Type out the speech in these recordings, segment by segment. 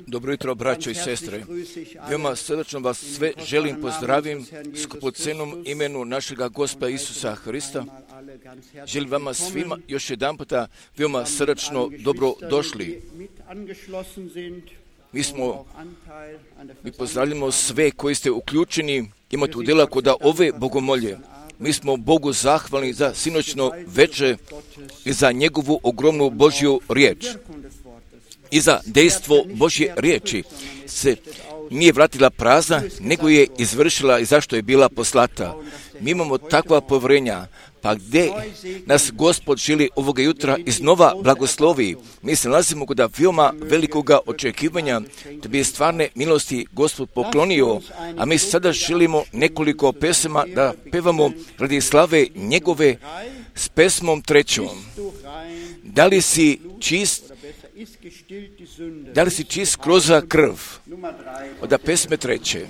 Dobro jutro, braćo i sestre. Veoma srdačno vas sve želim pozdravim skupocenom imenu našega Gospoda Isusa Hrista. Želim vama svima još jedan puta veoma srdačno dobro došli. Mi pozdravljamo sve koji ste uključeni, imate udjela kod ove bogomolje. Mi smo Bogu zahvalni za sinoćno večer i za njegovu ogromnu Božju riječ. I za dejstvo Božje riječi se nije vratila prazna, nego je izvršila i zašto je bila poslata. Mi imamo takva povjerenja, pa gdje nas Gospod želi ovoga jutra iznova blagoslovi. Mi se nalazimo kod veoma velikoga očekivanja da bi stvarne milosti Gospod poklonio, a mi sada želimo nekoliko pesama da pevamo radi slave njegove s pesmom 3. Da li si čist kroz krv? Od pesme 3.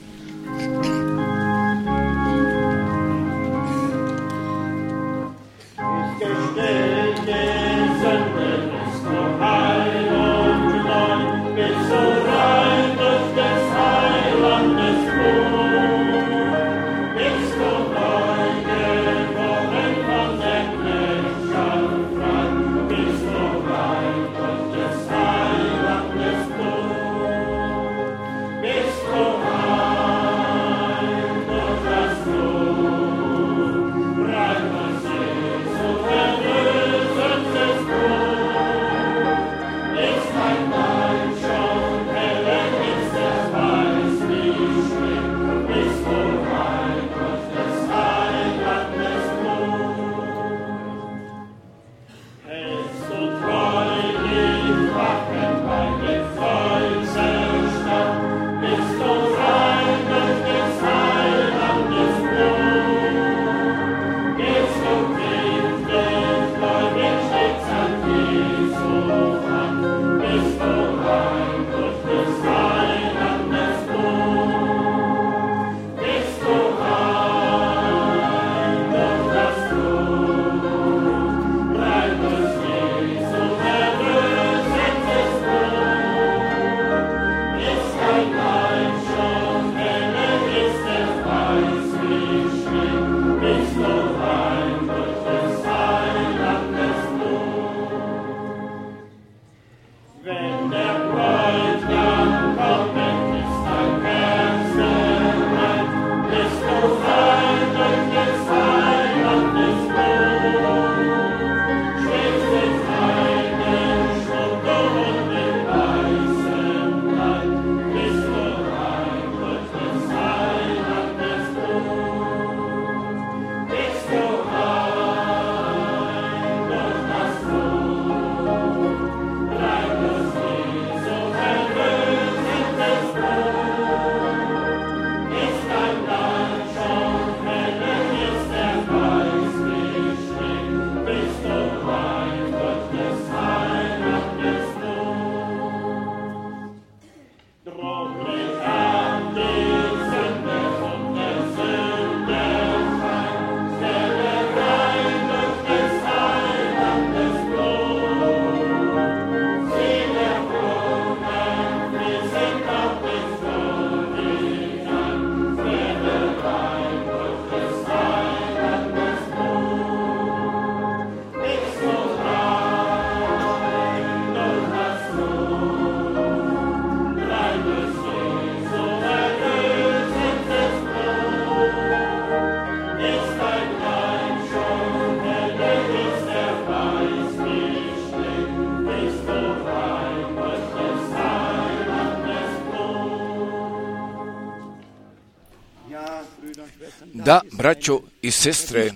Da, braćo i sestre,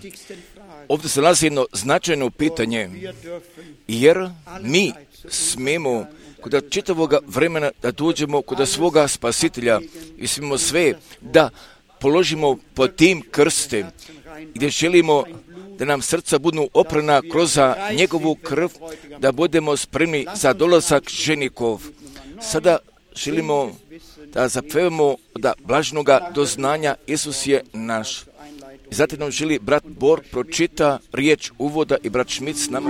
ovdje se nalazi jedno značajno pitanje, jer mi smemo kod čitavog vremena da dođemo kod svoga spasitelja i smemo sve da položimo pod tim krste, gdje želimo da nam srca budu oprana kroz njegovu krv, da budemo spremni za dolazak ženikov. Sada želimo da zapevamo da blažnoga doznanja Isus je naš. I zatim nam želi brat Bor pročita riječ uvoda i brat Šmit s nama.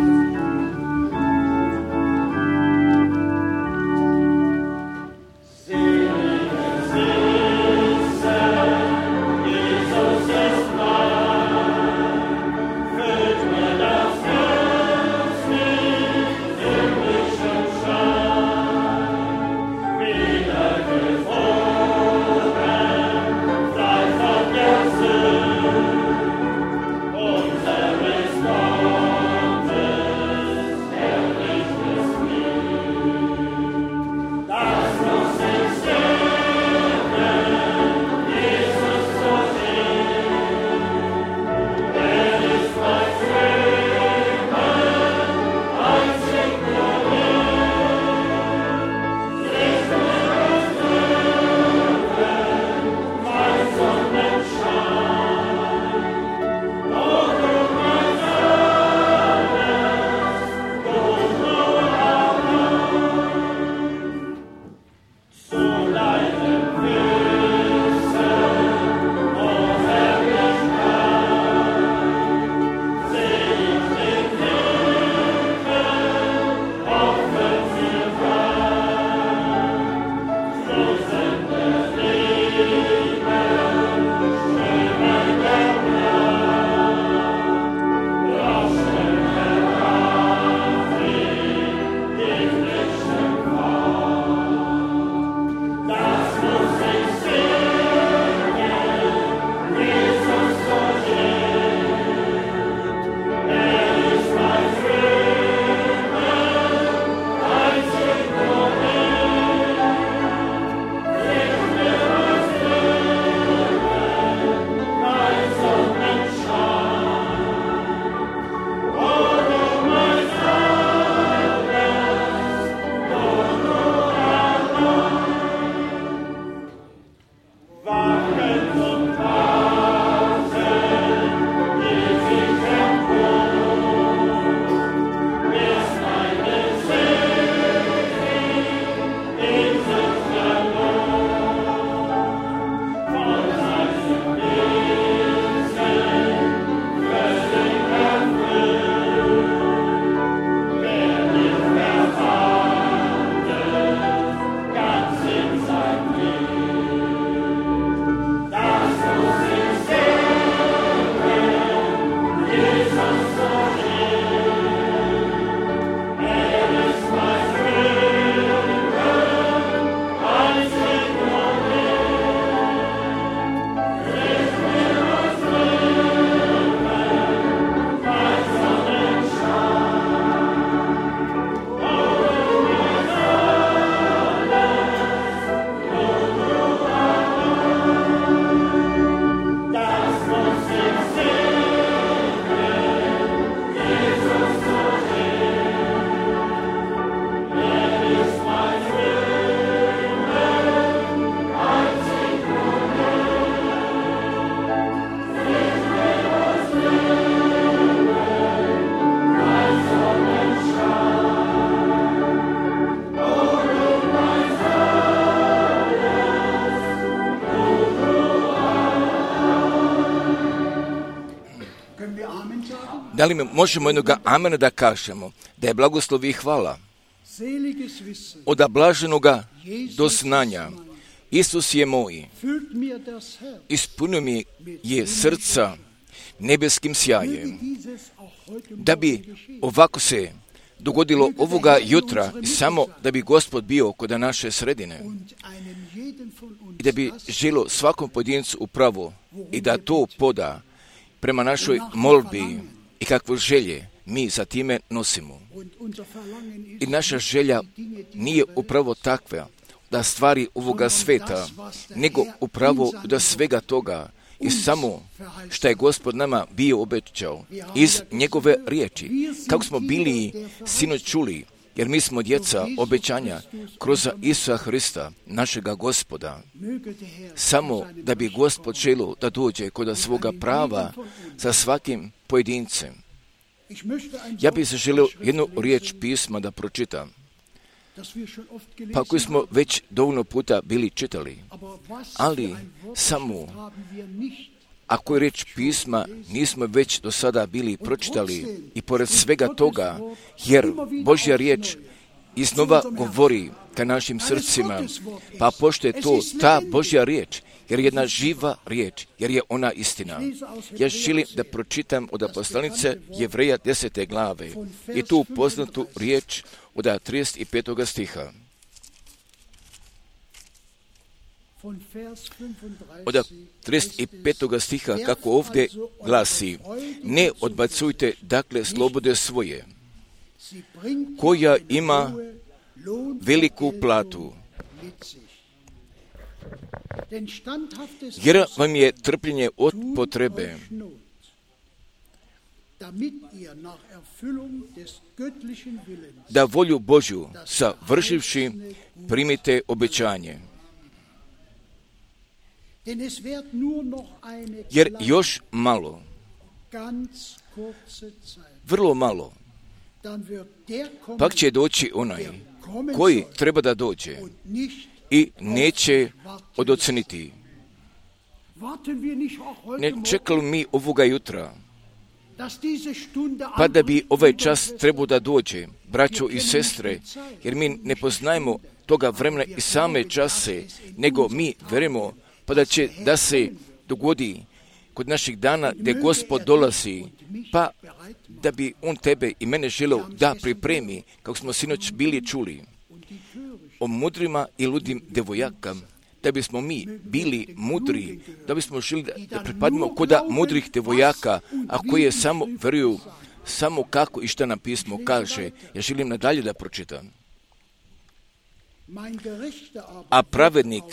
Da li mi možemo jednoga amena da kažemo, da je blagoslov i hvala od blaženoga doznanja. Isus je moj, ispunio mi je srca nebeskim sjajem. Da bi ovako se dogodilo ovoga jutra, samo da bi Gospod bio kod naše sredine i da bi želio svakom pojedincu upravo i da to poda prema našoj molbi i kakve želje mi za time nosimo. I naša želja nije upravo takva da stvari ovoga sveta, nego upravo da svega toga i samo što je Gospod nama bio obećao iz njegove riječi. Kako smo bili sinoć čuli, jer mi smo djeca obećanja kroz Isusa Hrista, našega Gospoda. Samo da bi Gospod želio da dođe kod svoga prava sa svakim pojedincem. Ja bih se želio jednu riječ pisma da pročitam, pa koju smo već dovoljno puta bili čitali, ali samo ako je riječ pisma nismo već do sada bili pročitali i pored svega toga, jer Božja riječ iznova govori ka našim srcima, pa pošto je to ta Božja riječ, jer je jedna živa riječ, jer je ona istina. Ja želim da pročitam od poslanice Jevreja 10. glave i tu poznatu riječ od 35. stiha. Od 35. stiha kako ovdje glasi: ne odbacujte dakle slobode svoje, koja ima veliku platu, jer vam je trpljenje od potrebe, da volju Božju savršivši primite obećanje. Jer još malo, vrlo malo, pak će doći onaj koji treba da dođe i neće odoceniti. Ne čekali mi ovoga jutra, pa da bi ovaj čas trebao da dođe, braćo i sestre, jer mi ne poznajemo toga vremena i same čase, nego mi verujemo pa da će da se dogodi kod naših dana gdje Gospod dolazi, pa da bi On tebe i mene želio da pripremi, kako smo sinoć bili čuli, o mudrima i ludim devojaka, da bismo mi bili mudri, da bismo želi da pripadimo kod mudrih devojaka, a koje samo veruju samo kako i šta nam pismo kaže. Ja želim nadalje da pročitam. A pravednik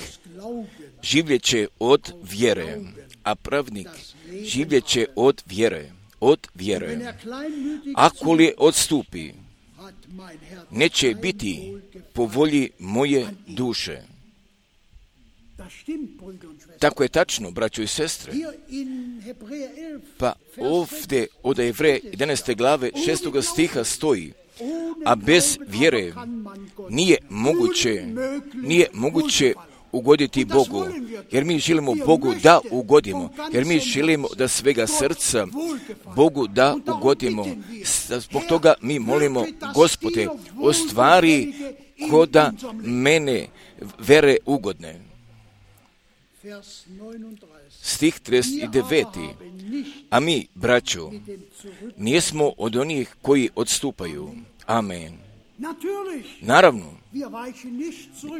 življeće od vjere. A pravednik življeće od vjere. Od vjere. Ako li odstupi, neće biti po volji moje duše. Tako je tačno, braćo i sestre. Pa ovdje od Jevreja 11. glave 6. stiha stoji: a bez vjere nije moguće ugoditi Bogu, jer mi želimo Bogu da ugodimo, jer mi želimo da svega srca Bogu da ugodimo. Zbog toga mi molimo: Gospode, ostvari koda mene vere ugodne. Stih 39. A mi, braćo, nismo od onih koji odstupaju. Amen. Naravno,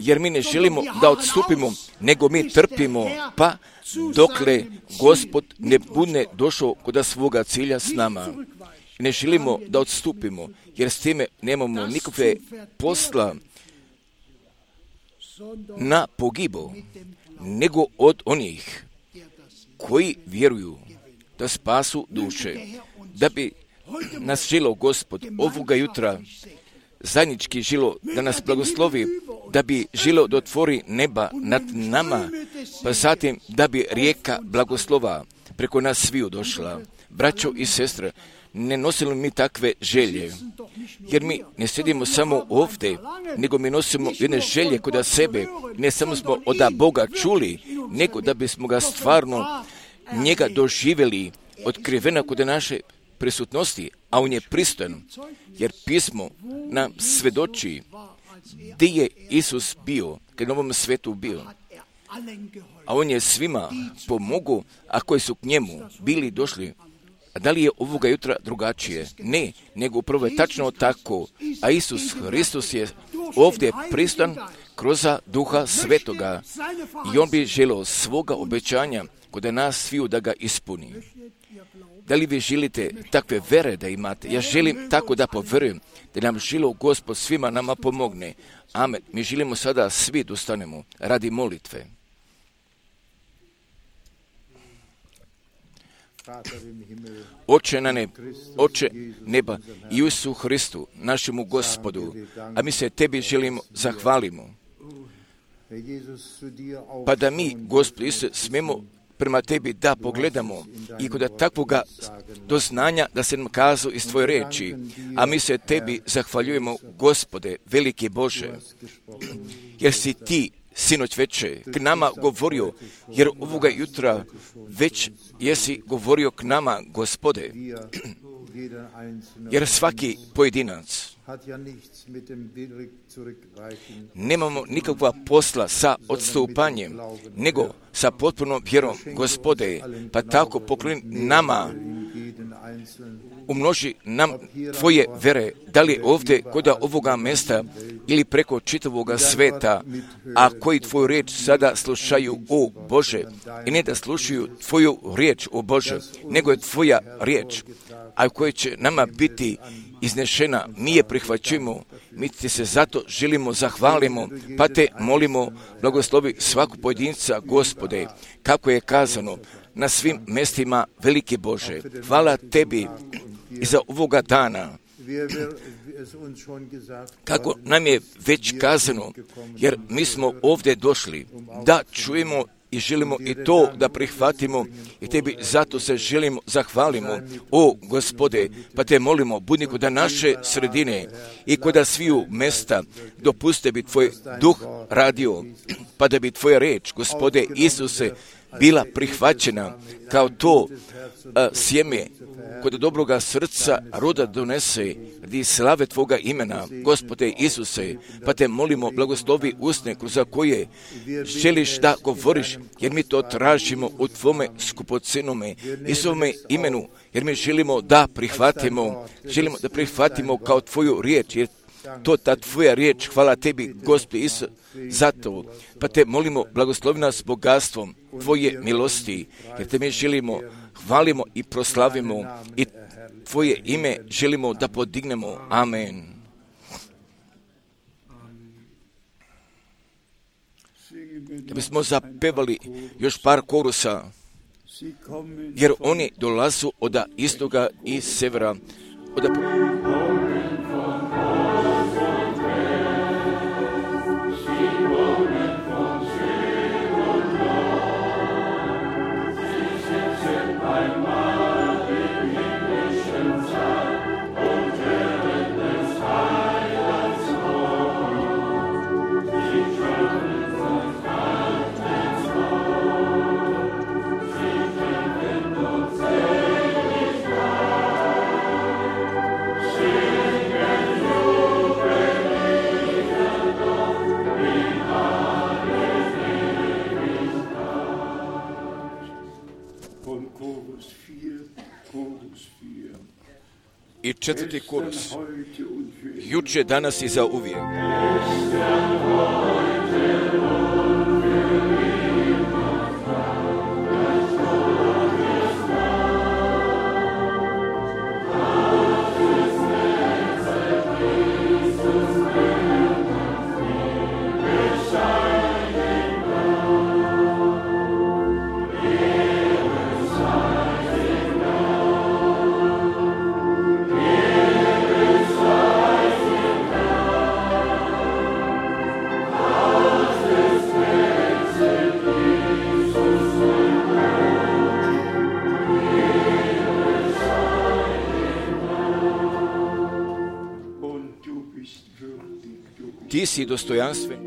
jer mi ne želimo da odstupimo, nego mi trpimo, pa dokle Gospod ne bude došao kod svoga cilja s nama. Ne želimo da odstupimo, jer s time nemamo nikakve posla na pogibu, nego od onih koji vjeruju da spasu duše. Da bi nas želio Gospod ovoga jutra zajednički želio da nas blagoslovi, da bi želio da otvori neba nad nama, pa zatim da bi rijeka blagoslova preko nas sviju došla. Braćo i sestre, ne nosimo mi takve želje, jer mi ne sjedimo samo ovdje, nego mi nosimo jedne želje kod sebe, ne samo smo od Boga čuli, nego da bismo ga stvarno njega doživjeli, otkrivena kod naše prisutnosti, a on je pristojan, jer pismo nam svedoči gdje je Isus bio, kad na ovom svetu bio. A on je svima pomogao, a koji su k njemu bili došli. A da li je ovoga jutra drugačije? Ne, nego upravo je tačno tako. A Isus Hristos je ovdje pristojan kroz Duha Svetoga. I on bi želio svoga obećanja kod nas sviju da ga ispuni. Da li vi želite takve vere da imate? Ja želim tako da povjerujem da nam želio Gospod svima nama pomogne. Amen. Mi želimo sada svi da ustanemo radi molitve. Oče neba, Isusu Hristu, našemu Gospodu, a mi se tebi želimo zahvalimo. Pa da mi, Gospod Isus, smemo prema tebi da pogledamo i kod takvoga doznanja da se nam kazu iz tvoje reči, a mi se tebi zahvaljujemo, Gospode, veliki Bože, jer si ti sinoć veče k nama govorio, jer ovoga jutra već jesi govorio k nama, Gospode, jer svaki pojedinac nemamo nikakva posla sa odstupanjem, nego sa potpunom vjerom, Gospode, pa tako pokloni nama, umnoži nam tvoje vere, da li ovdje kod ovoga mjesta ili preko čitavoga sveta, a koji tvoju riječ sada slušaju, o Bože, i ne da slušaju tvoju riječ, o Bože, nego je tvoja riječ, a koja će nama biti iznešena, mi je prihvaćujemo, mi ti se zato želimo, zahvalimo, pa te molimo, blagoslovi svaku pojedinca, Gospode, kako je kazano, na svim mjestima, veliki Bože. Hvala tebi i za ovoga dana, kako nam je već kazano, jer mi smo ovdje došli da čujemo i želimo i to da prihvatimo i tebi zato se želimo, zahvalimo, o Gospode, pa te molimo, budi kod naše sredine i kod sviju mesta, dopuste bi tvoj duh radio, pa da bi tvoja reč, Gospode Isuse, bila prihvaćena kao to sjeme kod dobroga srca roda donese radi slave tvoga imena, Gospode Isuse, pa te molimo, blagoslovi usne kroz koje želiš da govoriš, jer mi to tražimo u tvome skupocenome i svome imenu, jer mi želimo da prihvatimo kao tvoju riječ, jer to ta tvoja riječ, hvala tebi, Gospode Isus, zato, pa te molimo, blagoslovi nas bogatstvom tvoje milosti, jer te mi želimo, hvalimo i proslavimo i tvoje ime želimo da podignemo. Amen. Da bismo zapevali još par korusa, jer oni dolazu od istoga i severa, i četvrti korus. Juče, danas i za uvijek. Ti si dostojanstven.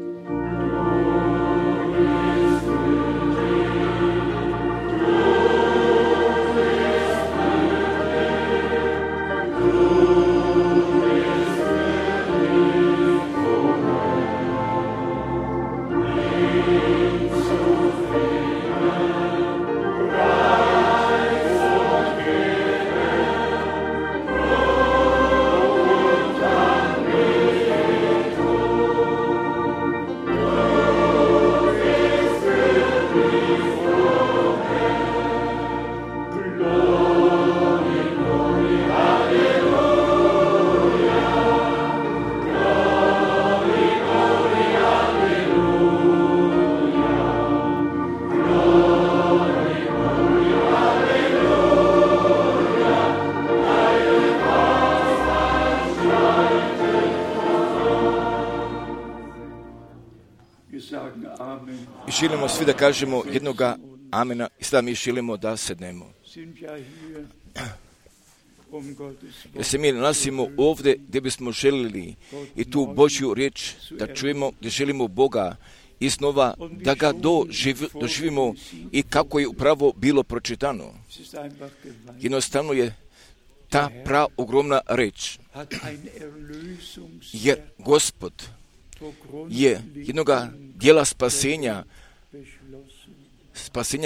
I želimo svi da kažemo jednoga amena i sada mi želimo da sednemo. Jer se mi nalazimo ovdje gdje bismo želili i tu Božju riječ da čujemo, gdje želimo Boga iznova da ga doživimo i kako je upravo bilo pročitano. Jednostavno je ta ogromna reč. Jer Gospod je jednoga dijela spasenja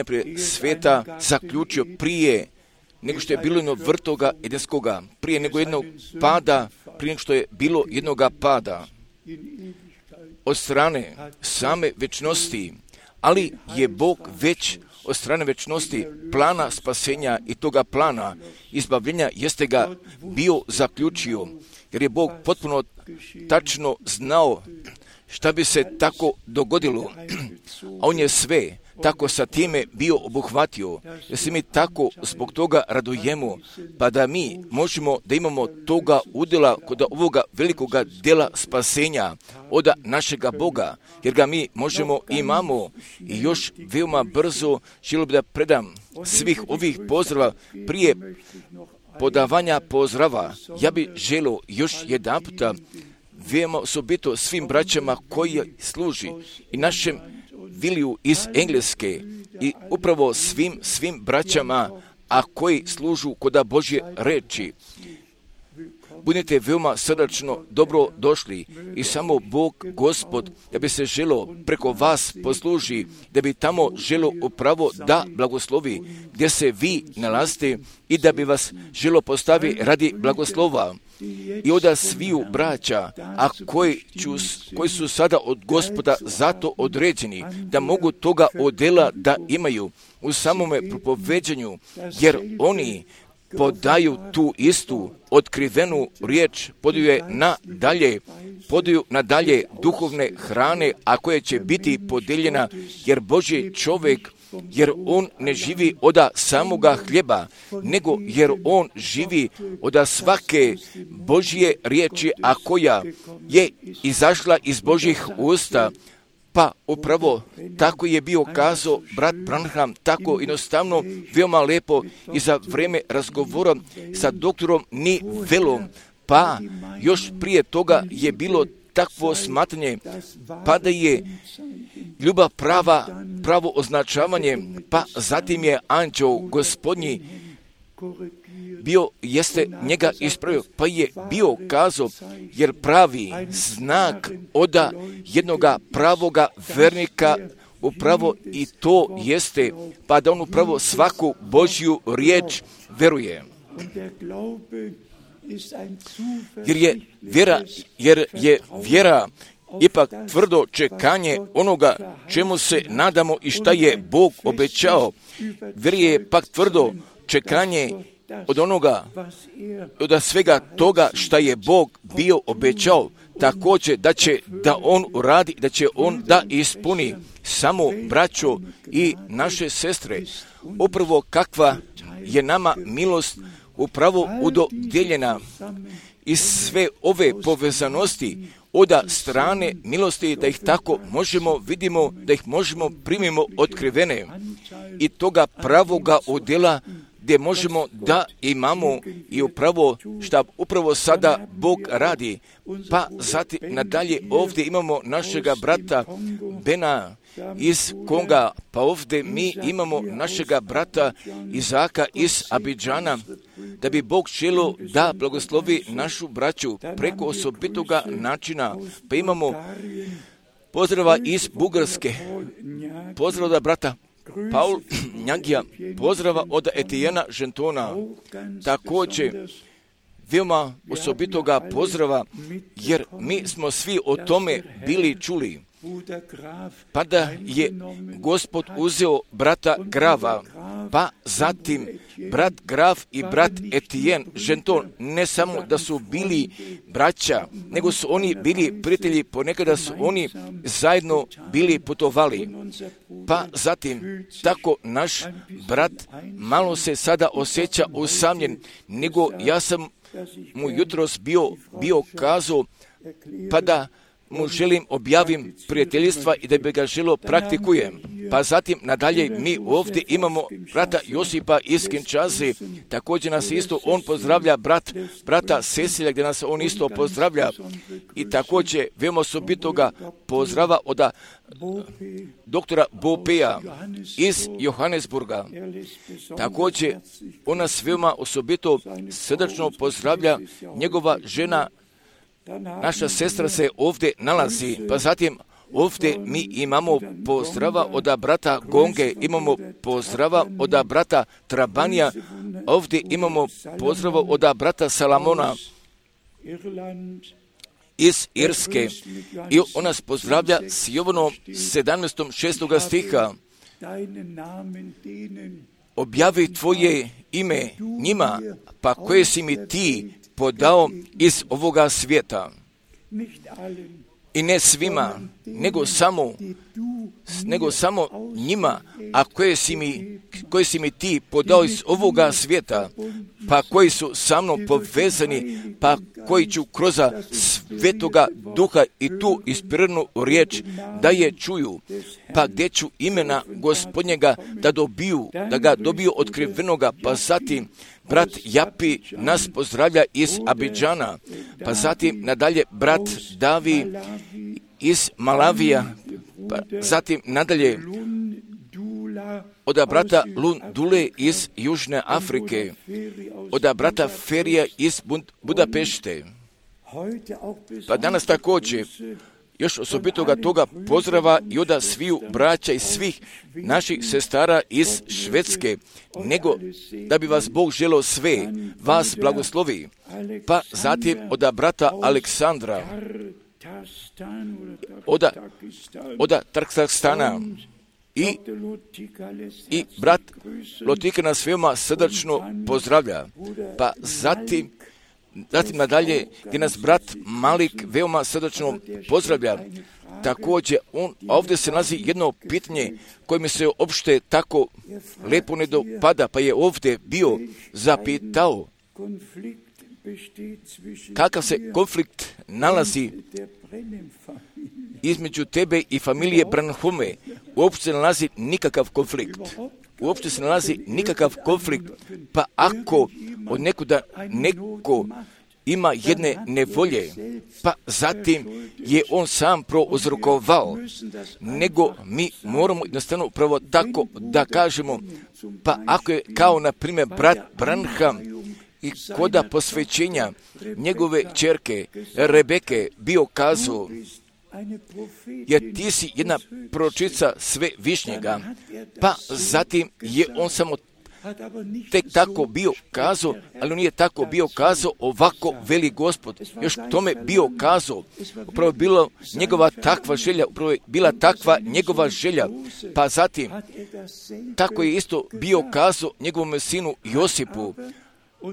prije sveta zaključio prije nego što je bilo jednog vrtoga edenskoga, prije nego jednog pada, prije nego što je bilo jednoga pada od strane same večnosti, ali je Bog već od strane večnosti plana spasenja i toga plana izbavljenja jeste ga bio zaključio, jer je Bog potpuno tačno znao šta bi se tako dogodilo, a on je sve tako sa time bio obuhvatio, jer se mi tako zbog toga radujemo, pa da mi možemo da imamo toga udjela kod ovoga velikoga djela spasenja od našega Boga, jer ga mi možemo i imamo. I još veoma brzo želio bi da predam svih ovih pozdrava prije podavanja pozdrava. Ja bih želio još jedan puta veoma osobito svim braćama koji služi i našem Viliju iz Engleske i upravo svim braćama, a koji služu kod Božje reči. Budite veoma srdačno dobro došli i samo Bog, Gospod, da bi se želo preko vas posluži, da bi tamo želo upravo da blagoslovi gdje se vi nalazite i da bi vas želo postavi radi blagoslova. I od sviju braća, a koji su sada od Gospoda zato određeni, da mogu toga odjela da imaju u samome propoveđenju, jer oni podaju tu istu otkrivenu riječ, podaju nadalje duhovne hrane, a koja će biti podijeljena, jer Božji čovjek, jer on ne živi od samoga hljeba, nego jer on živi od svake Božje riječi, a koja je izašla iz Božjih usta. Pa upravo tako je bio kazao brat Branham, tako jednostavno, veoma lepo i za vrijeme razgovora sa doktorom Nivelom. Pa još prije toga je bilo takvo smatranje, pa da je ljubav pravo označavanje, pa zatim je anđeo Gospodnji jeste njega ispravio, pa je bio kazao, jer pravi znak od jednoga pravoga vernika upravo i to jeste, pa da on upravo svaku Božju riječ veruje. Jer je vjera ipak tvrdo čekanje onoga čemu se nadamo i šta je Bog obećao. Vjera je pak tvrdo čekanje od onoga, od svega toga šta je Bog bio obećao, također da on uradi, da će on da ispuni. Samo braćo i naše sestre, upravo kakva je nama milost upravo udodijeljena i sve ove povezanosti od strane milosti, da ih tako vidimo, da ih možemo primimo otkrivene i toga pravoga udjela gdje možemo da imamo i upravo sada Bog radi. Pa zatim nadalje ovdje imamo našega brata Bena iz Konga, pa ovdje mi imamo našega brata Izaka iz Abidžana, da bi Bog želio da blagoslovi našu braću preko osobitoga načina. Pa imamo pozdrava iz Bugarske, pozdrava od brata Paul Njagija, pozdrava od Etijena Žentona, također veoma osobitoga pozdrava, jer mi smo svi o tome bili čuli. Pa da je Gospod uzeo brata Grava, pa zatim brat Graf i brat Etijen Ženton, ne samo da su bili braća, nego su oni bili prijatelji, ponekada su oni zajedno bili putovali. Pa zatim, tako naš brat malo se sada osjeća usamljen, nego ja sam mu jutros bio kazao, pa da mu želim objavim prijateljstva i da bi ga želo praktikujem. Pa zatim nadalje mi ovdje imamo brata Josipa iz Kinshase, također nas isto on pozdravlja, brata Cecilija gdje nas on isto pozdravlja i također veoma osobito ga pozdrava od doktora Bopeja iz Johannesburga. Također on nas veoma osobito srdačno pozdravlja, njegova žena, naša sestra se ovdje nalazi, pa zatim ovdje mi imamo pozdrava od brata Gonge, imamo pozdrava od brata Trabanija, ovdje imamo pozdrava od brata Salamona iz Irske i on nas pozdravlja s Jovanom 17.6. stiha. Objavi tvoje ime njima, pa koje si mi ti podao iz ovoga svijeta. I ne svima, nego samo njima, a koje si mi ti podao iz ovoga svijeta, pa koji su sa mnom povezani, pa koji ću kroz Svetoga Duha i tu ispiranu riječ da je čuju, pa gdje ću imena Gospodnjega da ga dobiju otkrivenoga, pa zatim brat Japi nas pozdravlja iz Abidžana, pa zatim nadalje brat Davi iz Malavija, pa zatim nadalje od brata Lundule iz Južne Afrike, od brata Ferija iz Budapešte. Pa danas također još osobitoga toga pozdrava i od sviju braća i svih naših sestara iz Švedske, nego da bi vas Bog želeo sve, vas blagoslovi. Pa zatim od brata Aleksandra, od Tarkstana i brat Lotika nas veoma srdačno pozdravlja. Pa zatim nadalje gdje nas brat Malik veoma srdačno pozdravlja. Također ovdje se nalazi jedno pitanje koje mi se uopšte tako lepo ne dopada, pa je ovdje bio zapitao kakav se konflikt nalazi između tebe i familije Branhome. Uopšte se nalazi nikakav konflikt. Pa ako od nekuda neko ima jedne nevolje, pa zatim je on sam prouzrokovao, nego mi moramo jednostavno upravo tako da kažemo, pa ako je kao na primjer brat Branham i koda posvećenja njegove ćerke Rebeke bio kazao, jer ti si jedna proročica Svevišnjega, pa zatim je on samo tek tako bio kazao, ali on nije tako bio kazao, ovako veli Gospod, još tome bio kazao, upravo je bila njegova takva želja, pa zatim tako je isto bio kazao njegovom sinu Josipu,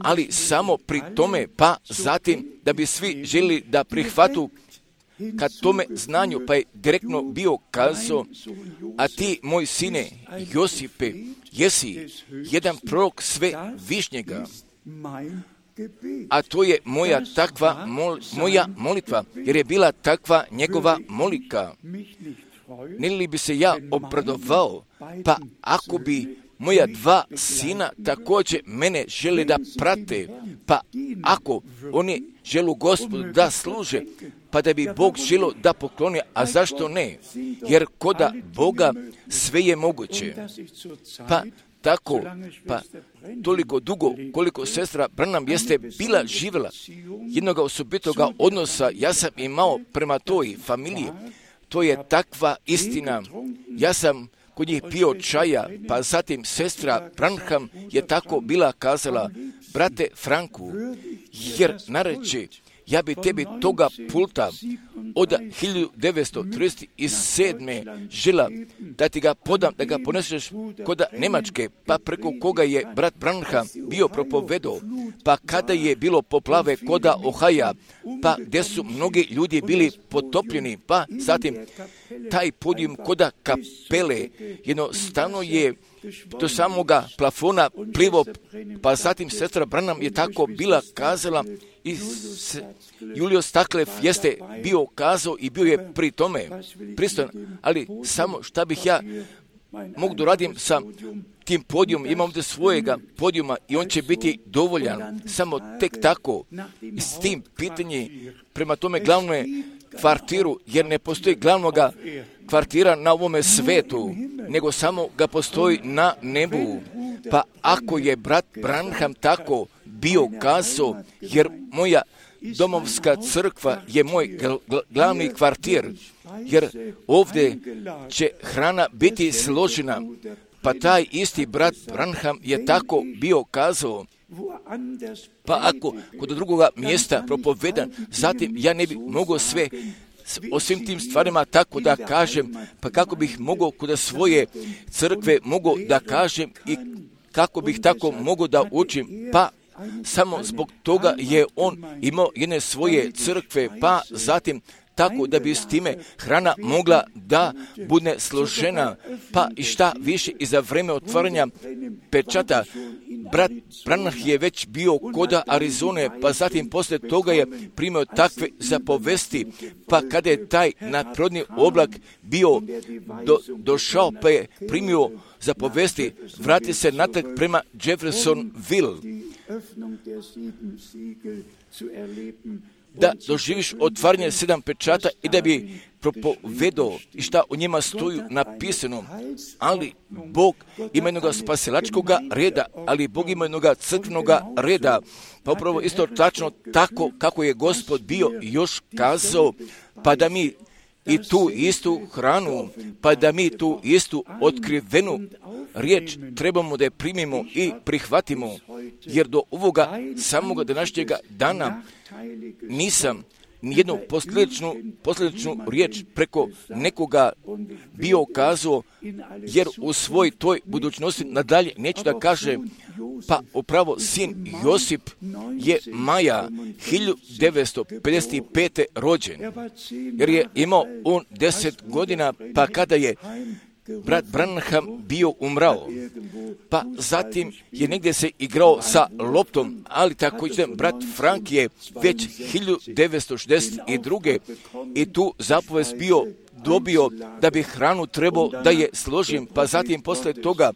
ali samo pri tome, pa zatim da bi svi željeli da prihvatu kad tome znanju, pa je direktno bio kazao, a ti, moj sine Josipe, jesi jedan prorok Svevišnjega, a to je moja takva moja molitva, jer je bila takva njegova molika. Ne li bi se ja obradovao, pa ako bi moja dva sina također mene žele da prate, pa ako oni želu Gospodu da služe, pa da bi Bog želio da pokloni, a zašto ne? Jer koda Boga sve je moguće. Pa tako, pa toliko dugo koliko sestra Branham jeste bila živjela jednoga osobitoga odnosa, ja sam imao prema toj familiji, to je takva istina. Ja sam kod njih pio čaja, pa zatim sestra Branham je tako bila kazala, brate Franku, jer nareče, ja bi tebi toga pulta od 1937. žela da ti ga podam, da ga poneseš kod Njemačke, pa preko koga je brat Branham bio propovedao, pa kada je bilo poplave koda Ohaja, pa gdje su mnogi ljudi bili potopljeni, pa zatim taj podijum koda kapele jednostavno je do samoga plafona plivo, pa zatim sestra Branham je tako bila kazala i Julio Staklev jeste bio kazao i bio je pri tome pristojan, ali samo šta bih ja mogu da radim sa tim podijumom, imam ovdje svojega podijuma i on će biti dovoljan, samo tek tako i s tim pitanje prema tome glavnome kvartiru, jer ne postoji glavnoga kvartira na ovome svetu, nego samo ga postoji na nebu. Pa ako je brat Branham tako bio kazao, jer moja domovska crkva je moj glavni kvartir, jer ovdje će hrana biti složena, pa taj isti brat Branham je tako bio kazao. Pa ako kod drugoga mjesta propovedan, zatim ja ne bih mogao sve o svim tim stvarima tako da kažem, pa kako bih mogao kod svoje crkve mogao da kažem i kako bih tako mogao da učim, pa samo zbog toga je on imao jedne svoje crkve, pa zatim tako da bi s time hrana mogla da bude složena, pa i šta više i za vreme otvaranja pečata. Brat Branham je već bio koda Arizone, pa zatim poslije toga je primio takve zapovesti, pa kada je taj nadprirodni oblak bio došao, pa je primio zapovesti, vrati se natrag prema Jeffersonville, da doživiš otvaranje 7 pečata i da bi propovedao i šta o njima stoju napisano. Ali Bog ima jednog spasilačkog reda, ali Bog ima jednog crkvenog reda. Pa upravo isto tačno tako kako je Gospod bio još kazao, pa da mi i tu istu hranu, pa da mi tu istu otkrivenu riječ trebamo da je primimo i prihvatimo, jer do ovoga samoga današnjega dana nisam nijednu posljedičnu riječ preko nekoga bio kazao, jer u svoj toj budućnosti nadalje neću da kažem, pa upravo sin Josip je maja 1955. rođen, jer je imao on 10 godina, pa kada je brat Branham bio umrao, pa zatim je negdje se igrao sa loptom, ali također brat Frank je već 1962. i tu zapovest bio dobio da bi hranu trebao da je složim, pa zatim posle toga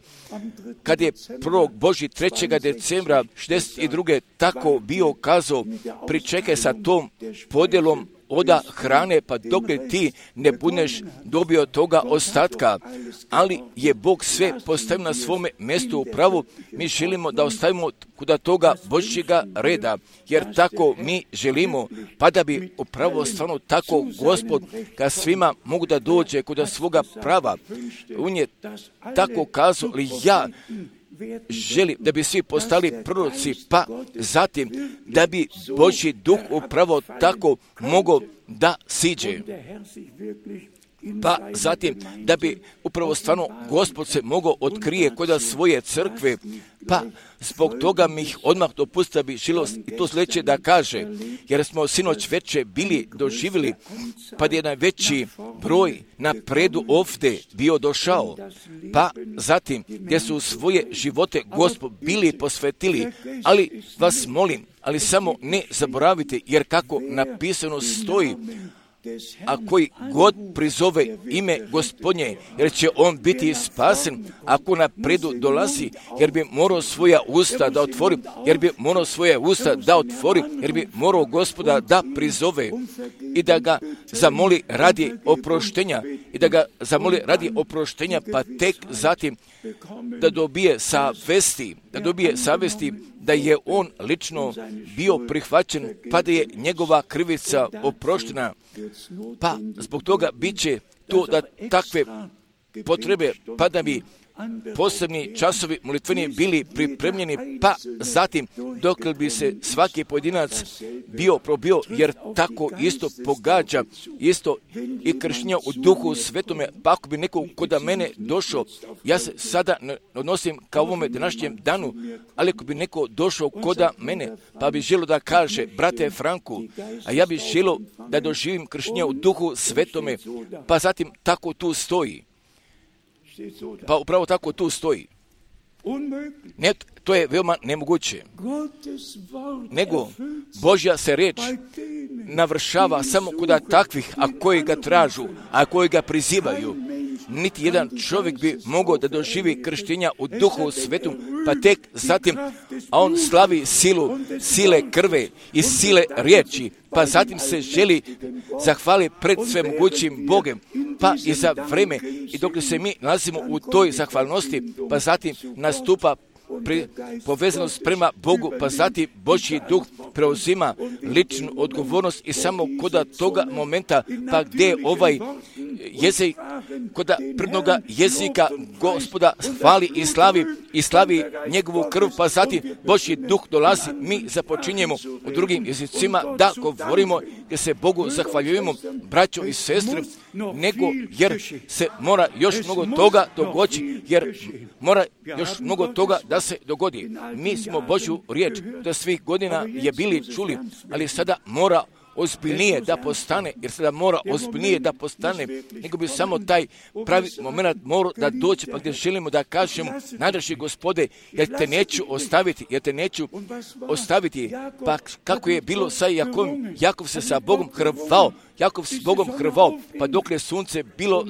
kad je 1. Božji 3. decembra 62. tako bio kazao, pričekaj sa tom podjelom oda hrane, pa dok ti ne budeš dobio toga ostatka, ali je Bog sve postavio na svome mjestu u pravu. Mi želimo da ostavimo kuda toga Božjega reda, jer tako mi želimo, pa da bi upravo stvarno tako Gospod ka svima mogu da dođe kuda svoga prava. On je tako kazao, ali ja želim da bi svi postali proroci, pa zatim da bi Božji duh upravo tako mogao da siđe. Pa zatim da bi upravo stvarno Gospod se mogao otkrije kod svoje crkve, pa zbog toga mi ih odmah dopustiti da bi žilo i to sljedeće da kaže, jer smo sinoć veče bili doživjeli, pa je jedan veći broj na predu ovdje bio došao, pa zatim gdje su svoje živote Gospod bili posvetili, ali vas molim, ali samo ne zaboravite, jer kako napisano stoji, a koji god prizove ime Gospodnje, jer će on biti spasen, ako na predu dolazi, jer bi morao svoja usta da otvori, jer bi morao Gospoda da prizove i da ga zamoli radi oproštenja, pa tek zatim da dobije savesti da je on lično bio prihvaćen, pa da je njegova krivica oproštena. Pa zbog toga bit će to da takve potrebe, pa da bi posebni časovi molitveni bili pripremljeni, pa zatim dok bi se svaki pojedinac bio probio, jer tako isto pogađa, isto i kršenja u Duhu Svetome, pa ako bi neko kod mene došao, ja se sada ne odnosim ka ovome današnjem danu, ali ako bi neko došao kod mene, pa bi želio da kaže, brate Franku, a ja bi želio da doživim kršenja u Duhu Svetome, pa zatim tako tu stoji. Pa upravo tako tu stoji. Ne, to je veoma nemoguće. Nego Božja se riječ navršava samo kod takvih, a koji ga tražu, a koji ga prizivaju. Niti jedan čovjek bi mogao da doživi krštenja u Duhu Svetom, pa tek zatim, a on slavi silu, sile krve i sile riječi, pa zatim se želi zahvali pred svemogućim Bogom, pa i za vreme, i dok se mi nalazimo u toj zahvalnosti, pa zatim nastupa povezanost prema Bogu, pa zatim Božji duh preuzima ličnu odgovornost i samo kod toga momenta, pa gdje ovaj jezik, kod prvnoga jezika Gospoda hvali i slavi njegovu krv, pa zatim Božji duh dolazi, mi započinjemo u drugim jezicima da govorimo, jer se Bogu zahvaljujemo, braćo i sestre, nego jer se mora još mnogo toga dogoditi, jer mora još mnogo toga da se dogodi. Mi smo Božju riječ do svih godina je bili čuli, ali sada mora ozbiljnije da postane, jer sada mora ozbiljnije da postane, nego bi samo taj pravi moment morao da dođe, pa gdje želimo da kažemo, najdraži Gospode, jer te neću ostaviti, pa kako je bilo sa Jakovom, Jakov se sa Bogom hrvao, pa dok je sunce bilo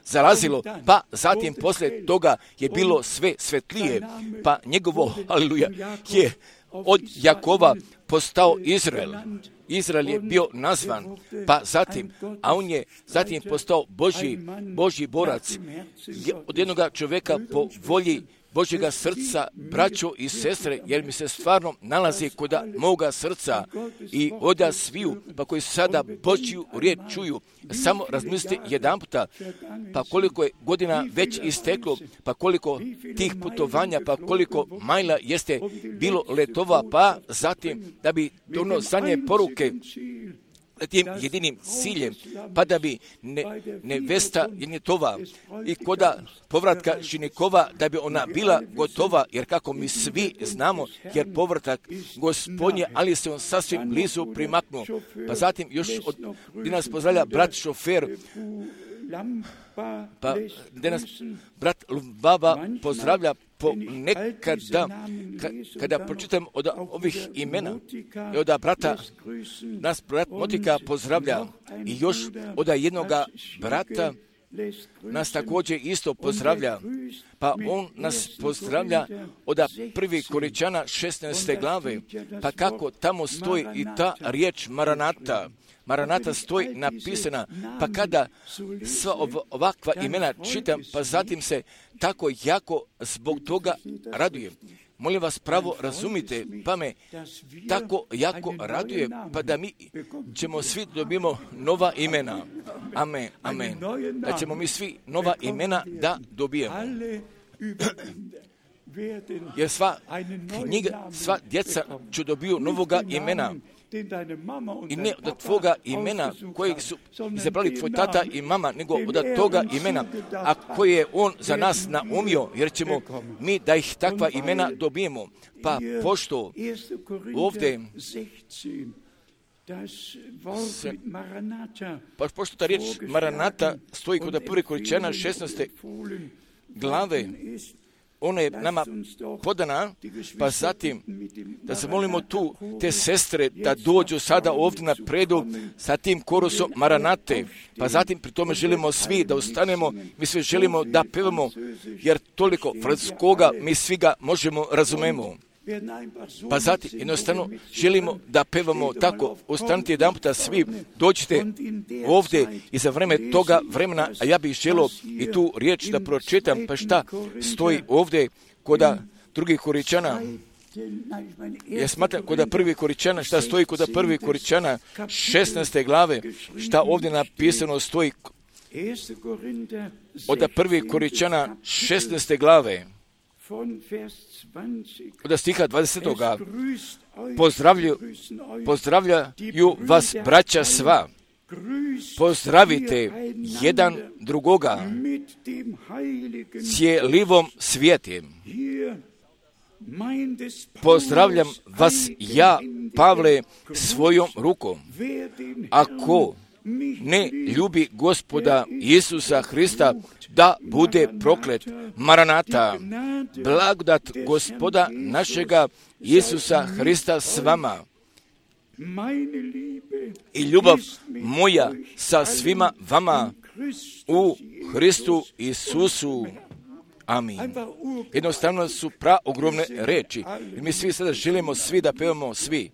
zalazilo, pa zatim poslije toga je bilo sve svetlije, pa njegovo, aleluja, je od Jakova postao Izrael. Izrael je bio nazvan, pa zatim, a on je zatim postao Božji borac, od jednog čovjeka po volji Božjega srca, braćo i sestre, jer mi se stvarno nalazi kod moga srca i oda sviju, pa koji sada Božju riječ čuju, samo razmislite jedan puta, pa koliko je godina već isteklo, pa koliko tih putovanja, pa koliko majla jeste bilo letova, pa zatim da bi ono zadnje poruke tim jedinim ciljem, pa da bi nevesta jenjetova i koda povratka ženikova, da bi ona bila gotova, jer kako mi svi znamo, jer povratak Gospodnje, ali se on sasvim blizu primaknuo. Pa zatim još gdje nas pozdravlja brat šofer, pa gdje nas brat Baba pozdravlja ponekada, kada pročitam od ovih imena i od brata, nas brat Motika pozdravlja i još od jednoga brata nas također isto pozdravlja, pa on nas pozdravlja od 1. Korinćana 16. glave, pa kako tamo stoji i ta riječ Maranata stoji napisana, pa kada sva ovakva imena čitam, pa zatim se tako jako zbog toga radujem. Molim vas, pravo razumite, pa me tako jako raduje, pa da mi ćemo svi dobimo nova imena. Amen, amen. Da ćemo mi svi nova imena da dobijemo. Jer sva knjiga, sva djeca će dobiju novoga imena. I ne od tvoga imena kojeg su izabrali tvoj tata i mama, nego od toga imena, a koje je on za nas naumio, jer ćemo mi da ih takva imena dobijemo. Pa pošto ovdje pošto ta riječ Maranata stoji kod 1. Korinćana 16. glave, ona je nama podana, pa zatim da se molimo tu te sestre da dođu sada ovdje na predu sa tim korusom Maranate, pa zatim pri tome želimo svi da ustanemo, mi svi želimo da pevamo, jer toliko francuskoga mi svi ga možemo razumemo. Pa zatim jednostavno želimo da pevamo tako, ustanite jedan puta svi, dođite ovdje i za vreme toga vremena, a ja bih želio i tu riječ da pročitam, pa šta stoji ovdje kod 2. Korinćana. Ja smatram kod 1. Korinćana, šta stoji kod 1. Korinćana 16. glave, šta ovdje napisano stoji, od 1. Korinčana 16. glave, od stiha 20. Pozdravljaju vas braća sva. Pozdravite jedan drugoga cijelivom svijetem. Pozdravljam vas ja, Pavle, svojom rukom. Ako ne ljubi Gospoda Isusa Hrista, da bude proklet. Maranata, blagodat Gospoda našega Isusa Hrista s vama. I ljubav moja sa svima vama u Hristu Isusu. Amin. Jednostavno su praogromne reči. I mi svi sada želimo svi da pevamo svi.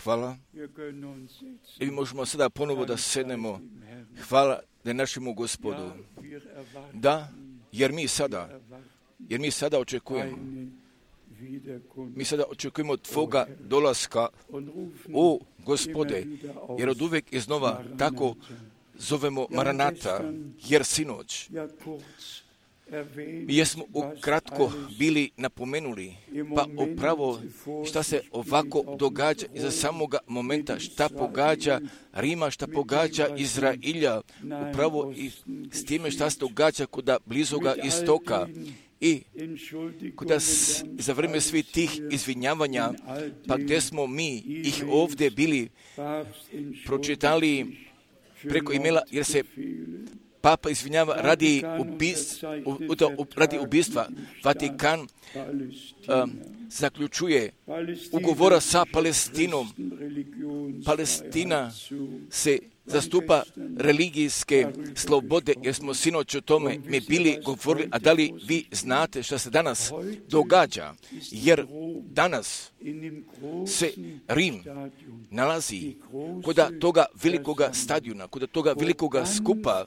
Hvala. I možemo sada ponovo da sednemo. Hvala da je našemu Gospodu. Da, jer mi sada očekujemo. Mi sada očekujemo Tvoga dolaska, o Gospode, jer od uvek iznova tako zovemo Maranata, jer sinoć mi jesmo ukratko bili napomenuli, pa upravo šta se ovako događa iza samoga momenta, šta pogađa Rima, šta pogađa Izrailja, upravo i s time šta se događa kod blizoga istoka I kada za vrijeme svih tih izvinjavanja, pa gdje smo mi ih ovdje bili pročitali preko imela, jer se Papa izvinjava radi ubistva. Vatikan zaključuje ugovora sa Palestinom. Palestina se zastupa religijske slobode, jer smo sinoć o tome mi bili govorili, a da li vi znate što se danas događa? Jer danas se Rim nalazi kod toga velikoga stadiona, kod toga velikoga skupa,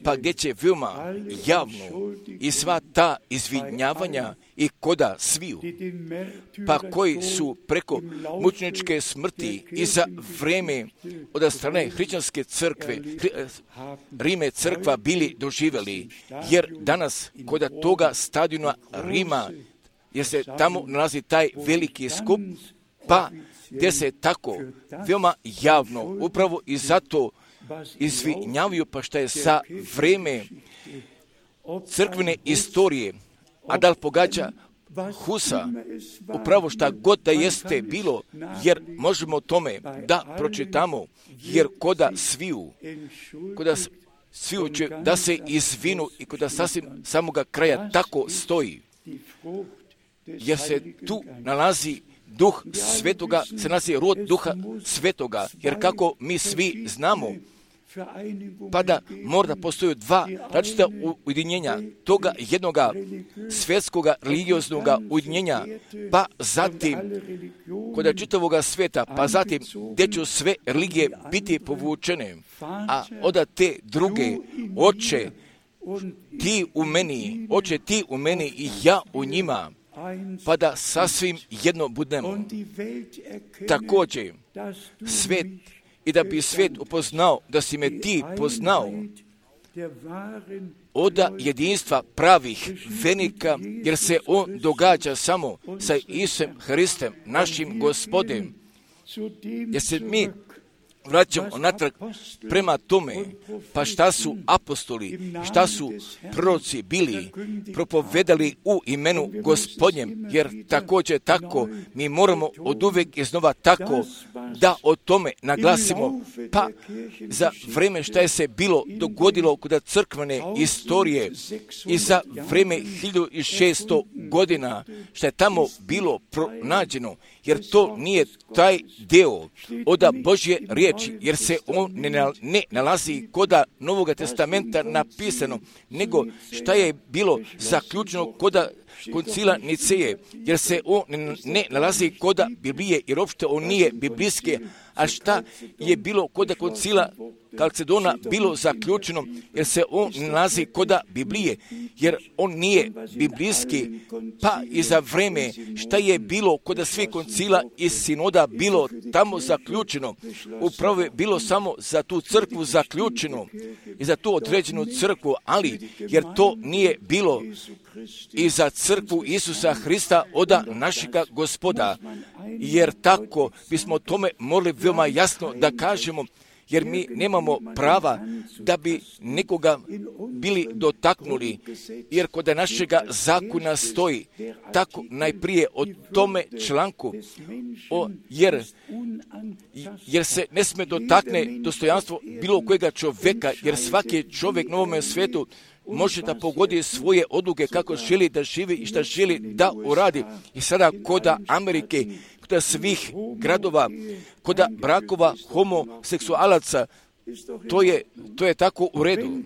pa gdje će veoma javno i sva ta izvinjavanja i koda sviju, pa koji su preko mučeničke smrti i za vrijeme od strane hrišćanske crkve, Rime crkva bili doživjeli, jer danas kod toga stadiona Rima, jer se tamo nalazi taj veliki skup, pa gdje se tako veoma javno, upravo i zato izvinjavaju, pa šta je sa vrijeme crkvene istorije, a da li pogađa Husa, upravo šta god da jeste bilo, jer možemo tome da pročitamo, jer koda sviju će da se izvinu i koda sasvim samoga kraja tako stoji, jer se tu nalazi Duh Svetoga, se nalazi rod Duha Svetoga, jer kako mi svi znamo, pa da mora postoji dva različita ujedinjenja toga jednoga svjetskoga religioznog ujedinjenja, pa zatim kod čitavoga svijeta, pa zatim gdje će sve religije biti povučene, a onda te druge, Oče ti u meni i ja u njima, pa da sasvim jedno budemo. Također, svijet, i da bi svijet upoznao da si me ti poznao, oda jedinstva pravih vernika, jer se on događa samo sa Isusom Hristom, našim Gospodem, jer se mi vraćamo onatrag prema tome, pa šta su apostoli, šta su proroci bili, propovedali u imenu Gospodnjem, jer također tako mi moramo od uvijek iznova tako da o tome naglasimo, pa za vrijeme šta je se bilo dogodilo kod crkvene istorije i za vrijeme 1600 godina šta je tamo bilo pronađeno, jer to nije taj deo od Božje riječi, jer se on ne nalazi koda Novoga testamenta napisano, nego šta je bilo zaključeno koda koncila Niceje, jer se on ne nalazi koda Biblije, jer uopšte on nije biblijski, a šta je bilo koda koncila Kalcedona bilo zaključeno, jer se on ne nalazi koda Biblije, jer on nije biblijski, pa i za vrijeme šta je bilo koda svih koncila i sinoda bilo tamo zaključeno, upravo je bilo samo za tu crkvu zaključeno i za tu određenu crkvu, ali jer to nije bilo i za crkvu Isusa Hrista oda našega Gospoda, jer tako bismo tome morali veoma jasno da kažemo, jer mi nemamo prava da bi nekoga bili dotaknuli, jer kod našega zakona stoji tako najprije o tome članku, jer se ne sme dotakne dostojanstvo bilo kojega čovjeka, jer svaki čovjek na ovome svijetu može da pogodi svoje odluke kako želi da živi i šta želi da uradi. I sada koda Amerike, koda svih gradova, koda brakova homoseksualaca, to je tako u redu.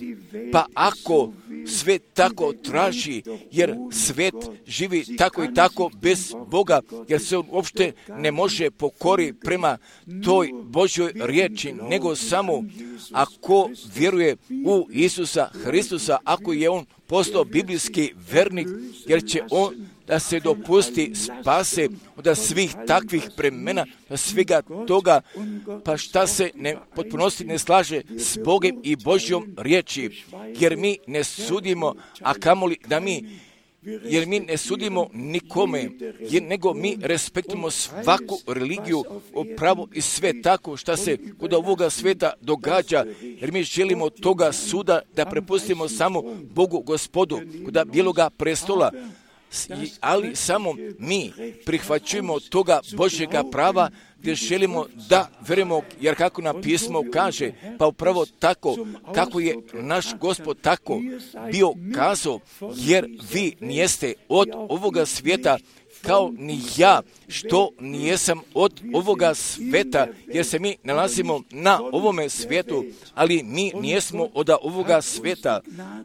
Pa ako svijet tako traži, jer svijet živi tako i tako bez Boga, jer se on uopšte ne može pokori prema toj Božjoj riječi, nego samo ako vjeruje u Isusa Hristusa, ako je on postao biblijski vernik, jer će on da se dopusti spase od svih takvih premena, od svega toga, pa šta se potpunosti ne slaže s Bogom i Božjom riječi, jer mi ne sudimo, a kamoli da mi jer mi ne sudimo nikome, nego mi respektujemo svaku religiju, pravo i sve tako što se kod ovoga sveta događa, jer mi želimo toga suda da prepustimo samo Bogu Gospodu, kod bijeloga prestola, ali samo mi prihvaćujemo toga Božjega prava gdje želimo da verujemo, jer kako nam pismo kaže, pa upravo tako kako je naš Gospod tako bio kazao, jer vi nijeste od ovoga svijeta, kao ni ja, što nijesam od ovoga svijeta, jer se mi nalazimo na ovome svijetu, ali mi nijesmo od ovoga svijeta.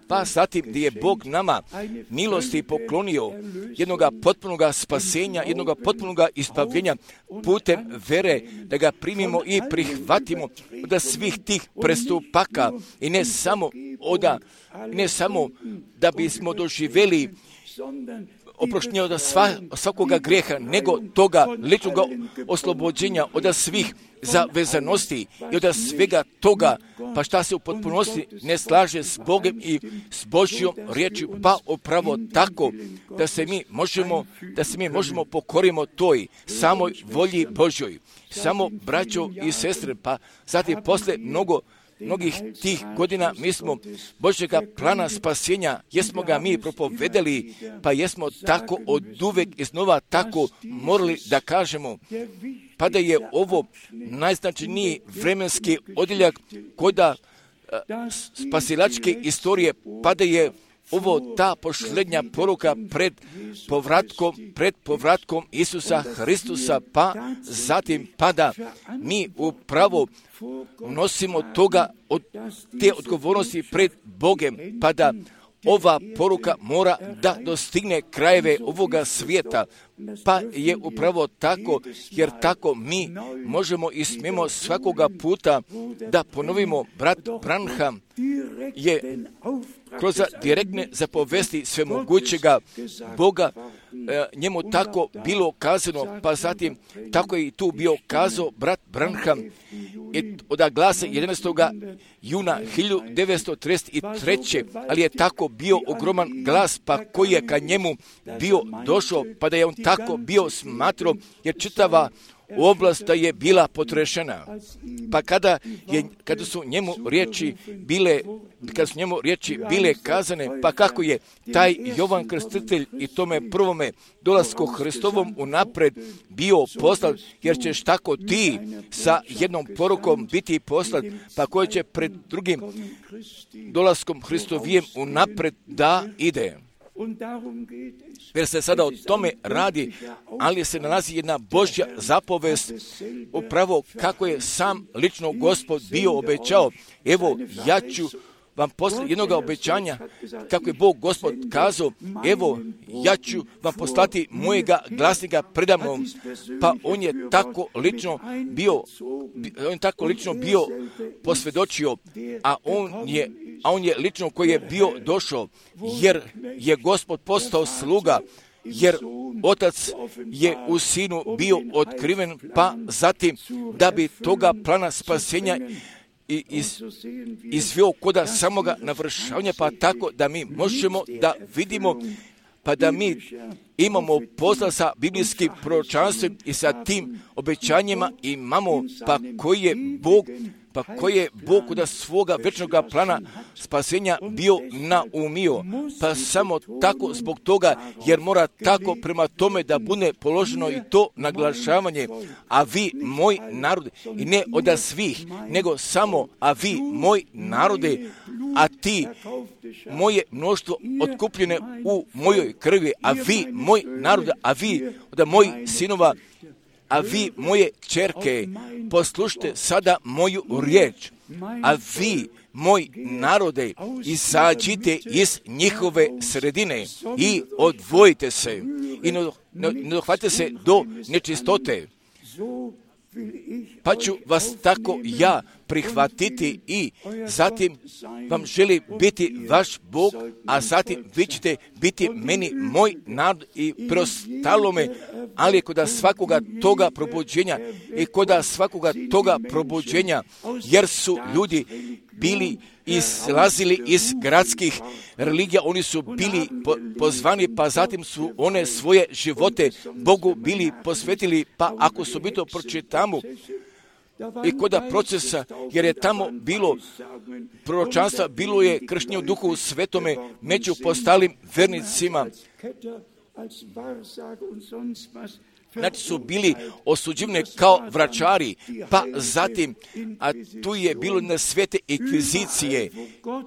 Pa zatim gdje je Bog nama milosti poklonio jednoga potpunoga spasenja, jednoga potpunoga ispavljenja putem vere, da ga primimo i prihvatimo od svih tih prestupaka i ne samo da bismo doživjeli oproštenje od svakoga grijeha, nego toga ličnog oslobođenja od svih zavezanosti i od svega toga, pa šta se u potpunosti ne slaže s Bogom i s Božjom riječi, pa upravo tako da se mi možemo pokorimo toj samoj volji Božjoj. Samo braćo i sestre, pa zatim posle mnogih tih godina mi smo Božjega plana spasenja, jesmo ga mi propovedali, pa jesmo tako oduvek iznova tako morali da kažemo, pa da je ovo najznačajniji vremenski odjeljak kod spasilačke istorije, pa da je ovo ta posljednja poruka pred povratkom Isusa Hristusa, pa zatim pada mi upravo nosimo od te odgovornosti pred Bogem, pa da ova poruka mora da dostigne krajeve ovoga svijeta, pa je upravo tako, jer tako mi možemo i smijemo svakoga puta da ponovimo. Brat Branham je kroz direktne zapovesti svemogućega Boga njemu tako bilo kazano, pa zatim tako je i tu bio kazao brat Branham od glasa 11. juna 1933. Ali je tako bio ogroman glas, pa koji je ka njemu bio došao, pa da je on tako bio smatrao, jer čitava oblast da je bila potrešena. Pa kada su njemu riječi bile kazane, pa kako je taj Jovan Krstitelj i tome prvome dolasku Hristovom unapred bio poslat, jer ćeš tako ti sa jednom porukom biti poslat, pa koji će pred drugim dolaskom Hristovijem unapred da ide. Jer se sada o tome radi, ali se nalazi jedna Božja zapovest, upravo kako je sam lično Gospod bio obećao. Evo, ja ću vam posle jednog obećanja, kako je Bog Gospod kazao, evo, ja ću vam poslati mojega glasnika predamnom, pa on je tako lično bio posvjedočio, a on je lično koji je bio došao, jer je Gospod postao sluga, jer Otac je u Sinu bio otkriven, pa zatim da bi toga plana spasenja izveo koda samoga navršavanja, pa tako da mi možemo da vidimo, pa da mi imamo posla sa biblijskim proročanstvom i sa tim obećanjima imamo, pa koji je Bog kod svoga večnog plana spasenja bio naumio. Pa samo tako zbog toga, jer mora tako prema tome da bude položeno i to naglašavanje. A vi, moj narod, i ne od svih, nego samo, a vi, moj narode, a ti, moje mnoštvo otkupljene u mojoj krvi, a vi, moj narod, a vi, od mojih sinova, a vi, moje ćerke, poslušajte sada moju riječ, a vi, moj narode, izađite iz njihove sredine i odvojite se i ne dohvatite se do nečistote. Pa ću vas tako ja prihvatiti i zatim vam želi biti vaš Bog, a zatim vi ćete biti meni moj narod i preostalome, ali kod svakoga toga probuđenja jer su ljudi bili izlazili iz gradskih religija, oni su bili pozvani, pa zatim su one svoje živote Bogu bili posvetili, pa ako su mi to pročitamo, i kod procesa, jer je tamo bilo proročanstva, bilo je krštenje u Duhu Svetome među postalim vernicima. Znači su bili osuđivani kao vračari, pa zatim, a tu je bilo na svete inkvizicije,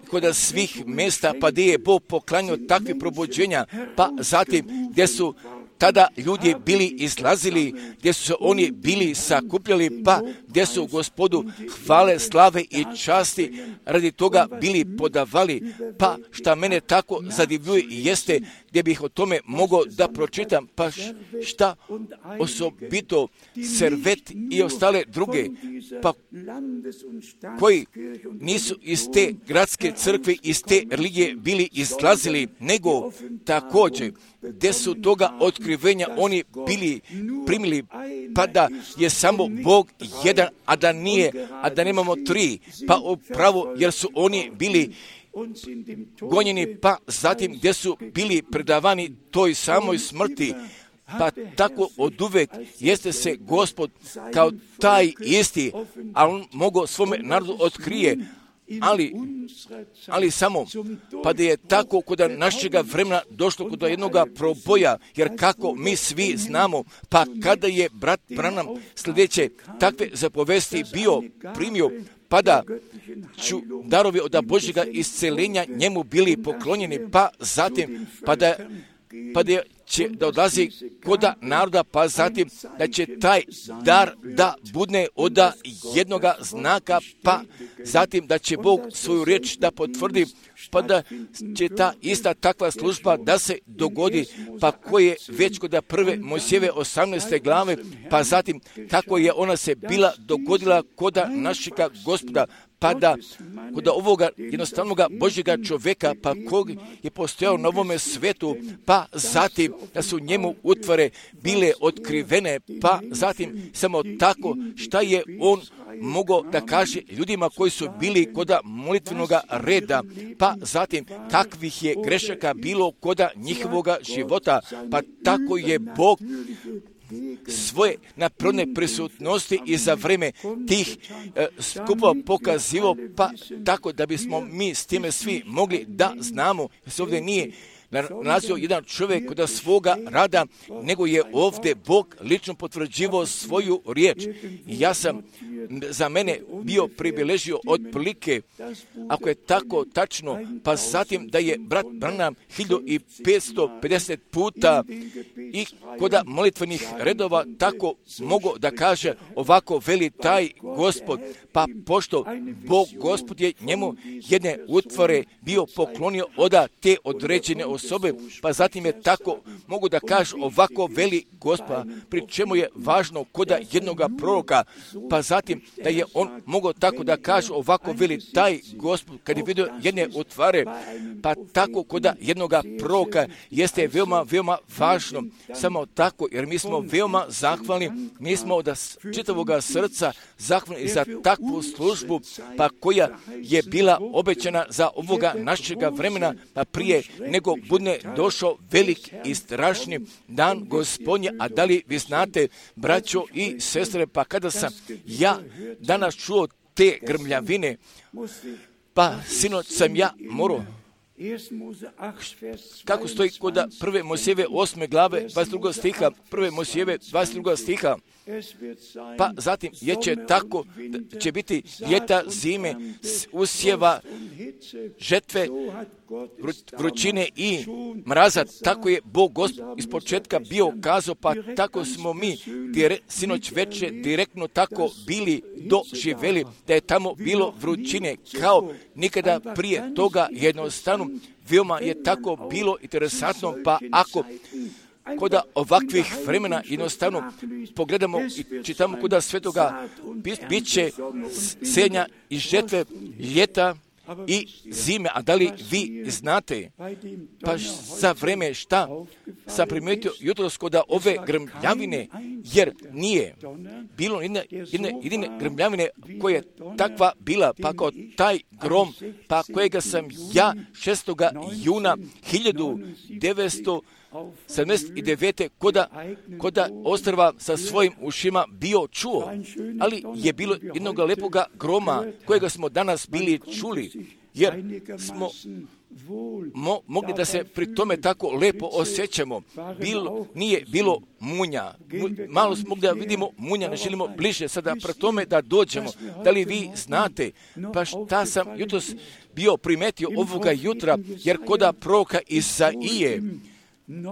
kod svih mjesta, pa gdje je Bog poklanjao takve probuđenja, pa zatim gdje su tada ljudi bili izlazili, gdje su se oni bili sakupljali, pa gdje su Gospodu hvale, slave i časti radi toga bili podavali. Pa šta mene tako zadivljuje jeste gdje bih o tome mogao da pročitam, pa šta osobito Servet i ostale druge, pa koji nisu iz te gradske crkve, iz te religije bili izlazili, nego također gdje su toga otkrivenja oni bili primili, pa da je samo Bog jedan, a da nemamo tri, pa upravo jer su oni bili gonjeni, pa zatim gdje su bili predavani toj samoj smrti, pa tako oduvek jeste se Gospod kao taj isti, a on mogao svome narodu otkrije, ali samo, pa da je tako kod našega vremena došlo kod jednoga proboja, jer kako mi svi znamo, pa kada je brat Branham sljedeće takve zapovesti bio primio, pa da ću darovi od Božjega isceljenja njemu bili poklonjeni, pa zatim, pa da će da odlazi kod naroda, pa zatim da će taj dar da budne od jednoga znaka, pa zatim da će Bog svoju riječ da potvrdi, pa da će ta ista takva služba da se dogodi, pa koje već kod prve Mojsijeve 18. glave, pa zatim kako je ona se bila dogodila kod našega Gospoda, pa da kod ovoga jednostavnoga Božjega čovjeka, pa kog je postojao na ovome svetu, pa zatim da su njemu utvare bile otkrivene, pa zatim samo tako šta je on mogao da kaže ljudima koji su bili kod molitvenog reda, pa zatim kakvih je grešaka bilo kod njihovoga života, pa tako je Bog svoje naprodne prisutnosti i za vreme tih skupova pokazivo, pa tako da bismo mi s time svi mogli da znamo, jer se ovdje nije nalazio jedan čovjek kod svoga rada, nego je ovdje Bog lično potvrđivao svoju riječ. I ja sam za mene bio priviležio otprilike, ako je tako tačno, pa zatim da je brat Branham 1550 puta i kod molitvenih redova tako mogu da kaže ovako veli taj Gospod, pa pošto Bog Gospod je njemu jedne utvore bio poklonio od te određene osobe, pa zatim je tako mogu da kaže ovako veli Gospod, pri čemu je važno kod jednoga proroka, pa zatim da je on mogao tako da kaže ovako veli taj Gospod, kad je vidio jedne utvare, pa tako kod jednoga proroka jeste veoma, veoma važno, samo tako, jer mi smo veoma zahvalni, mi smo od čitavoga srca zahvalni za takvu službu, pa koja je bila obećana za ovoga našega vremena, pa prije nego bude došao velik i strašni dan Gospodnje. A da li vi znate, braćo i sestre, pa kada sam ja danas čuo te grmljavine, pa sinoć sam ja morao, kako stoji kod prve Mojsijeve 8. glave 22. stiha, prve Mojsijeve 22. stiha, pa zatim je će tako, će biti ljeta, zime, usjeva, žetve, vrućine i mraza. Tako je Bog Gospod iz početka bio kazao, pa tako smo mi sinoć večer direktno tako bili doživjeli, da je tamo bilo vrućine kao nikada prije toga. Jednostavno veoma je tako bilo interesantno, pa ako kod ovakvih vremena jednostavno pogledamo i čitamo kod svetoga, bit će senja i žetve, ljeta i zime. A da li vi znate, pa za vreme šta sam primijetio jutros kod ove grmljavine, jer nije bilo jedine grmljavine koja je takva bila, pa kao taj grom, pa kojega sam ja 6. juna 1979. koda ostrva sa svojim ušima bio čuo, ali je bilo jednog lepoga groma kojega smo danas bili čuli, jer smo mogli da se pri tome tako lepo osjećamo. Nije bilo munja. Malo smo mogli da vidimo munja, ne želimo bliže sada pre tome da dođemo. Da li vi znate, pa šta sam jutros bio primetio ovoga jutra, jer koda proroka Isaije,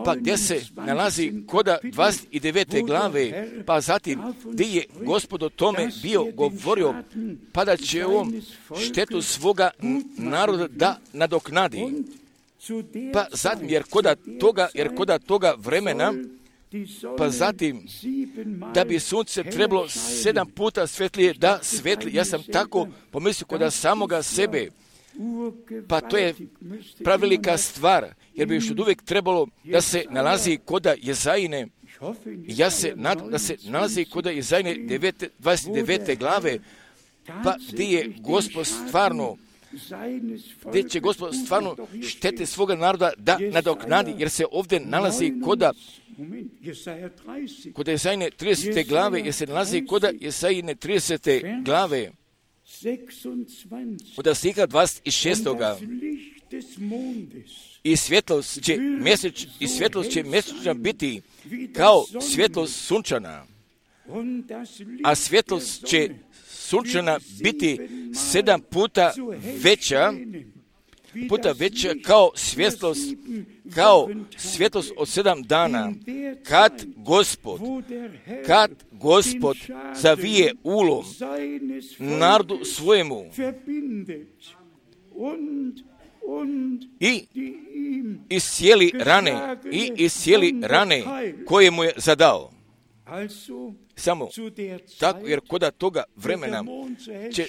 pa gdje se nalazi koda 29. glave, pa zatim gdje je Gospod o tome bio govorio, pa da će on štetu svoga naroda da nadoknadi. Pa zatim, jer koda toga vremena, pa zatim, da bi sunce trebalo 7 puta svetlije da svetli, ja sam tako pomislio koda samoga sebe, pa to je pravelika stvar, jer bi još od uvijek trebalo da se nalazi koda Jezajine. Ja se nadam da se nalazi koda Jezajine 29. glave, pa gdje je Gospod stvarno, gdje će Gospod stvarno štete svoga naroda da nadoknadi, jer se ovdje nalazi koda Jezajine 30. glave, jer se nalazi koda Jezajine 30. glave, od stiha 26. I svjetlost će mjesečna biti kao svjetlost sunčana, a svjetlost će sunčana biti 7 puta veća kao svjetlost od 7 dana, kad Gospod zavije ulom narodu svojemu i iscijeli rane koje mu je zadao. Samo tako, jer koda toga vremena će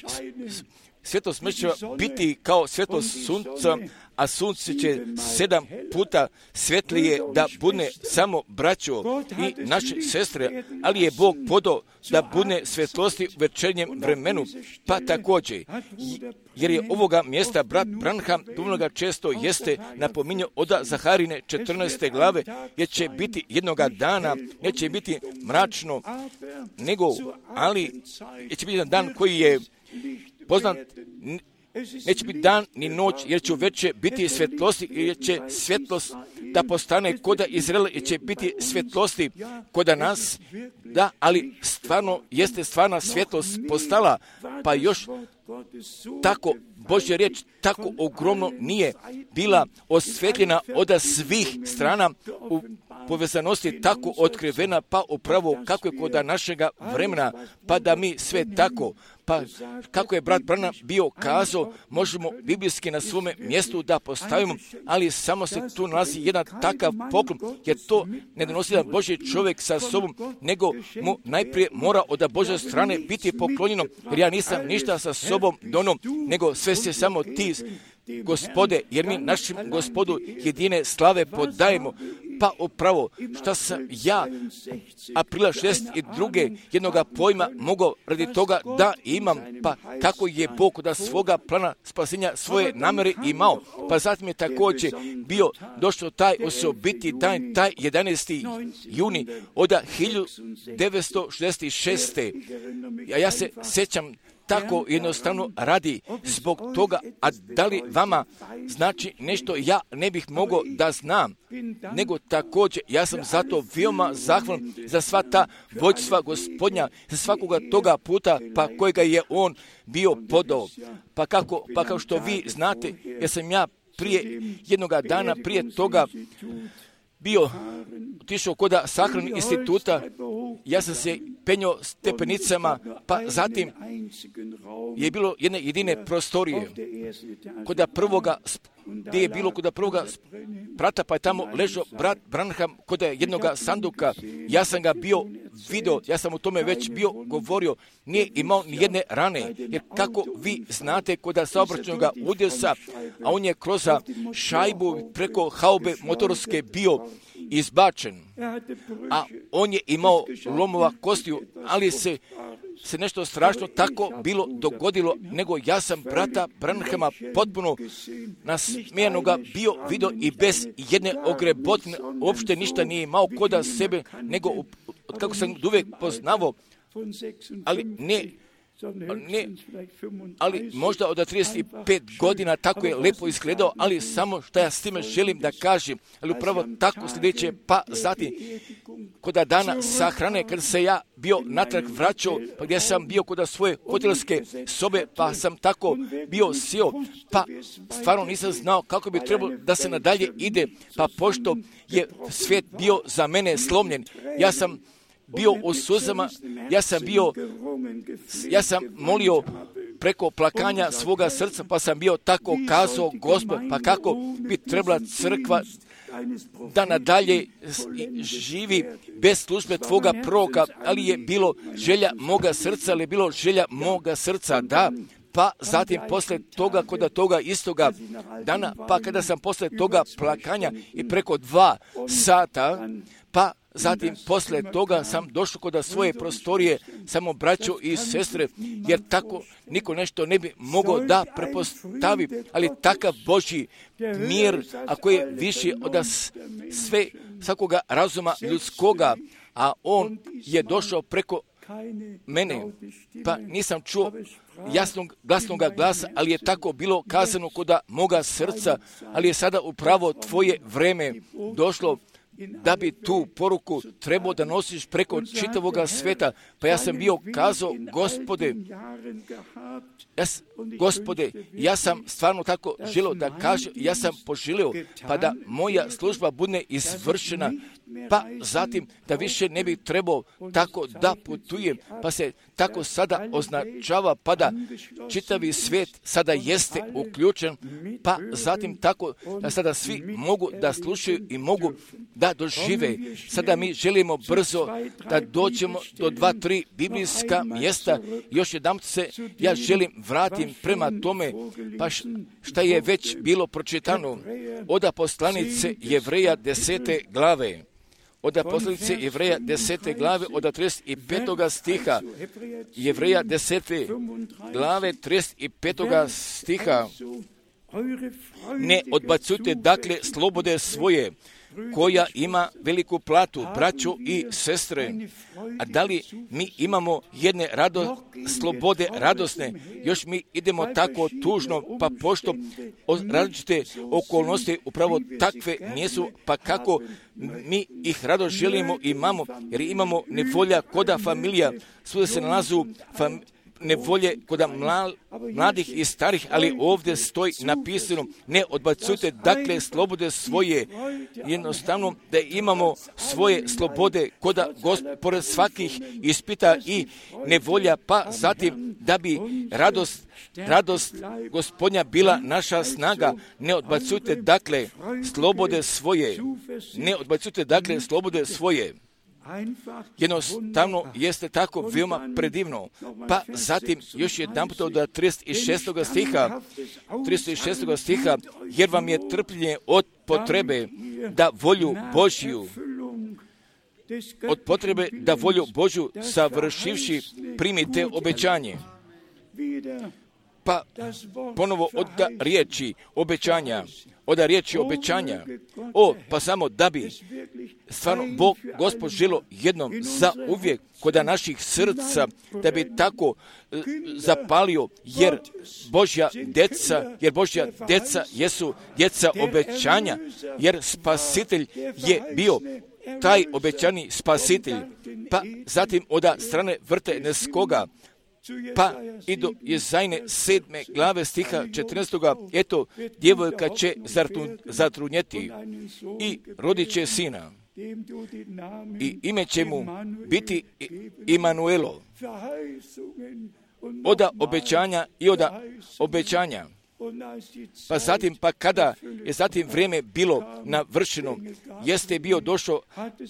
svjetlost mjesečeva biti kao svjetlost sunca, a sunce će 7 puta svetlije da bude samo braćo i naše sestre, ali je Bog podao da bude svjetlosti u večernjem vremenu, pa također, jer je ovoga mjesta brat Branham dovoljno često jeste napominjao od Zaharine 14. glave, jer će biti jednoga dana, neće biti mračno, ali će biti jedan dan koji je poznat, neće biti dan ni noć, jer će uveče biti svjetlosti, jer će svjetlost da postane koda Izraela, jer će biti svjetlosti koda nas, da, ali stvarno jeste stvarna svjetlost postala, pa još tako Božja riječ tako ogromno nije bila osvetljena od svih strana u povezanosti tako otkrivena, pa upravo kako je kod našega vremena, pa da mi sve tako, pa kako je brat Branham bio kazao, možemo biblijski na svome mjestu da postavimo, ali samo se tu nalazi jedan takav poklon, jer to ne donosi jedan Božji čovjek sa sobom, nego mu najprije mora od Božje strane biti poklonjeno, jer ja nisam ništa sa sobom donom, nego sve se samo ti, Gospode, jer mi našem Gospodu jedine slave podajemo. Pa upravo šta sam ja aprila 62. jednoga pojma mogao radi toga da imam, pa kako je Bog da svoga plana spasenja svoje namere imao. Pa zatim je također bio došao taj osobiti dan, taj 11. juni od 1966. A ja se sjećam tako jednostavno radi zbog toga, a da li vama znači nešto ja ne bih mogao da znam, nego također ja sam zato veoma zahvalan za sva ta vođstva Gospodnja, za svakoga toga puta pa kojega je on bio podao. Pa kao što vi znate, jer sam ja prije jednoga dana, prije toga bio otišao kod Sahrannog instituta, ja sam se penjao stepenicama, pa zatim je bilo jedne jedine prostorije kod prvoga, gdje je bilo kod prvoga sprata, pa je tamo ležao brat Branham kod jednoga sanduka. Ja sam ga bio video, ja sam o tome već bio govorio, nije imao ni jedne rane, jer kako vi znate kod saobraćajnog udesa, a on je kroz šajbu preko haube motorske bio izbačen, a on je imao lomova kostiju, ali se nešto strašno tako bilo dogodilo, nego ja sam brata Branhama potpuno nasmijenoga bio vidio i bez jedne ogrebotine, uopšte ništa nije imao koda sebe, nego kako sam uvijek poznavao, ali možda od 35 godina tako je lepo izgledao, ali samo što ja s time želim da kažem, ali upravo tako sljedeće, pa zatim kod dana sahrane, kad se ja bio natrag vraćao, pa gdje sam bio kod svoje hotelske sobe, pa sam tako bio sjeo, pa stvarno nisam znao kako bi trebalo da se nadalje ide, pa pošto je svijet bio za mene slomljen, ja sam bio u suzama, ja sam molio preko plakanja svoga srca, pa sam bio tako kazao, Gospod, pa kako bi trebala crkva da nadalje živi bez službe tvoga proroka, ali je bilo želja moga srca, da. Pa zatim posle toga, kod toga istoga dana, pa kada sam posle toga plakanja i preko 2 sata, pa zatim posle toga sam došao kod svoje prostorije, samo braćo i sestre, jer tako niko nešto ne bi mogao da prepostavi, ali takav Božji mir, ako je više od svakoga razuma ljudskoga, a on je došao preko mene, pa nisam čuo glasnog glasa, ali je tako bilo kazano kod moga srca, ali je sada upravo tvoje vreme došlo da bi tu poruku trebao da nosiš preko čitavoga sveta. Pa ja sam bio kazao, Gospode, ja sam stvarno tako želio da kažem, ja sam poželio pa da moja služba bude izvršena, pa zatim da više ne bi trebao tako da putujem, pa se tako sada označava, pa da čitavi svijet sada jeste uključen, pa zatim tako da sada svi mogu da slušaju i mogu da dožive. Sada mi želimo brzo da dođemo do 2-3 biblijska mjesta. Još jedan se ja želim vratim prema tome, pa šta je već bilo pročitano od poslanice Jevreja 10. glave. Od poslanice Jevreja 10. glave od 35. stiha. Jevreja 10. glave 35. stiha. Ne odbacujte dakle slobode svoje, koja ima veliku platu, braćo i sestre. A da li mi imamo jedne slobode radosne, još mi idemo tako tužno, pa pošto različite okolnosti upravo takve nisu, pa kako mi ih rado želimo imamo, jer imamo nevolja koda familija, svuda se nalazu nevolje kod mladih i starih, ali ovdje stoji napisano, ne odbacujte dakle slobode svoje, jednostavno da imamo svoje slobode koda pored svakih ispita i nevolja, pa zatim da bi radost Gospodnja bila naša snaga. Ne odbacujte dakle slobode svoje, ne odbacujte dakle slobode svoje. Jednostavno jeste tako veoma predivno. Pa zatim još jedan put od 36. stiha, jer vam je trpljenje od potrebe da volju Božju savršivši primite obećanje. Pa ponovo od riječi obećanja, pa samo da bi stvarno Bog Gospod želo jednom za uvijek kod naših srca, da bi tako zapalio, jer Božja deca jesu djeca obećanja, jer Spasitelj je bio taj obećani Spasitelj. Pa zatim od strane Vrteneskoga, pa i do Jezajne 7. glave stiha 14. Eto, djevojka će zatrudnjeti i rodit će sina i ime će mu biti Imanuelo. Oda obećanja i oda obećanja. Pa zatim, pa kada je zatim vrijeme bilo navršeno, jeste bio došao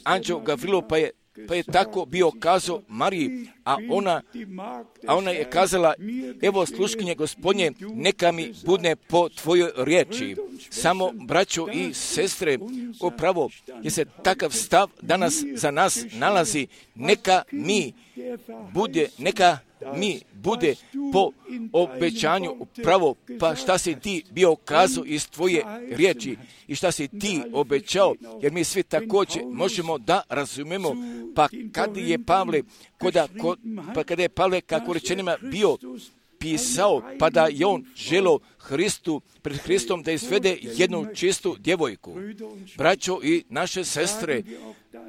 anđeo Gavrilo, pa je Pa je tako bio kazao Mariji, a ona je kazala, evo sluškinje Gospodnje, neka mi bude po tvojoj riječi. Samo, braćo i sestre, upravo je se takav stav danas za nas nalazi, neka mi bude po obećanju pravo, pa šta si ti bio kazao iz tvoje riječi i šta si ti obećao, jer mi svi također možemo da razumemo, pa kada je Pavle kako rečenima bio pisao, pa da je on želio pred Hristom da izvede jednu čistu djevojku. Braćo i naše sestre,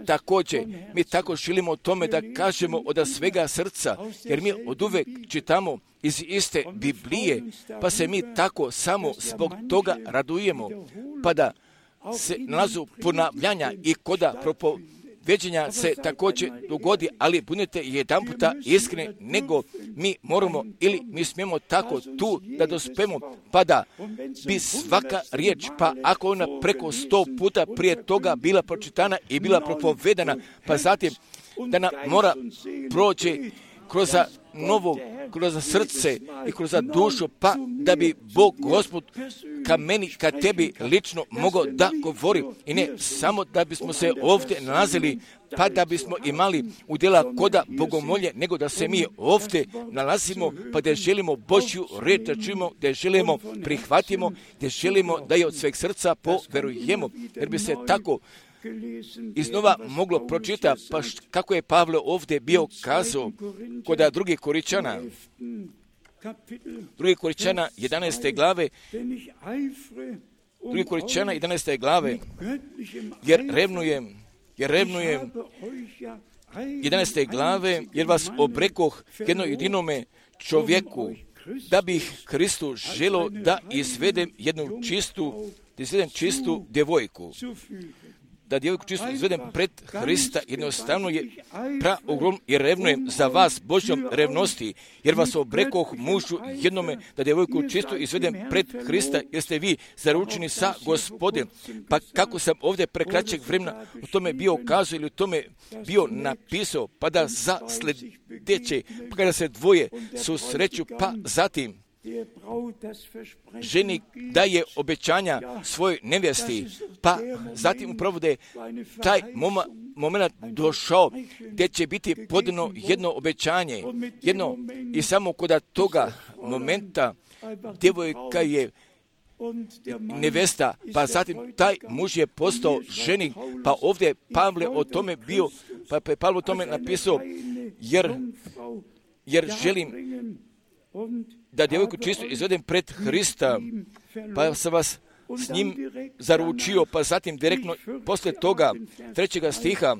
također, mi tako želimo o tome da kažemo od svega srca, jer mi oduvek čitamo iz iste Biblije, pa se mi tako samo zbog toga radujemo, pa da se nalazu ponavljanja i koda propoveđenja se također dogodi, ali budite jedan puta iskreni, nego mi moramo ili mi smijemo tako tu da dospemo, pa da bi svaka riječ, pa ako ona preko 100 puta prije toga bila pročitana i bila propovedana, pa zatim da nam mora proći kroz srce i kroz dušu, pa da bi Bog Gospod ka tebi lično mogao da govori. I ne samo da bismo se ovdje nalazili, pa da bismo imali udjela koda bogomolje, nego da se mi ovdje nalazimo, pa da želimo Božju riječ da čujemo, da želimo prihvatimo, da želimo da je od sveg srca poverujemo, jer bi se tako iznova moglo pročitati, pa kako je Pavle ovdje bio kazao kod drugih Koričana 11. glave, 2. Koričana 11. glave, jer revnujem 11. glave, jer vas obrekoh jedno jedinome čovjeku, da bih Hristu želio da izvedem čistu djevojku. Da djevojku čisto izvedem pred Hrista, jednostavno je praogrom i revnujem za vas Božjom revnosti, jer vas obrekoh mužu jednome, da djevojku čisto izvedem pred Hrista, jer ste vi zaručeni sa Gospodem. Pa kako sam ovdje prekraćeg vremena u tome bio kazao ili u tome bio napisao, pa da za sljedeće, pa kada se dvoje susreću, pa zatim ženi daje obećanja svojoj nevjesti, pa zatim upravo da je taj moment došao gdje će biti podano jedno obećanje, i samo kod toga momenta djevojka je nevesta, pa zatim taj muž je postao ženik, pa ovdje Pavle o tome bio, pa je Pavle o tome napisao, jer želim da djevojku čisto izvedem pred Hrista, pa sam vas s njim zaručio, pa zatim direktno poslije toga 3. stiha,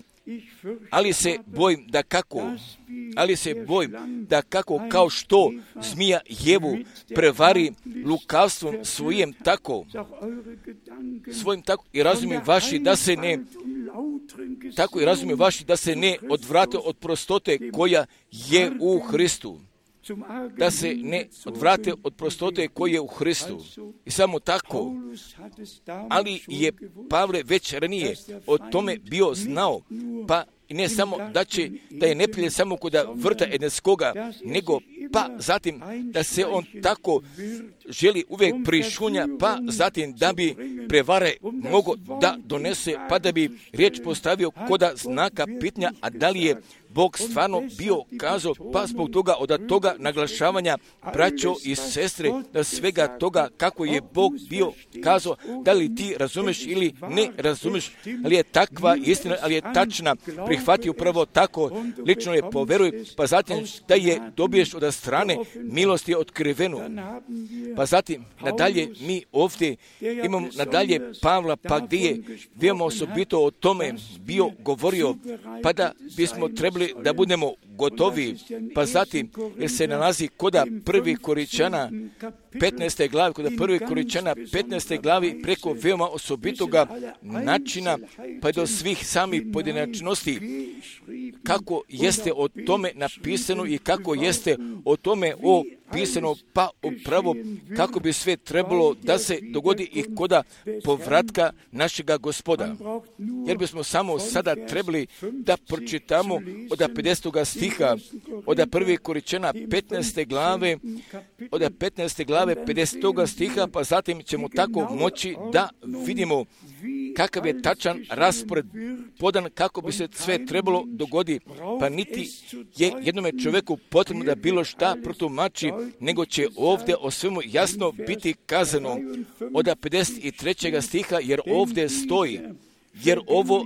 ali se bojim da kako kao što zmija Jevu prevari lukavstvom svojim tako i razumi vaši da se ne odvrate od prostote koja je u Hristu. Da se ne odvrate od prostote koje je u Hristu. I samo tako, ali je Pavle već ranije o tome bio znao, pa i ne samo da je neprijatelj samo kod vrta Edenskoga, nego pa zatim da se on tako želi uvijek prišunja, pa zatim da bi prevare mogo da donese, pa da bi riječ postavio koda znaka pitanja, a da li je Bog stvarno bio kazao, pa zbog toga od toga naglašavanja braćo i sestre, da svega toga kako je Bog bio kazao, da li ti razumeš ili ne razumeš, ali je takva istina, ali je tačna, prihvati upravo tako, lično je poveruj, pa zatim da je dobiješ od strane milosti otkrivenu. Pa zatim nadalje mi ovdje imamo nadalje Pavla, pa gdje je veoma osobito o tome bio govorio, pa da bismo trebali da budemo gotovi, pa zatim jer se nalazi koda 1. Koričana 15. glavi, koda 1. Koričana 15. glavi preko veoma osobitoga načina, pa do svih samih pojedinačnosti kako jeste o tome napisano i kako jeste o tome opisano, pa upravo kako bi sve trebalo da se dogodi i koda povratka našega Gospoda. Jer bismo samo sada trebali da pročitamo od 50. stiha, od 1. Koričana 15. glave, od 15. glave 50. stiha, pa zatim ćemo tako moći da vidimo kakav je tačan raspored podan kako bi se sve trebalo dogodi, pa niti je jednome čovjeku potrebno da bilo šta protumači, nego će ovdje o svemu jasno biti kazano od 53. stiha, jer ovdje stoji, jer ovo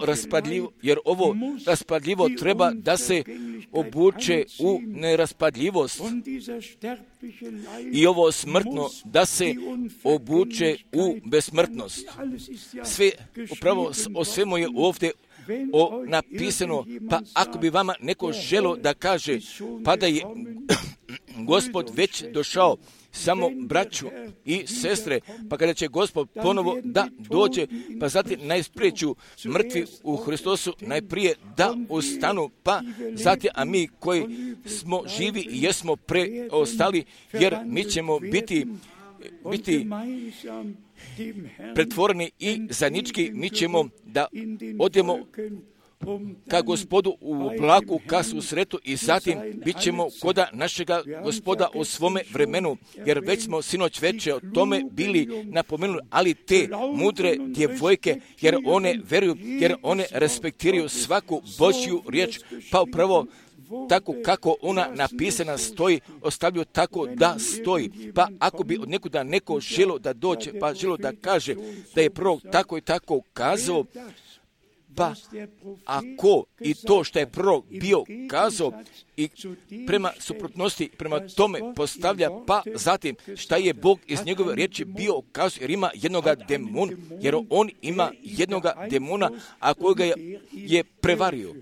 raspadljivo treba da se obuče u neraspadljivost i ovo smrtno da se obuče u besmrtnost. Sve, upravo o svemu je ovdje napisano, pa ako bi vama neko želo da kaže, pa da je Gospod već došao, samo braću i sestre, pa kada će Gospod ponovo da dođe, pa zatim najsprijeću mrtvi u Hristosu najprije da ustanu, pa zatim, a mi koji smo živi i jesmo preostali, jer mi ćemo biti pretvoreni i zajednički, mi ćemo da odemo ka Gospodu u oblaku, ka susretu i zatim bit ćemo koda našega Gospoda u svome vremenu, jer već smo sinoć veče o tome bili napomenuli, ali te mudre djevojke, jer one veruju, jer one respektiraju svaku Božju riječ, pa upravo tako kako ona napisana stoji, ostavljaju tako da stoji. Pa ako bi od nekuda neko želo da dođe, pa želo da kaže da je prorok tako i tako kazao, pa ako i to što je prorok bio kazao i prema suprotnosti, prema tome postavlja, pa zatim šta je Bog iz njegove riječi bio kazao, jer ima jednoga demona, jer on ima jednoga demona, a kojega je prevario.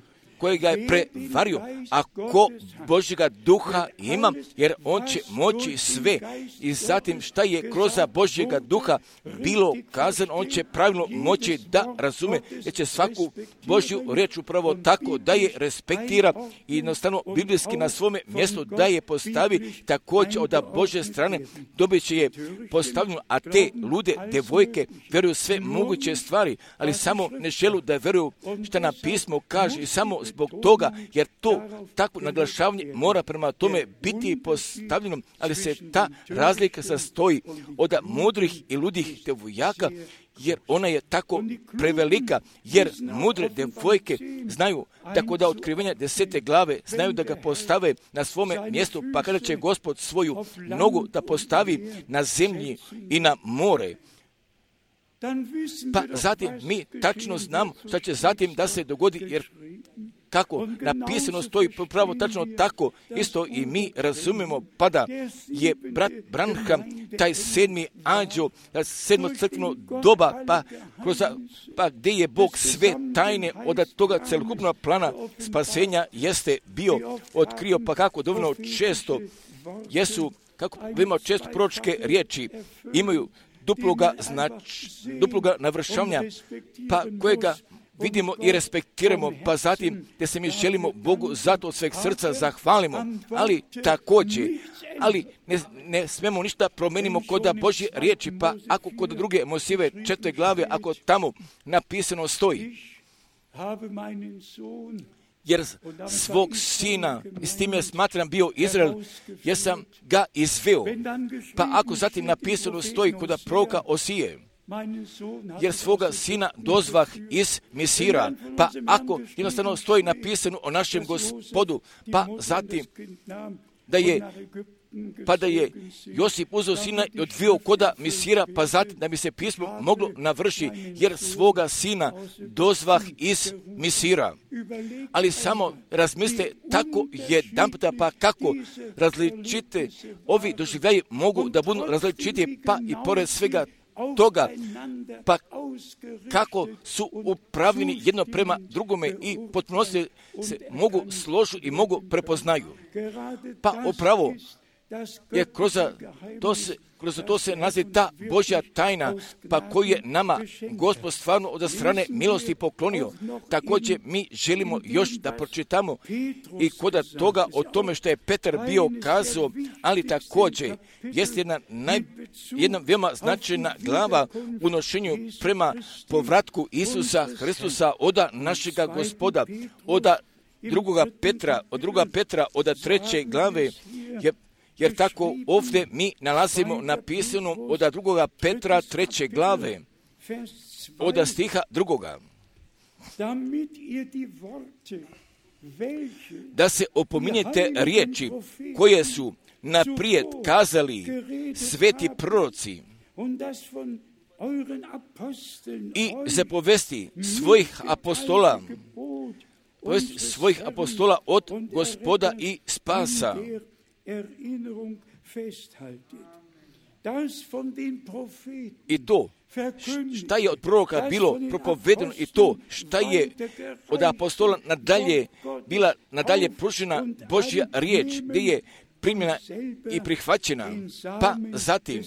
A ko Božjega duha ima, jer on će moći sve. I zatim šta je kroz Božjega duha bilo kazano, on će pravilno moći da razume, jer će svaku Božju riječ upravo tako da je respektira i jednostavno biblijski na svome mjestu da je postavi, također od Božje strane dobit će je postavljeno, a te lude devojke veruju sve moguće stvari, ali samo ne želu da veruju što nam pismo kaže i samo zbog toga, jer to takvo naglašavanje mora prema tome biti postavljeno, ali se ta razlika sastoji od mudrih i ludih devojaka, jer ona je tako prevelika, jer mudre devojke znaju, tako da otkrivenja 10. glave znaju da ga postave na svome mjestu, pa kada će Gospod svoju nogu da postavi na zemlji i na more, pa zatim mi tačno znamo šta će zatim da se dogodi, jer kako napisano stoji pravo tačno tako, isto i mi razumemo, pa da je brat Branham, taj 7. anđeo, 7. crkveno doba, pa gdje je Bog sve tajne od toga celokupnog plana spasenja jeste bio otkrio, pa kako dovoljno često jesu, kako veoma često proročke riječi imaju duploga navršavanja, pa kojega vidimo i respektiramo, pa zatim gdje se mi želimo Bogu zato od sveg srca zahvalimo, ali također, ne smemo ništa promenimo kod Božje riječi, pa ako kod druge Mojsijeve 4. glave, ako tamo napisano stoji, jer svog sina, i s tim je smatram bio Izrael, jer sam ga izveo. Pa ako zatim napisano stoji kod proroka Osije, jer svoga sina dozvah iz Misira, pa ako jednostavno stoji napisano o našem Gospodu, pa zatim da je Josip uzeo sina i odveo koda Misira, pa zatim da bi se pismo moglo navrši, jer svoga sina dozvah iz Misira. Ali samo razmislite tako jedanputa, pa kako različite ovi doživljaji mogu da budu različiti, pa i pored svega toga, pa kako su upravljeni jedno prema drugome i potpuno se mogu složiti i mogu prepoznaju. Pa upravo jer kroz to se nalazi ta Božja tajna, pa koju je nama Gospod stvarno od strane milosti poklonio. Također mi želimo još da pročitamo i kod toga o tome što je Petar bio kazao, ali također jest jedna veoma značajna glava u nošenju prema povratku Isusa Hristusa od našega Gospoda, od druga Petra, od 3. glave, jer tako ovdje mi nalazimo napisano od 2. Petra 3. glave, od stiha 2. Da se opominjete riječi koje su naprijed kazali sveti proroci i zapovesti svojih apostola od Gospoda i spasa. I to šta je od proroka bilo propovedeno i to šta je od apostola nadalje pružena Božja riječ, gdje je primljena i prihvaćena. Pa zatim,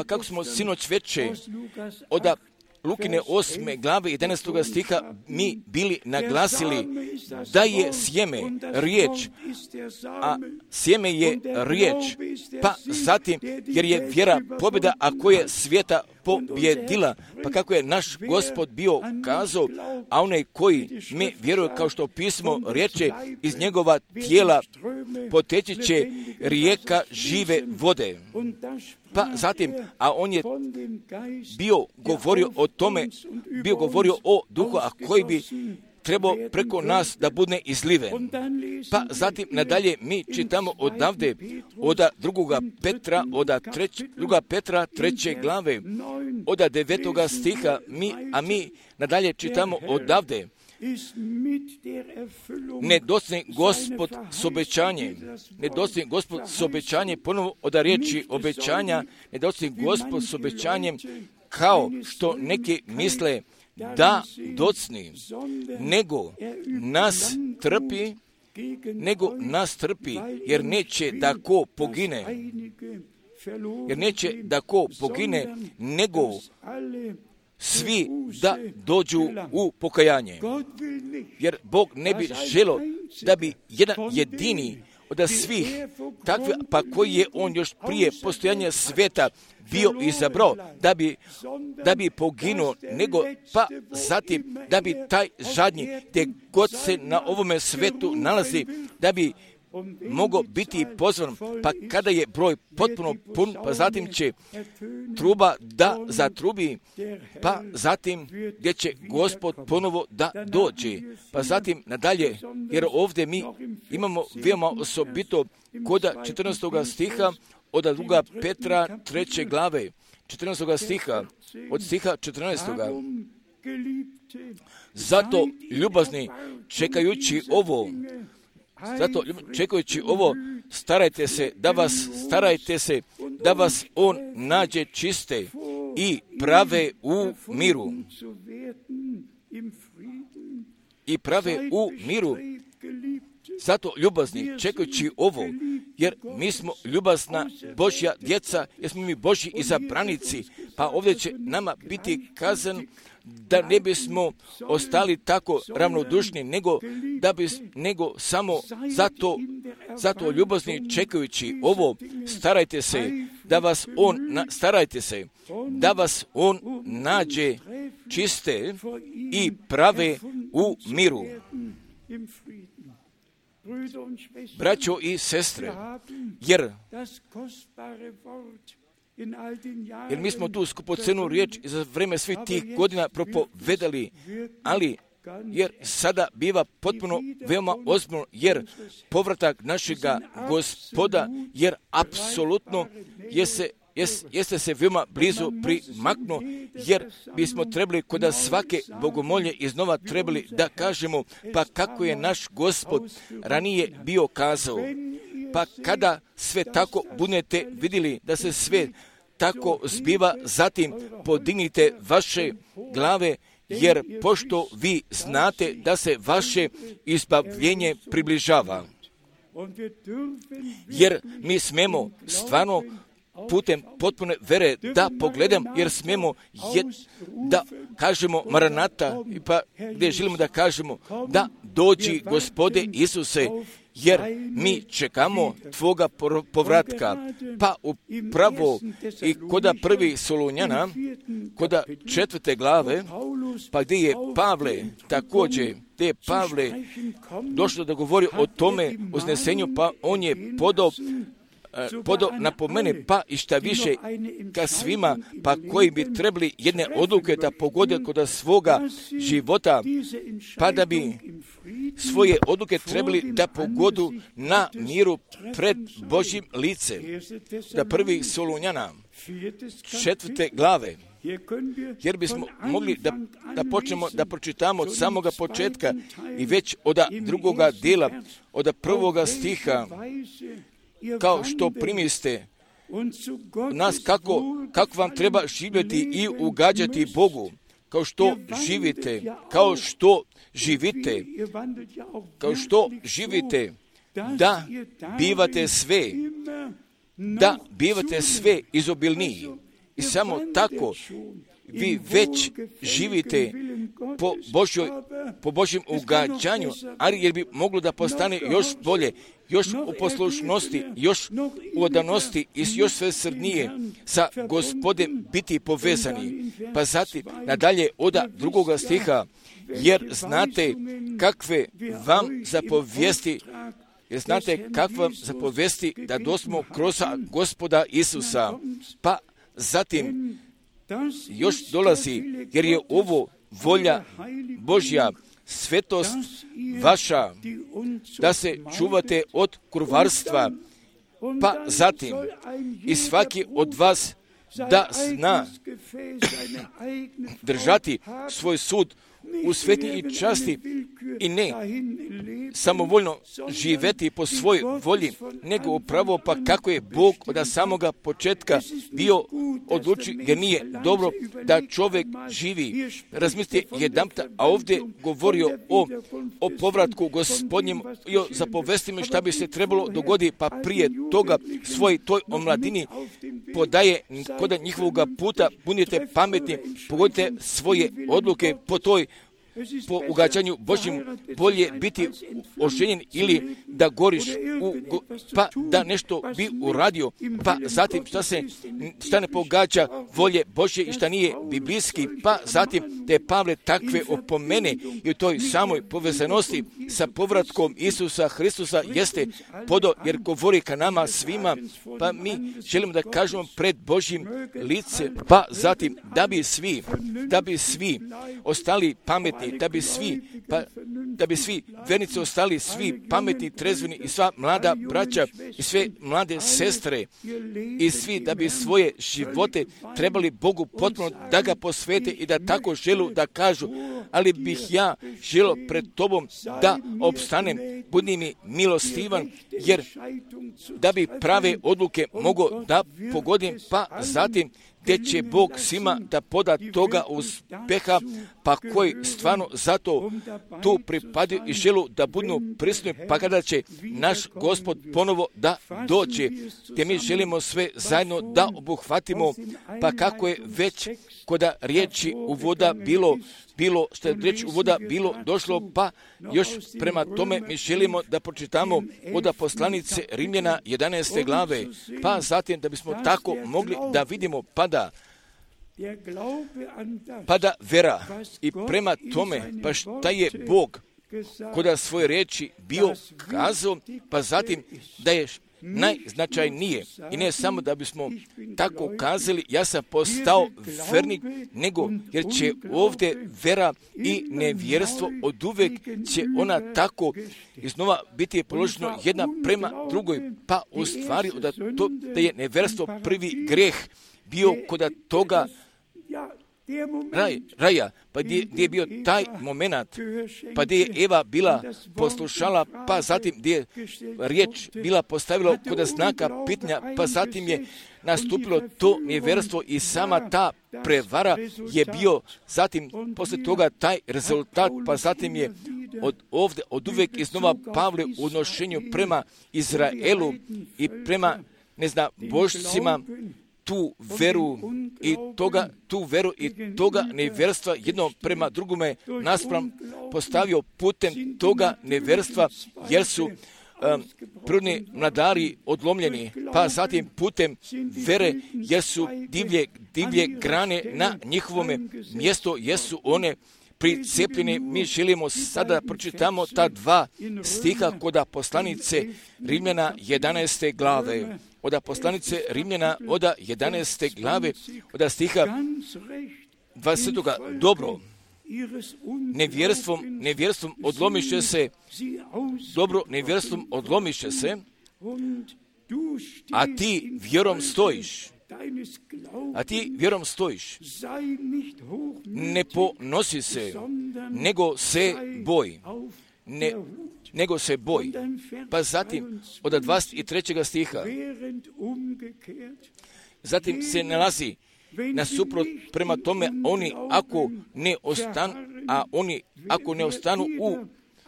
kako smo sinoć veče od Lukine 8. glave 11. stiha mi bili naglasili da je sjeme riječ, a sjeme je riječ, pa zatim jer je vjera pobjeda, a koja je svijeta pobjedila, pa kako je naš Gospod bio kazao, a onaj koji mi vjeruje, kao što pismo riječe, iz njegova tijela poteći će rijeka žive vode. Pa zatim, a on je bio govorio o tome, bio govorio o duhu, a koji bi trebao preko nas da bude izliven. Pa zatim nadalje mi čitamo odavde od 2. Petra, od 2. Petra 3. glave, od 9. stiha, mi nadalje čitamo odavde. Ne dostigne Gospod s obećanjem, ponovo od riječi obećanja, ne dostigne Gospod s obećanjem, kao što neki misle da docni, nego nas trpi, jer neće da ko pogine, nego svi da dođu u pokajanje. Jer Bog ne bi želio da bi jedan jedini od svih takvi, pa koji je on još prije postojanja svijeta bio izabrao da bi poginuo, nego pa zatim da bi taj zadnji, gdje god se na ovome svetu nalazi, da bi mogao biti pozvan, pa kada je broj potpuno pun, pa zatim će truba da zatrubi, pa zatim gdje će Gospod ponovo da dođe, pa zatim nadalje, jer ovdje mi imamo veoma osobito kod 14. stiha od 2. Petra 3. glave, 14. stiha, od stiha 14. Zato ljubazni čekajući ovo, starajte se da vas on nađe čiste i prave u miru. Zato ljubazni, čekajući ovo, jer mi smo ljubazna Božja djeca, jer smo mi Božji izabranici, pa ovdje će nama biti kazan da ne bismo ostali tako ravnodušni, nego samo zato ljubazni čekajući ovo, starajte se da vas on nađe čiste i prave u miru. Braćo i sestre, jer mi smo tu skupocenu riječ za vrijeme svih tih godina propovedali, ali jer sada biva potpuno veoma ozbiljno, jer povratak našega Gospoda, jer apsolutno jeste se veoma blizu primaknuo, jer bismo trebali kod svake bogomolje iznova trebali da kažemo, pa kako je naš Gospod ranije bio kazao, pa kada sve tako budete vidjeli da se sve tako zbiva, zatim podignite vaše glave, jer pošto vi znate da se vaše izbavljenje približava. jer mi smemo stvarno putem potpune vere da pogledam, jer smemo da kažemo Maranata, pa gdje želimo da kažemo da dođi Gospode Isuse, jer mi čekamo Tvoga povratka. Pa upravo i koda prvi Solunjana, koda 4. glave, pa gdje je Pavle također, gdje je Pavle došlo da govori o tome uznesenju, pa on je podao napomene, pa i šta više ka svima, pa koji bi trebali jedne odluke da pogode kod svoga života, pa da bi svoje odluke trebali da pogodu na miru pred Božjim lice. Da prvi Solunjana 4. glave, jer bismo mogli da počnemo da pročitamo od samoga početka i već od drugoga dijela, od prvoga stiha, kao što primiste nas kako vam treba živjeti i ugađati Bogu, kao što živite, da bivate sve izobilniji. I samo tako vi već živite po Božjem ugađanju, ali jer bi moglo da postane još bolje, još u poslušnosti, još u odanosti i još sve srdnije sa Gospodem biti povezani. Pa zatim nadalje od drugoga stiha, jer znate kakve vam zapovijesti da dosmo kroz Gospoda Isusa. Pa zatim još dolazi, jer je ovo volja Božja, svetost vaša, da se čuvate od kurvarstva, pa zatim i svaki od vas da zna držati svoj sud u svetnji i časti i ne samovoljno živeti po svojoj volji, nego upravo pa kako je Bog od samoga početka bio odlučio, jer nije dobro da čovjek živi. Razmislite jedanput, a ovdje govorio o povratku Gospodnjem i o zapovestima šta bi se trebalo dogoditi, pa prije toga svoj toj omladini podaje kod njihovoga puta, budite pametni, pogodite svoje odluke po ugađanju Božjim, bolje biti oženjen ili da goriš pa da nešto bi uradio, pa zatim šta ne pogađa volje Božje i šta nije biblijski, pa zatim te Pavle takve opomene i u toj samoj povezanosti sa povratkom Isusa Hristusa jeste podo, jer govori ka nama svima, pa mi želimo da kažemo pred Božjim lice, pa zatim da bi svi ostali pametni, da bi svi vernici ostali svi pametni, trezveni i sva mlada braća i sve mlade sestre i svi da bi svoje živote trebali Bogu potpuno da ga posvete i da tako želu da kažu, ali bih ja želio pred tobom da opstanem, budi mi milostivan, jer da bi prave odluke mogao da pogodim, pa zatim gdje će Bog svima da poda toga uspeha, pa koji stvarno zato tu pripadaju i želu da budu prisutni, pa kada će naš Gospod ponovo da dođe, te mi želimo sve zajedno da obuhvatimo, pa kako je već koda riječi uvoda bilo što je riječ uvoda bilo došlo, pa još prema tome mi želimo da pročitamo od poslanice Rimljana 11. glave, pa zatim da bismo tako mogli da vidimo pada vera i prema tome pa šta je Bog koda svoje riječi bio kazao, pa zatim da je najznačajnije i ne samo da bismo tako kazali ja sam postao vernik, nego jer će ovdje vera i nevjerstvo od uvek će ona tako iznova biti položeno jedna prema drugoj, pa u stvari da je nevjerstvo prvi greh bio kod toga raja, pa gdje je bio taj moment, pa gdje je Eva bila poslušala, pa zatim gdje je riječ bila postavila kod znaka pitanja, pa zatim je nastupilo to nevjerstvo i sama ta prevara je bio, zatim poslije toga taj rezultat, pa zatim je od uvijek iznova Pavle u odnošenju prema Izraelu i prema, božcima, tu veru i toga nevjerstva jedno prema drugome naspram postavio putem toga nevjerstva, jer su prvi mladari odlomljeni, pa zatim putem vere, jer su divlje grane na njihovome mjestu, jesu one pricepljene. Mi želimo sada pročitamo ta dva stiha kod poslanice Rimljana 11. glave. Od poslanice Rimljana od 11. glave, od stiha 20. Dobro, nevjerstvom odlomiše se, a ti vjerom stojiš. Ne ponosi se, nego se boj. Pa zatim od 23. stiha, zatim se nalazi nasuprot prema tome oni ako ne ostanu u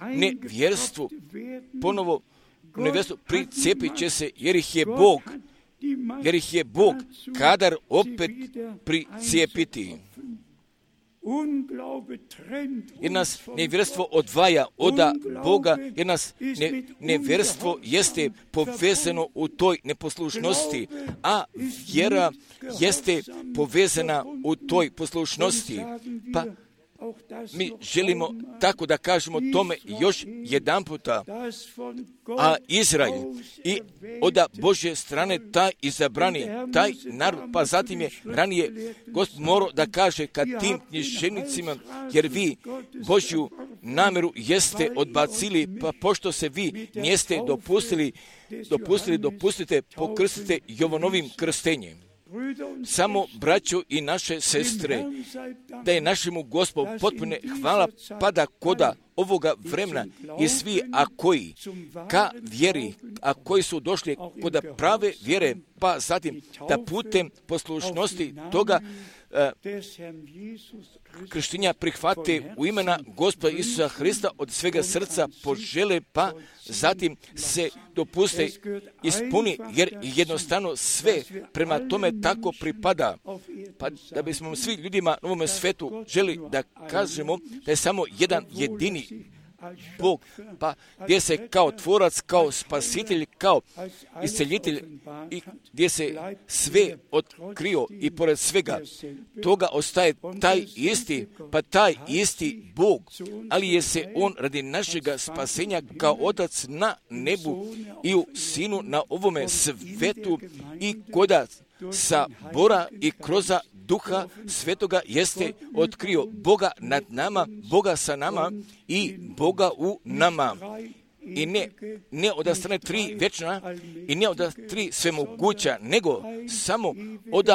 nevjerstvu, ponovo u nevjerstvu pricepit će se, jer ih je Bog kadar opet pricepiti. Jer nas nevjerstvo odvaja od Boga, jer nas nevjerstvo jeste povezano u toj neposlušnosti, a vjera jeste povezana u toj poslušnosti. Pa mi želimo tako da kažemo tome još jedan puta, a Izrael i od Božje strane taj izabrani, taj narod, pa zatim je ranije Gospod morao da kaže kad tim književnicima, jer vi Božju namjeru jeste odbacili, pa pošto se vi niste dopustite, pokrstite Jovanovim krstenjem. Samo braćo i naše sestre, da je našemu Gospodu potpuno hvala pada koda ovoga vremena i svi koji ka vjeri, a koji su došli kod prave vjere, pa zatim da putem poslušnosti toga krštenja prihvate u imena Gospoda Isusa Hrista od svega srca požele, pa zatim se dopuste ispuni, jer jednostavno sve prema tome tako pripada. Pa da bismo svi ljudima na ovome svetu želi da kažemo da je samo jedan jedini Bog, pa gdje se kao tvorac, kao spasitelj, kao isceljitelj i gdje se sve otkrio i pored svega toga ostaje taj isti Bog, ali je se On radi našega spasenja kao Otac na nebu i u Sinu na ovome svetu i koda sabora i kroz Duha Svetoga jeste otkrio Boga nad nama, Boga sa nama i Boga u nama. I ne od strane tri večna i ne od tri svemoguća, nego samo od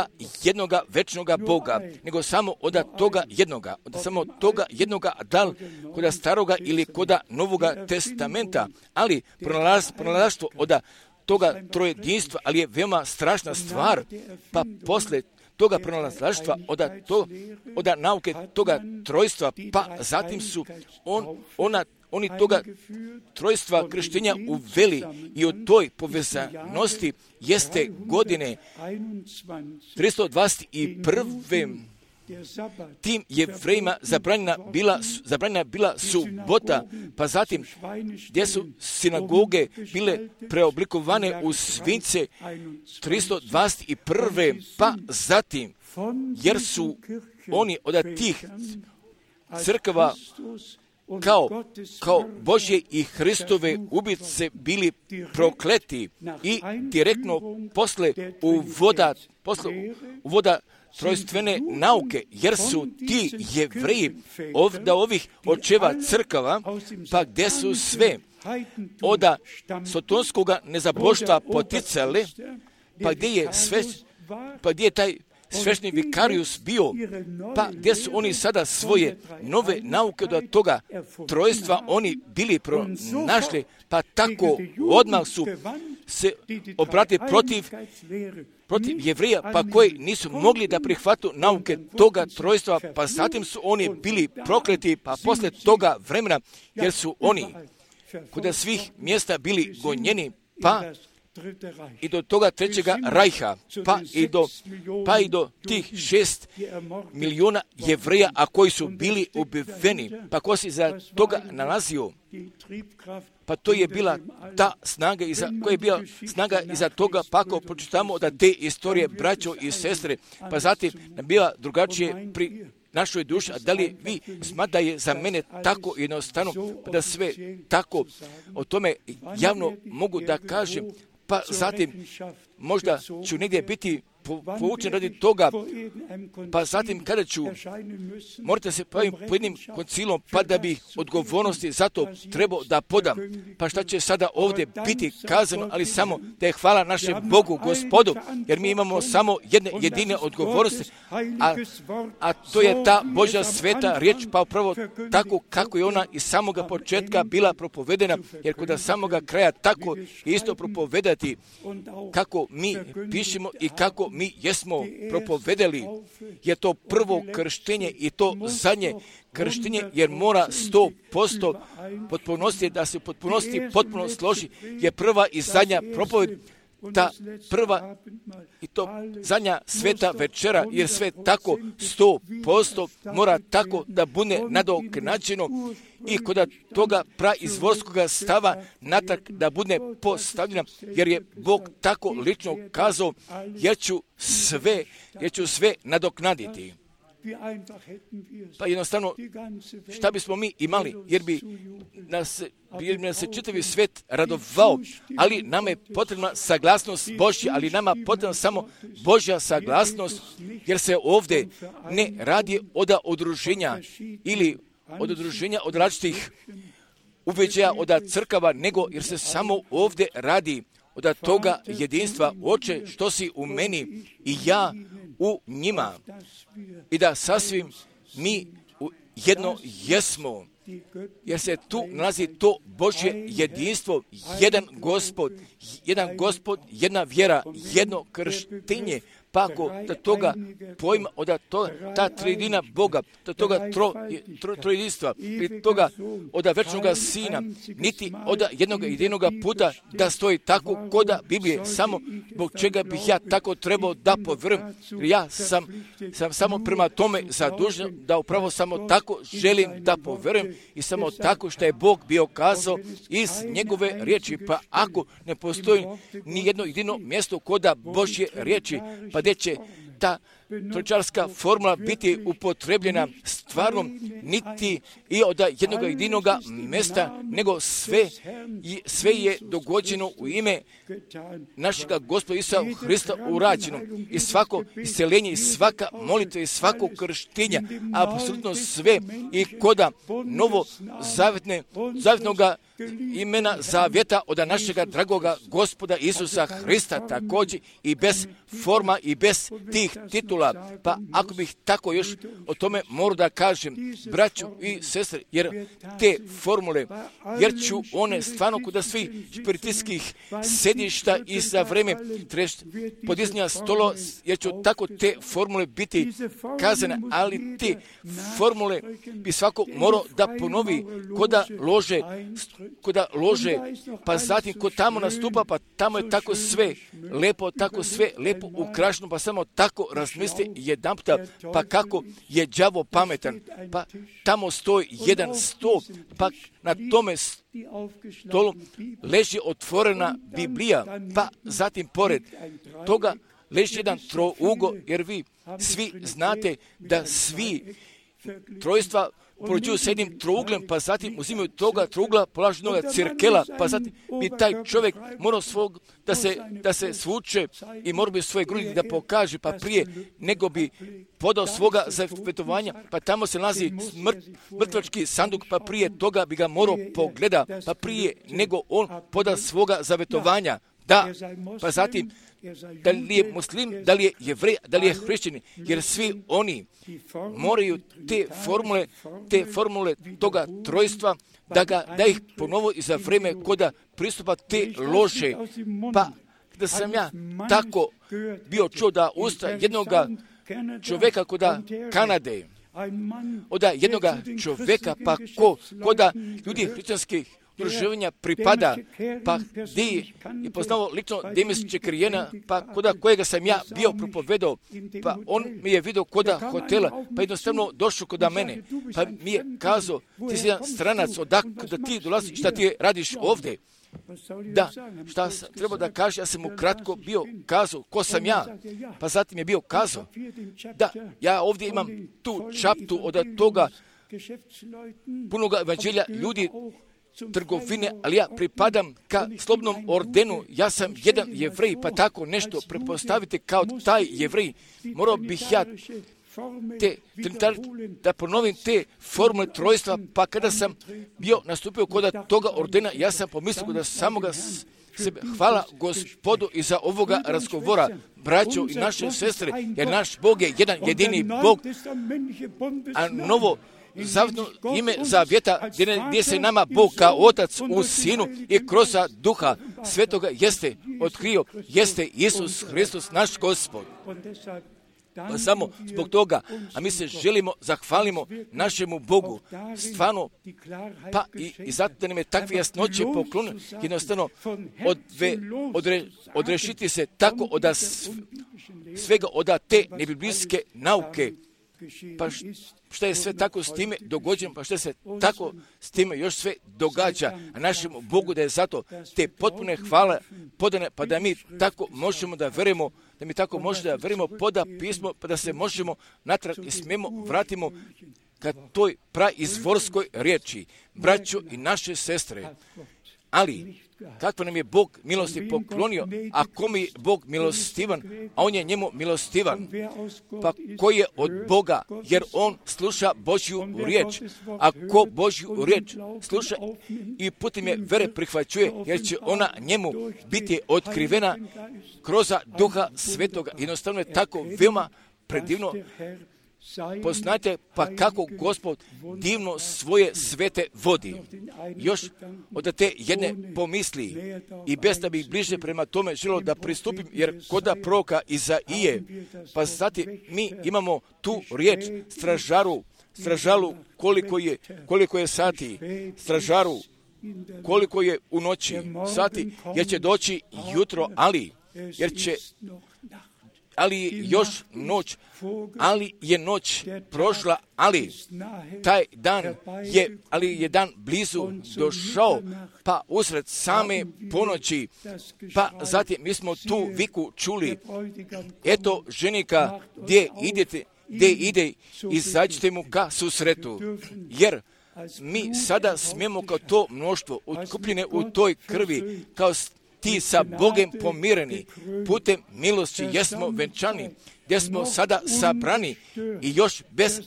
jednoga večnoga Boga, nego samo od toga jednoga, da li kod staroga ili kod Novoga testamenta, ali pronalaštvo od toga trojedinstva, ali je veoma strašna stvar, pa posle toga pronalaštva od nauke toga trojstva, pa zatim su oni toga trojstva krštenja uveli i od toj povezanosti jeste godine 321. Tim Jevrejima zabranjena bila subota, pa zatim gdje su sinagoge bile preoblikovane u svinjce 321. pa zatim, jer su oni od tih crkava kao Božje i Hristove ubice bili prokleti i direktno posle uvoda trojstvene nauke, jer su ti Jevreji ovih očeva crkava, pa gdje su sve od sotonskoga nezaboštva poticali, pa gdje je taj svešni vikarius bio, pa gdje su oni sada svoje nove nauke od toga trojstva oni bili pronašli, pa tako odmah su se obrati protiv Jevrija, pa koji nisu mogli da prihvatu nauke toga trojstva, pa zatim su oni bili prokleti, pa posle toga vremena, jer su oni kuda svih mjesta bili gonjeni, pa i do toga trećega rajha, pa i do tih 6 miliona Jevreja, a koji su bili ubiveni, pa ko se za toga nalazio, pa to je bila ta snaga, koja je bila snaga iza toga, pa ako pročitamo da te istorije, braćo i sestre, pa zatim bila drugačije pri našoj duši, a da li vi smatrate da je za mene tako jednostavno, da sve tako o tome javno mogu da kažem, pa zatim možda ću negdje biti poučen radi toga, pa zatim kada ću morate se bavim po jednim koncilom, pa da bi odgovornosti za to trebao da podam. Pa šta će sada ovdje biti kazano, ali samo da je hvala našem Bogu, Gospodu, jer mi imamo samo jedine odgovornosti, a to je ta Božja sveta riječ, pa upravo tako kako je ona iz samoga početka bila propovedena, jer kod samoga kraja tako isto propovedati kako mi pišemo i kako mi jesmo propovedali, je to prvo krštenje i to zadnje krštenje, jer mora 100% potpunosti, da se potpuno složi, je prva i zadnja propoved, ta prva i to zadnja sveta večera, jer sve tako 100% mora tako da bude nadoknađeno i kod toga praizvorskoga stava natrag da bude postavljena, jer je Bog tako lično kazao, jer ću sve nadoknaditi. Pa jednostavno, šta bismo mi imali, jer bi nas se čitavi svet radovao, ali nama je potrebna saglasnost Božja, ali nama potrebna samo Božja saglasnost, jer se ovdje ne radi od udruženja ili od udruženja od različitih ubeđaja od crkava, nego jer se samo ovdje radi od toga jedinstva, Oče, što si u meni i ja u njima, i da sasvim mi jedno jesmo, jer se tu nalazi to Božje jedinstvo, jedan Gospod, jedna vjera, jedno krštenje, pa ako da toga pojma, ta trijedina Boga, da toga trojedinstva, pri toga od večnoga Sina, niti od jedinoga puta da stoji tako koda Biblije, samo zbog čega bih ja tako trebao da povjerujem, ja sam samo prema tome zadužen da upravo samo tako želim da povjerujem i samo tako što je Bog bio kazao iz njegove riječi, pa ako ne postoji ni jedno jedino mjesto koda Božje riječi, pa gdje će ta tročarska formula biti upotrebljena stvarno, niti i od jednog jedinoga mjesta, nego sve je dogođeno u ime našega Gospoda Isusa Hrista urađeno. I svako isceljenje, i svaka molitva, i svako krštenja, apsolutno sve, i koda novo zavjetnoga imena zavjeta od našega dragoga Gospoda Isusa Hrista, također i bez forma i bez tih titula. Pa ako bih tako još o tome morao da kažem, braćo i sestre, jer te formule, jer ću one stvarno kuda svih špiritistskih sedišta i za vreme podizanja stolo, jer će tako te formule biti kazane, ali te formule bi svako morao da ponovi koda lože, pa zatim kod tamo nastupa, pa tamo je tako sve lepo ukrašeno, pa samo tako razmisli jedan puta, pa kako je đavo pametan, pa tamo stoji jedan sto, pa na tome stolu leži otvorena Biblija, pa zatim pored toga leži jedan trougo, jer vi svi znate da svi trojstva porođuju s jednim trouglem, pa zatim uzimaju toga trougla, polažu noga cirkela, pa zatim bi taj čovjek morao da se svuče i morao bi svoje grudi da pokaže, pa prije nego bi podao svoga zavetovanja, pa tamo se nalazi mrtvački sanduk, pa prije toga bi ga morao pogleda, pa prije nego on poda svoga zavetovanja, da, pa zatim, da li je muslim, da li je jevrej, da li je hrišćanin, jer svi oni moraju te formule toga trojstva, da ih ponovo i za vrijeme koda pristupa te loše. Pa da sam ja tako bio čuo da usta jednoga čovjeka koda Kanade, od jednoga čovjeka, pa koda ljudi hrišćanskih udruživanja pripada, pa gdje je poznao lično Demis Čekrijena, pa koda kojega sam ja bio propovedao, pa on mi je vidio koda hotela, pa jednostavno došao koda mene, pa mi je kazao, ti si jedan stranac, odakle ti dolaziš, šta ti radiš ovdje? Da, šta sam trebao da kaže, ja sam mu kratko bio kazao, ko sam ja, pa zatim je bio kazao, da, ja ovdje imam tu čaptu od toga punoga evanđelja ljudi trgovine, ali ja pripadam ka slobodnom ordenu, ja sam jedan jevrej, pa tako nešto prepostavite kao taj jevrej, morao bih ja da ponovim te formule trojstva, pa kada sam bio nastupio kod toga ordena, ja sam pomislio da samoga sebe, hvala Gospodu i za ovoga razgovora, braćo i naše sestre, jer naš Bog je jedan jedini Bog, a novo zavetno ime zavjeta gdje se nama Bog kao Otac u Sinu i kroz Duha Svetoga jeste otkrio, jeste Isus Hristos naš Gospod. Pa samo zbog toga, a mi se želimo, zahvalimo našemu Bogu, stvarno, pa i zato da nam je takve jasnoće poklonio, jednostavno odrešiti se tako od svega od te nebiblijske nauke, pa šta je sve tako s time dogođeno, pa šta se tako s time još sve događa, a našemu Bogu da je zato te potpune hvale podane, pa da mi tako možemo da verujemo, da mi tako možemo da verujemo poda pismo, pa da se možemo natrag i smijemo vratimo ka toj praizvorskoj riječi, braćo i naše sestre. Ali, kako nam je Bog milosti poklonio, a kom je Bog milostivan, a on je njemu milostivan, pa ko je od Boga, jer on sluša Božju riječ, a ko Božju riječ sluša i putem je vere prihvaćuje, jer će ona njemu biti otkrivena kroz Duha Svetoga. Jednostavno je tako veoma predivno. Poznajte pa kako Gospod divno svoje svete vodi. Još od te jedne pomisli i bez da bih bliže prema tome želio da pristupim, jer koda proroka Izaije, pa zatim mi imamo tu riječ stražaru koliko je sati, stražaru koliko je u noći sati, jer će doći jutro, ali još noć, ali je noć prošla, ali taj dan je dan blizu došao, pa usred same ponoći, pa zatim mi smo tu viku čuli, eto ženika, gdje ide, izađite mu ka susretu, jer mi sada smijemo kao to mnoštvo otkupljene u toj krvi, kao ti sa Bogem pomireni, putem milosti jesmo venčani, gdje smo sada sabrani i još bez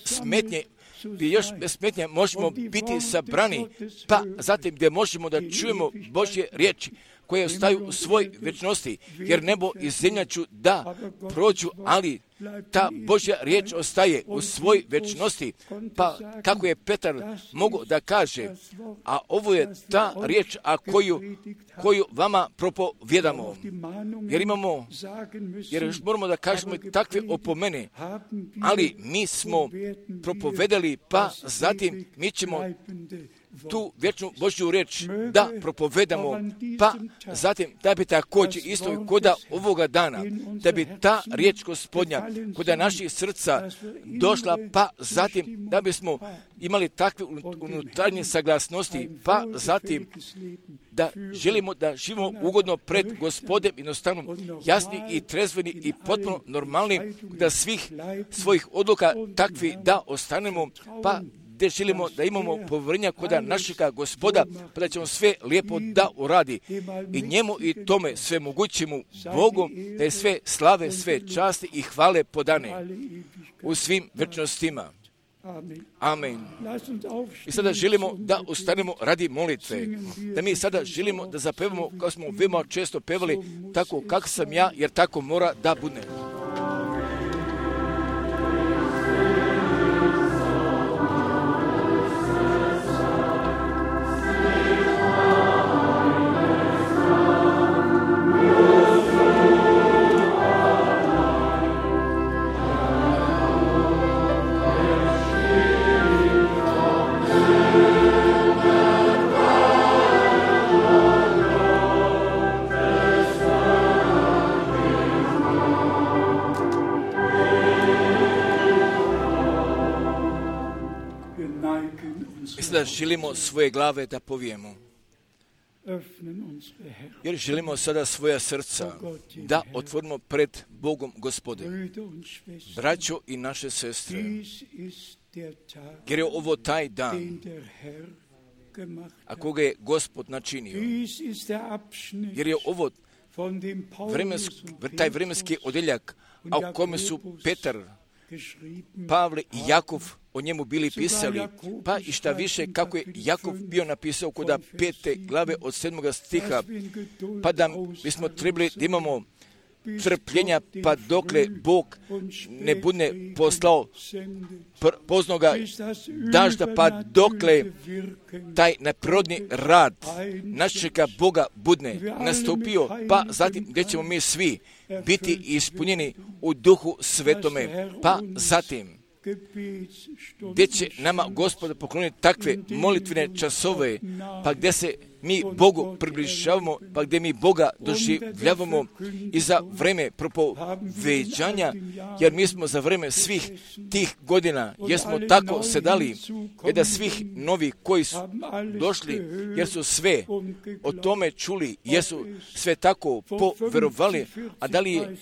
smetnje možemo biti sabrani, pa zatim gdje možemo da čujemo Božje riječi koje ostaju u svoj večnosti, jer nebo i zemlja ću da prođu, ali ta Božja riječ ostaje u svoj večnosti, pa kako je Petar mogao da kaže, a ovo je ta riječ koju vama propovjedamo, jer još moramo da kažemo takve opomene, ali mi smo propovedali, pa zatim mi ćemo tu vječnu Božju riječ da propovedamo, pa zatim da bi također isto koda ovoga dana, da bi ta riječ Gospodnja koda naših srca došla, pa zatim da bismo imali takve unutarnje saglasnosti, pa zatim da želimo da živimo ugodno pred Gospodem, jednostavno jasni i trezveni i potpuno normalni, da svih svojih odluka takvi da ostanemo, pa gdje želimo da imamo povjerenja koda našega Gospoda, pa da ćemo sve lijepo da uradi. I njemu i tome sve mogućemu Bogu, da je sve slave, sve časti i hvale podane u svim večnostima. Amen. I sada želimo da ustanemo radi molitve. Da mi sada želimo da zapevamo, kao smo veoma često pevali, tako kak sam ja, jer tako mora da bude. Da želimo svoje glave da povijemo. Jer želimo sada svoja srca da otvorimo pred Bogom Gospodem. Braćo i naše sestre, jer je ovo taj dan, a koga je Gospod načinio. Jer je ovo taj vremenski odjeljak, a u kome su Petar, Pavle i Jakov o njemu bili pisali, pa i šta više kako je Jakov bio napisao kod 5. glave od 7. stiha, pa da bismo trebali da imamo trpljenja, pa dokle Bog ne bude poslao poznoga dažda, pa dokle taj neprirodni rad našega Boga bude nastupio, pa zatim gdje ćemo mi svi biti ispunjeni u Duhu Svetome, pa zatim gdje će nama Gospod pokloniti takve molitvene časove, pa gdje se mi Bogu približavamo, pa gdje mi Boga doživljavamo i za vreme propoveđanja, jer mi smo za vreme svih tih godina, jer smo tako sedali, jer da svih novi koji su došli, jer su sve o tome čuli, jer su sve tako poverovali, a da li je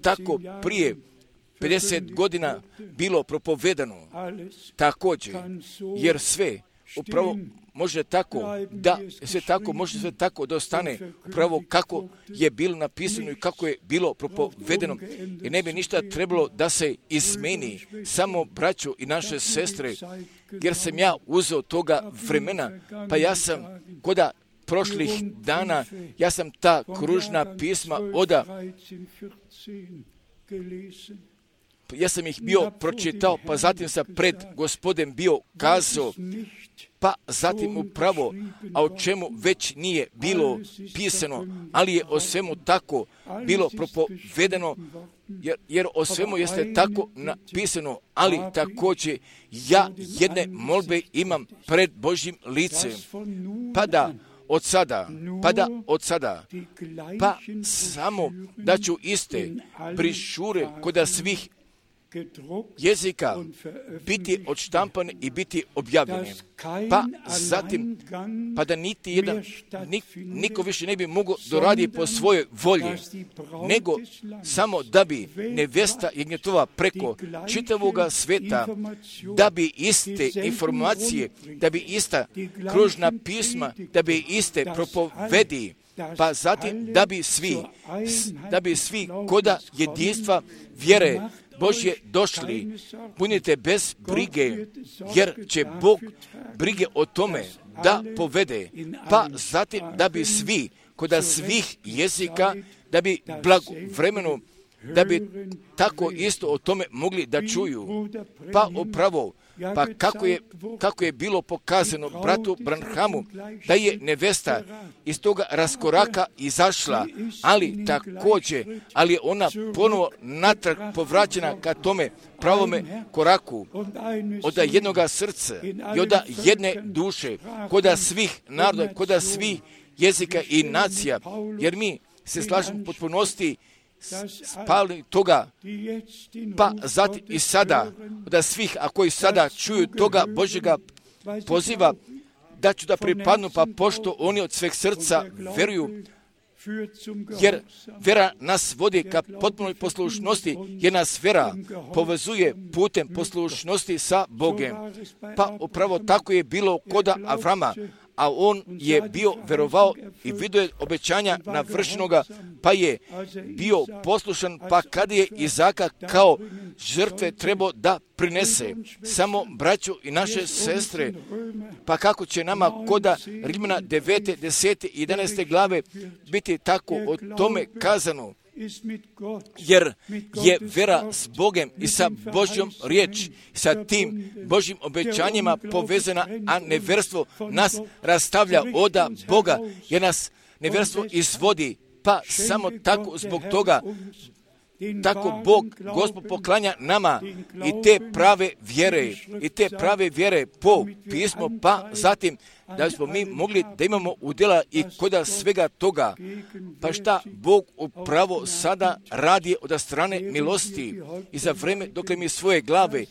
tako prije 50 godina bilo propovedano također, jer sve upravo može tako da sve tako da ostane upravo kako je bilo napisano i kako je bilo propovedeno, i ne bi ništa trebalo da se izmeni, samo braćo i naše sestre, jer sam ja uzeo toga vremena, pa ja sam koda prošlih dana, ja sam ta kružna pisma ja sam ih bio pročitao, pa zatim sam pred Gospodem bio kazao, pa zatim upravo, a o čemu već nije bilo pisano, ali je o svemu tako bilo propovedeno, jer o svemu jeste tako napisano, ali također ja jedne molbe imam pred Božjim licem, pa da od sada, pa samo da ću iste brišure koda svih jezika biti odštampane i biti objavljene. Pa zatim, pa da niko više ne bi mogao doradi po svojoj volji, nego samo da bi nevesta Jagnjetova preko čitavoga sveta, da bi iste informacije, da bi ista kružna pisma, da bi iste propovedi, pa zatim da bi svi koda jedinstva vjere Božje došli, punite bez brige, jer će Bog brige o tome da povede, pa zatim da bi svi, koda svih jezika, da bi blagovremeno, da bi tako isto o tome mogli da čuju. Pa upravo, pa kako je bilo pokazano bratu Branhamu, da je nevesta iz toga raskoraka izašla, ali također, ali je ona ponovo natrag povraćena ka tome pravome koraku, od jednoga srca i od jedne duše, koda svih naroda, koda svih jezika i nacija, jer mi se slažemo potpunosti spali toga, pa zatim i sada, da svih, a koji sada čuju toga Božjega poziva, da ću da pripadnu, pa pošto oni od sveg srca veruju, jer vera nas vodi ka potpunoj poslušnosti, jer nas vera povezuje putem poslušnosti sa Bogem. Pa upravo tako je bilo koda Avrama, a on je bio verovao i vidio je obećanja navršenoga, pa je bio poslušan, pa kad je Izaka kao žrtve trebao da prinese. Samo braćo i naše sestre, pa kako će nama koda Rimljana 9., 10. i 11. glave biti tako o tome kazano? Jer je vera s Bogom i sa Božjom riječ, sa tim Božjim obećanjima povezana, a neverstvo nas rastavlja oda Boga, jer nas neverstvo izvodi, pa samo tako zbog toga, tako Bog, Gospod poklanja nama i te prave vjere po pismu, pa zatim da smo mi mogli da imamo udjela i koda svega toga. Pa šta Bog upravo sada radi od strane milosti i za vreme dok mi svoje glave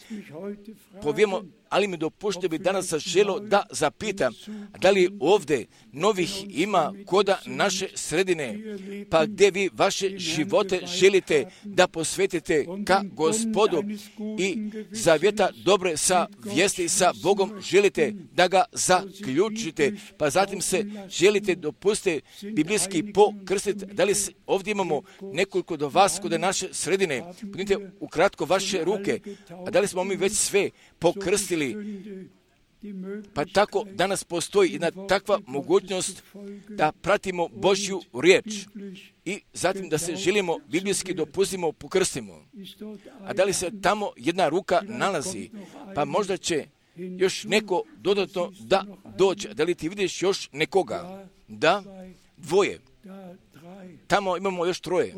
povijemo, ali mi dopušte bi danas želo da zapitam, da li ovdje novih ima koda naše sredine, pa gdje vi vaše živote želite da posvetite ka Gospodu i zavjeta dobre sa vijesti sa Bogom želite da ga zaključite, pa zatim se želite dopustiti biblijski pokrstiti. Da li ovdje imamo nekoliko do vas kod naše sredine? Podnite ukratko vaše ruke, a da li smo mi već sve pokrstili? Pa tako danas postoji jedna takva mogućnost da pratimo Božju riječ i zatim da se želimo biblijski dopustimo pokrstimo. A da li se tamo jedna ruka nalazi? Pa možda će još neko dodatno da dođe. Da li ti vidiš još nekoga? Da, dvoje. Tamo imamo još troje.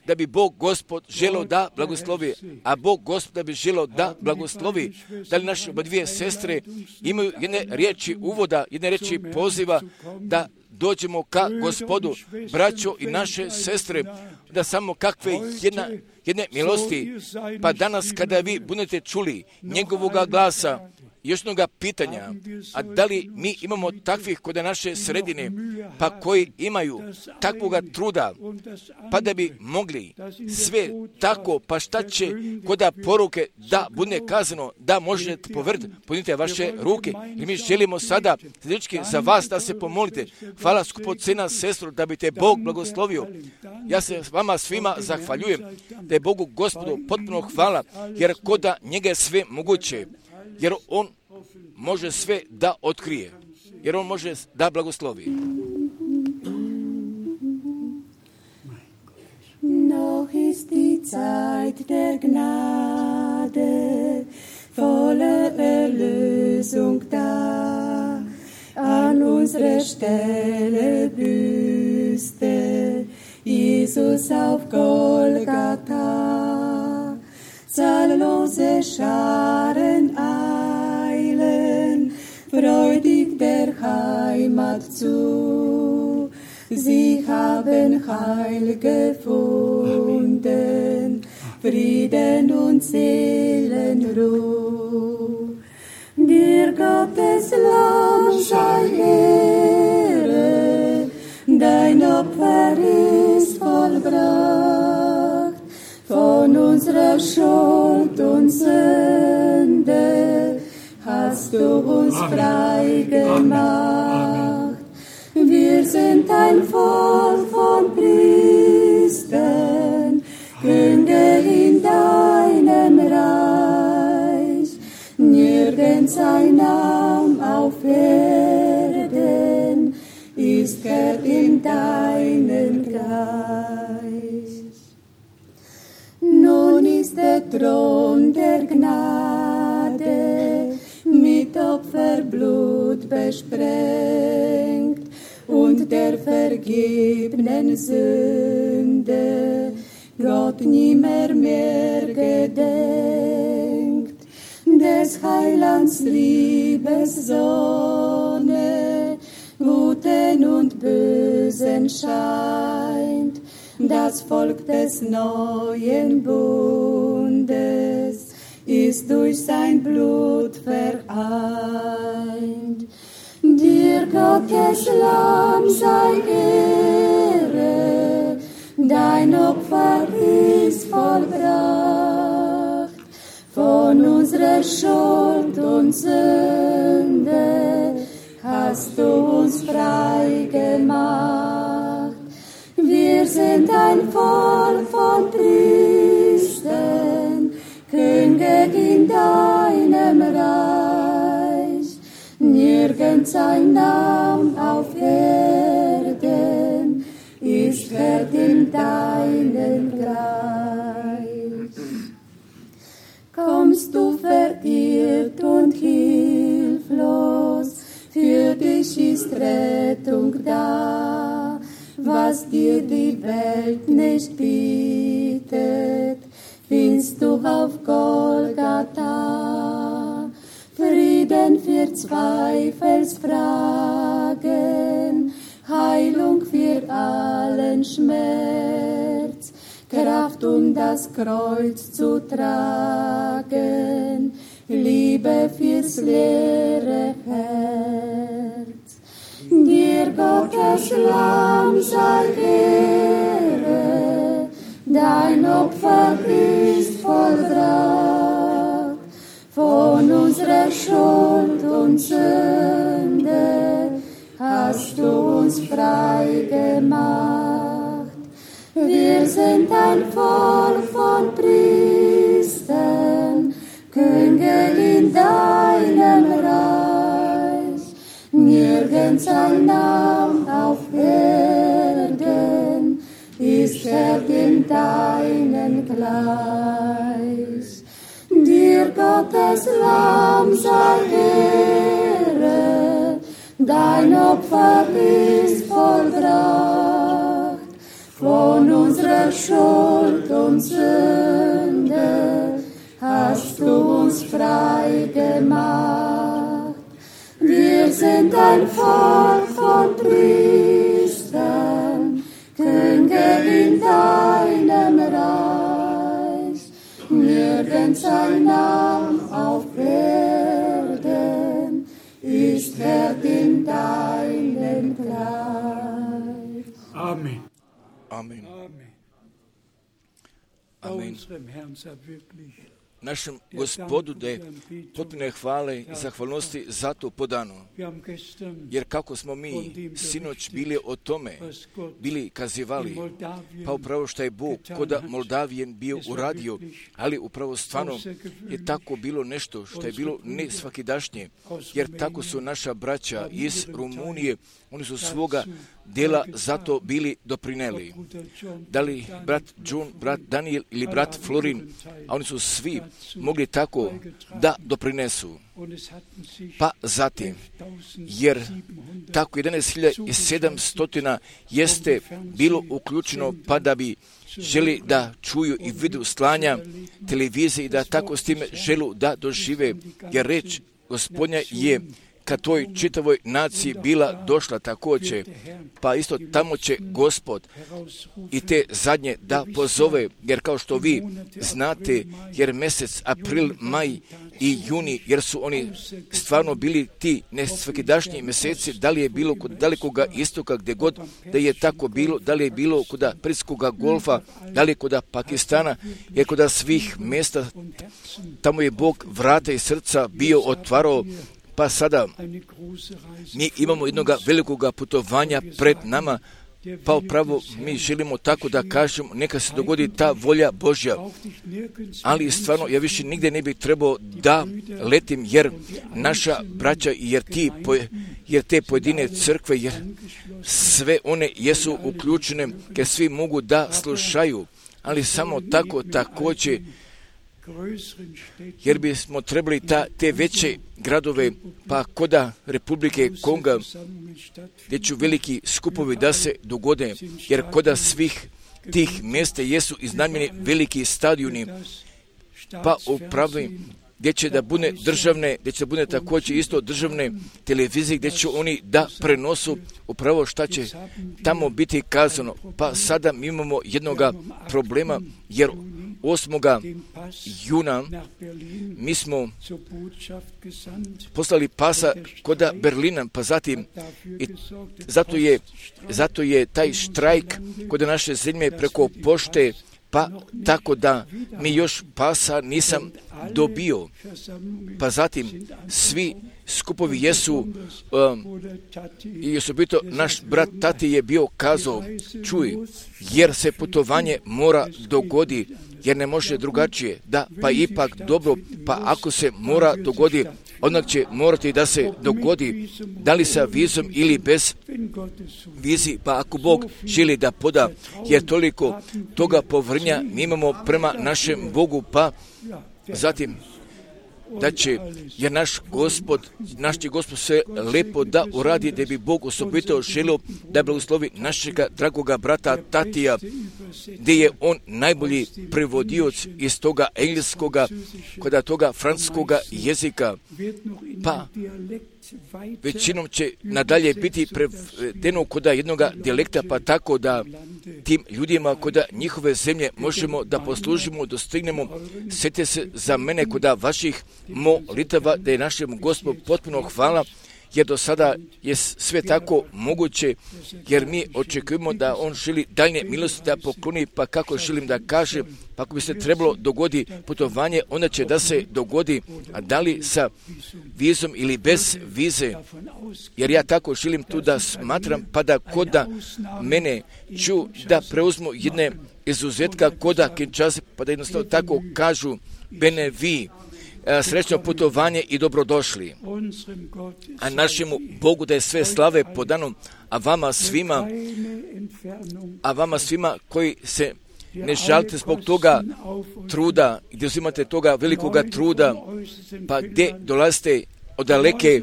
Da bi Bog Gospod želeo da blagoslovi, a Bog Gospod da bi želeo da blagoslovi. Da li naše dvije sestre imaju jedne riječi uvoda, jedne riječi poziva da dođemo ka Gospodu, braćo i naše sestre, da samo kakve jedne milosti, pa danas kada vi budete čuli njegovoga glasa, još jednoga pitanja, a da li mi imamo takvih kod naše sredine, pa koji imaju takvoga truda, pa da bi mogli sve tako, pa šta će kod poruke da bude kazano, da možete povrti, podnite vaše ruke, i mi želimo sada za vas da se pomolite. Hvala skupocena sestro, da bi te Bog blagoslovio. Ja se vama svima zahvaljujem, da je Bogu Gospodu potpuno hvala, jer kod njega je sve moguće. Jer on može sve da otkrije, jer on može da blagoslovi. Noch ist die Zeit der Gnade, volle Erlösung da, an unsere Stelle büßte Jesus auf Golgatha. Zahllose Scharen eilen freudig der Heimat zu. Sie haben Heil gefunden, Frieden und Seelenruhe. Dir Gottes Lamm sei Ehre, dein Opfer ist vollbracht. Von unserer Schuld und Sünde hast du uns frei gemacht. Wir sind ein Volk von Priestern, Könige in deinem Reich. Nirgends ein Name auf Erden ist Gott in deinen Geist. Nun ist der Thron der Gnade mit Opferblut besprengt und der vergebenen Sünde Gott nimmer mehr gedenkt. Des Heilands Liebessonne Guten und Bösen scheint, das Volk des neuen Bundes ist durch sein Blut vereint. Dir Gottes Lamm sei Ehre, dein Opfer ist vollbracht. Von unserer Schuld und Sünde hast du uns frei gemacht. Wir sind ein Volk von Priestern, Könige in deinem Reich. Nirgends ein Name auf Erden ist wert in deinen Gleich. Kommst du verirrt und hilflos, für dich ist Rettung da, was dir die Welt nicht bietet, findest du auf Golgatha. Frieden für Zweifelsfragen, Heilung für allen Schmerz, Kraft, um das Kreuz zu tragen, Liebe fürs leere Herz. Dir Gottes Lamm sei Ehre, dein Opfer ist vollbracht, von unserer Schuld und Sünde hast du uns frei gemacht. Wir sind ein Volk von Priestern, Könige in deinem Reich. Nirgends ein Name auf Erden ist wert in deinen Gleich. Dir Gottes Lamm sei Ehre, dein Opfer ist vollbracht, von unserer Schuld und Sünde hast du uns frei gemacht. Wir sind ein Volk von Priestern, Könige in deinem Reich. Nirgends ein Name auf Erden ist wert in deinen Gleich. Amen. Amen. Amen. Amen. Unserem Herrn sei wirklich Našem Gospodu da je potpune hvale i zahvalnosti za to podano. Jer kako smo mi sinoć bili o tome, bili kazivali, pa upravo što je Bog koda Moldavijen bio uradio, ali upravo stvarno je tako bilo nešto što je bilo ne svakidašnje, jer tako su naša braća iz Rumunije, oni su svoga dela zato bili doprineli. Da li brat John, brat Daniel ili brat Florin, a oni su svi mogli tako da doprinesu. Pa zatim, jer tako 11.700 jeste bilo uključeno pa da bi želi da čuju i vidu slanja televizije i da tako s time želu da dožive, jer reč Gospodnja je kad toj čitavoj naciji bila došla također, pa isto tamo će Gospod i te zadnje da pozove, jer kao što vi znate, jer mjesec april, maj i juni, jer su oni stvarno bili ti nesvakidašnji mjeseci, da li je bilo kod dalekoga istoka, gdje god da je tako bilo, da li je bilo kod Perskoga golfa, da li je kod Pakistana, jer kod svih mjesta, tamo je Bog vrata i srca bio otvarao. Pa sada mi imamo jednog velikoga putovanja pred nama, pa upravo mi želimo tako da kažemo, neka se dogodi ta volja Božja. Ali stvarno, ja više nigdje ne bih trebao da letim, jer naša braća, jer te pojedine crkve, jer sve one jesu uključene, jer svi mogu da slušaju, ali samo tako također, jer bismo trebali te veće gradove, pa koda Republike Konga, gdje će veliki skupovi da se dogode, jer koda svih tih mjesta jesu iznajmljeni veliki stadioni, pa upravo gdje će da bude državne, gdje će da bude također isto državne televizije, gdje će oni da prenosu upravo šta će tamo biti kazano. Pa sada mi imamo jednoga problema, jer 8. juna mi smo poslali pasa koda Berlina, pa zatim zato je taj štrajk kod naše zemlje preko pošte pa tako da mi još pasa nisam dobio. Pa zatim svi skupovi jesu, i osobito naš brat Tati je bio kazao, čuj, jer se putovanje mora dogodi, jer ne može drugačije. Da, pa ipak dobro, pa ako se mora dogodi, onda će morati da se dogodi, da li sa vizom ili bez vizi, pa ako Bog želi da poda, jer toliko toga povrnja mi imamo prema našem Bogu, pa zatim da će, jer naš će Gospod sve lepo da uradi, da bi Bog osobito želio da blagoslovi našega dragoga brata Tatija, gdje je on najbolji prevodioc iz toga engleskoga, kod toga francuskoga jezika, pa većinom će nadalje biti prevedeno kod jednog dijalekta, pa tako da tim ljudima kod njihove zemlje možemo da poslužimo, dostignemo. Sjetite se za mene kod vaših molitava, da je našem Gospodu potpuno hvala, jer do sada je sve tako moguće, jer mi očekujemo da on želi daljnje milosti da pokloni, pa kako želim da kažem, pa ako bi se trebalo dogodi putovanje, onda će da se dogodi, a da li sa vizom ili bez vize, jer ja tako želim tu da smatram, pa da kod mene ću da preuzmu jedne izuzetka koda Kinshase, pa da jednostavno tako kažu bene vi, srećno putovanje i dobrodošli. A našemu Bogu da je sve slave podano, a vama svima koji se ne žalite zbog toga truda, gdje uzimate toga velikoga truda, pa gdje dolazite od daleke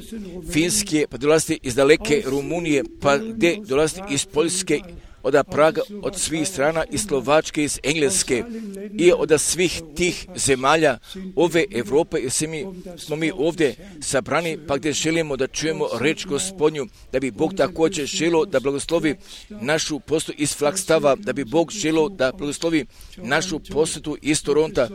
Finske, pa dolazite iz daleke Rumunije, pa gdje dolazite iz Poljske, od Praga, od svih strana, iz Slovačke, iz Engleske i od svih tih zemalja ove Evrope, jer smo mi ovdje sabrani, pa gdje želimo da čujemo reč Gospodnju, da bi Bog također želio da blagoslovi našu posjetu iz Flagstava, da bi Bog želio da blagoslovi našu posjetu iz Toronta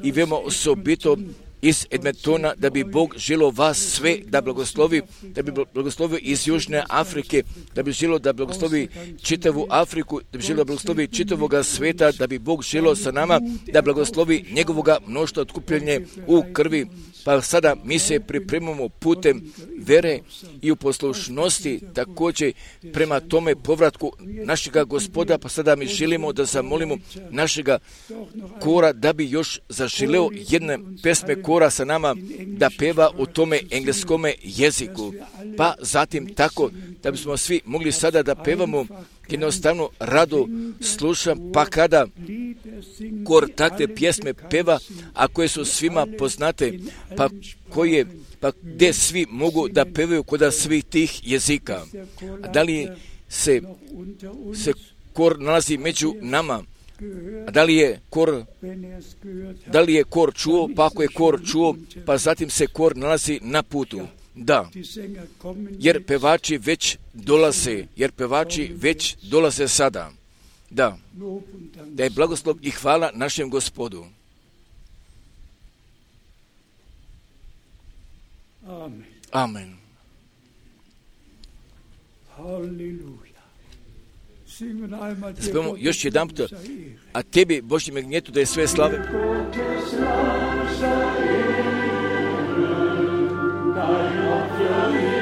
i veoma osobito iz Edmontona, da bi Bog želio vas sve da blagoslovi, da bi blagoslovio iz Južne Afrike, da bi želio da blagoslovi čitavu Afriku, da bi želio da blagoslovi čitavoga sveta, da bi Bog želio sa nama da blagoslovi njegovoga mnoštva otkupljenje u krvi. Pa sada mi se pripremamo putem vere i u poslušnosti također prema tome povratku našega Gospoda, pa sada mi želimo da zamolimo našega kora da bi još zaželeo jedne pesme kora sa nama da peva u tome engleskome jeziku. Pa zatim tako da bismo svi mogli sada da pevamo, jednostavno rado slušam, pa kada kor takve pjesme peva, a koje su svima poznate, pa gdje svi mogu da pevaju kod svih tih jezika. A da li se kor nalazi među nama? A da li je kor čuo? Pa ako je kor čuo, pa zatim se kor nalazi na putu. Da, jer pevači već dolaze sada. Da je blagoslov i hvala našem Gospodu. Amen. Spemo još jedan put, a tebi, Božji magnjetu, da je sve slave. Sein Name auf Erden.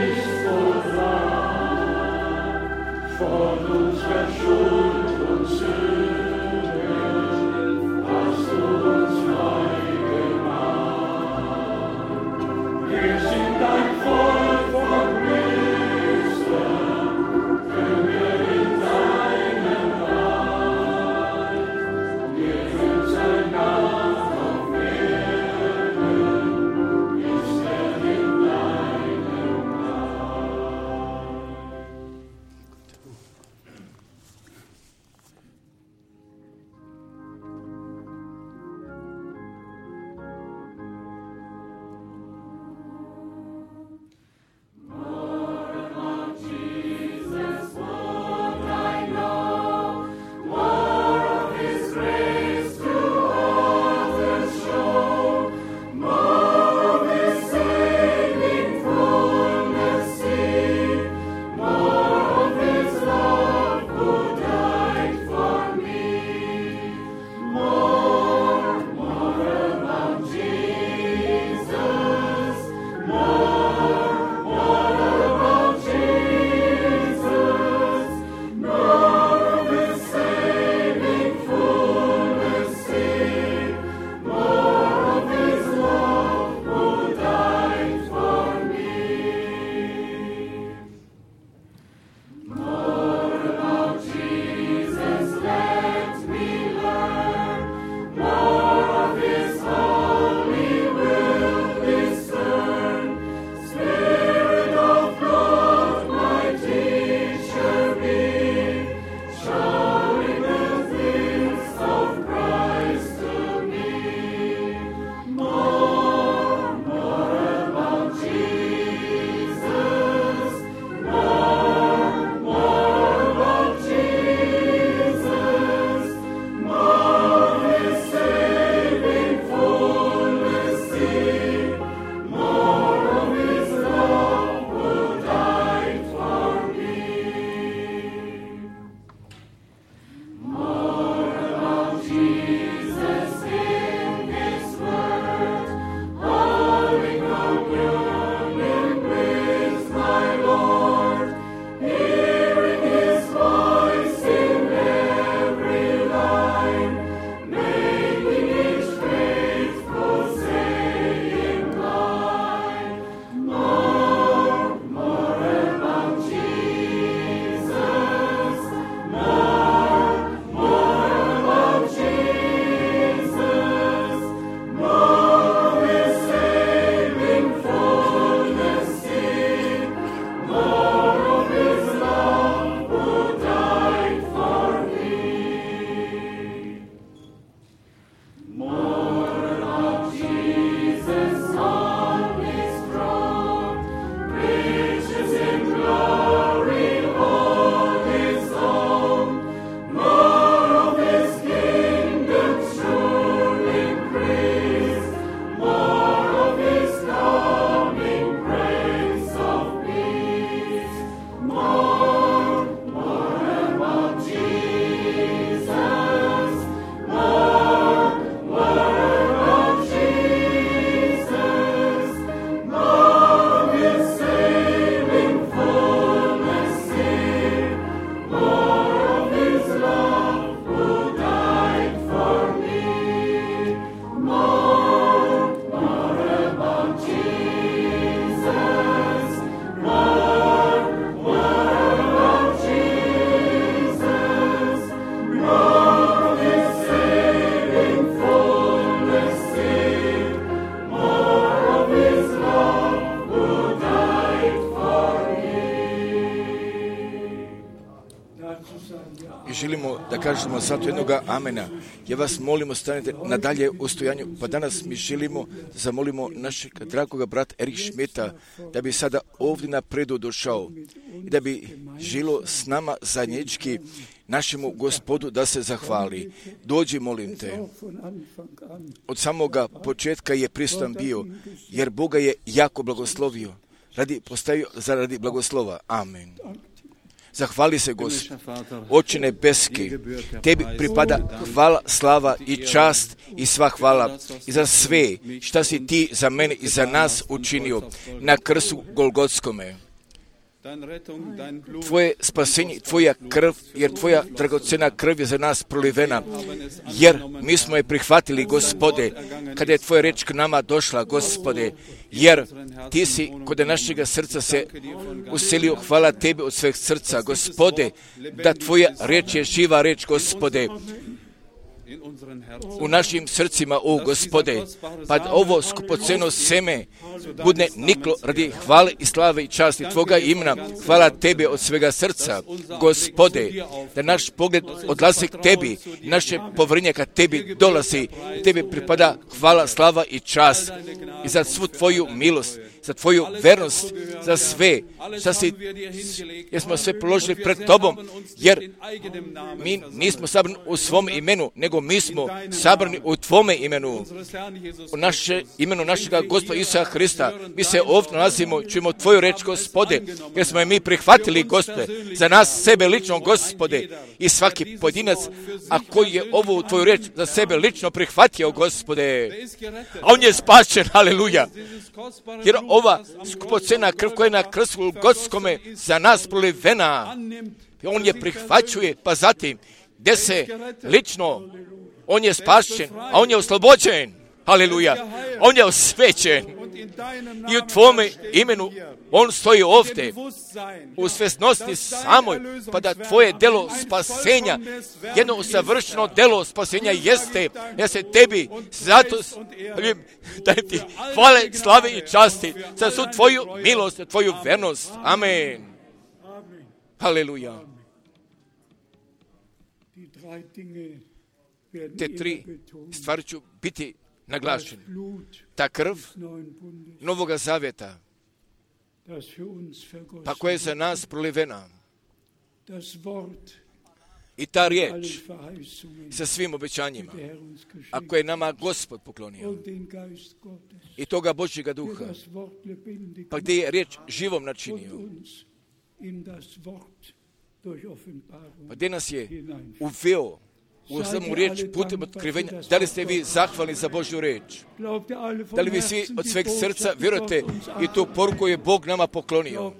kažemo zato jednoga amena. Ja vas molimo, stanite nadalje u stojanju, pa danas mi želimo, zamolimo našeg dragoga brata Erich Schmidta, da bi sada ovdje napredu došao i da bi žilo s nama zajednički našemu Gospodu da se zahvali. Dođi, molim te. Od samoga početka je prisutan bio, jer Boga je jako blagoslovio. Postavio zaradi blagoslova. Amen. Zahvali se, Gospod. Oče nebeski, tebi pripada hvala, slava i čast i sva hvala i za sve šta si ti za mene i za nas učinio na krstu Golgotskome. Tvoje spasenje, tvoja krv, jer tvoja dragocena krv je za nas prolivena, jer mi smo je prihvatili, Gospode, kada je tvoja reč k nama došla, Gospode, jer ti si kod našega srca se uselio. Hvala tebi od sveg srca, Gospode, da tvoja reč je živa reč, Gospode, u našim srcima, o Gospode, pa ovo skupoceno seme bude niklo radi hvale i slave i časti tvoga imena. Hvala tebi od svega srca, Gospode, da naš pogled odlazi k tebi, naše poverenje ka tebi dolazi, tebi pripada hvala, slava i čast i za svu tvoju milost, za tvoju vernost, za sve, jer smo sve položili pred tobom, jer mi nismo sabrani u svom imenu, nego mi smo sabrani u tvome imenu, u naše imenu našega Gospoda Isusa Hrista. Mi se ovdje nalazimo, čujemo tvoju reč, Gospode, jer smo je mi prihvatili, Gospode, za nas sebe lično, Gospode, i svaki pojedinac, a koji je ovu tvoju reč za sebe lično prihvatio, Gospode, a on je spašen, aleluja, jer ova skupocena krv koja je na krstu Golgotskome za nas prolivena, on je prihvaćuje, pa zatim, gdje se lično, on je spašen, a on je oslobođen, aleluja, on je osvećen i u tvome imenu on stoji ovdje u svjesnosti samoj, pa da tvoje delo spasenja, jedno savršeno delo spasenja jeste, ja se tebi zato dajem ti hvale, slave i časti za svu tvoju milost, tvoju vernost. Amen. Aleluja. Te tri stvari ću biti naglašene. Ta krv Novoga Zavjeta, pa koja je za nas prolivena, i ta riječ sa svim obećanjima, a koje je nama Gospod poklonio, i toga Božjega duha, pa gdje je riječ živom načinio, pa gdje nas je uveo u samu riječ putem otkrivenja. Da li ste vi zahvalni za Božju riječ? Da li vi svi od sveg srca vjerujete i tu poruku je Bog nama poklonio?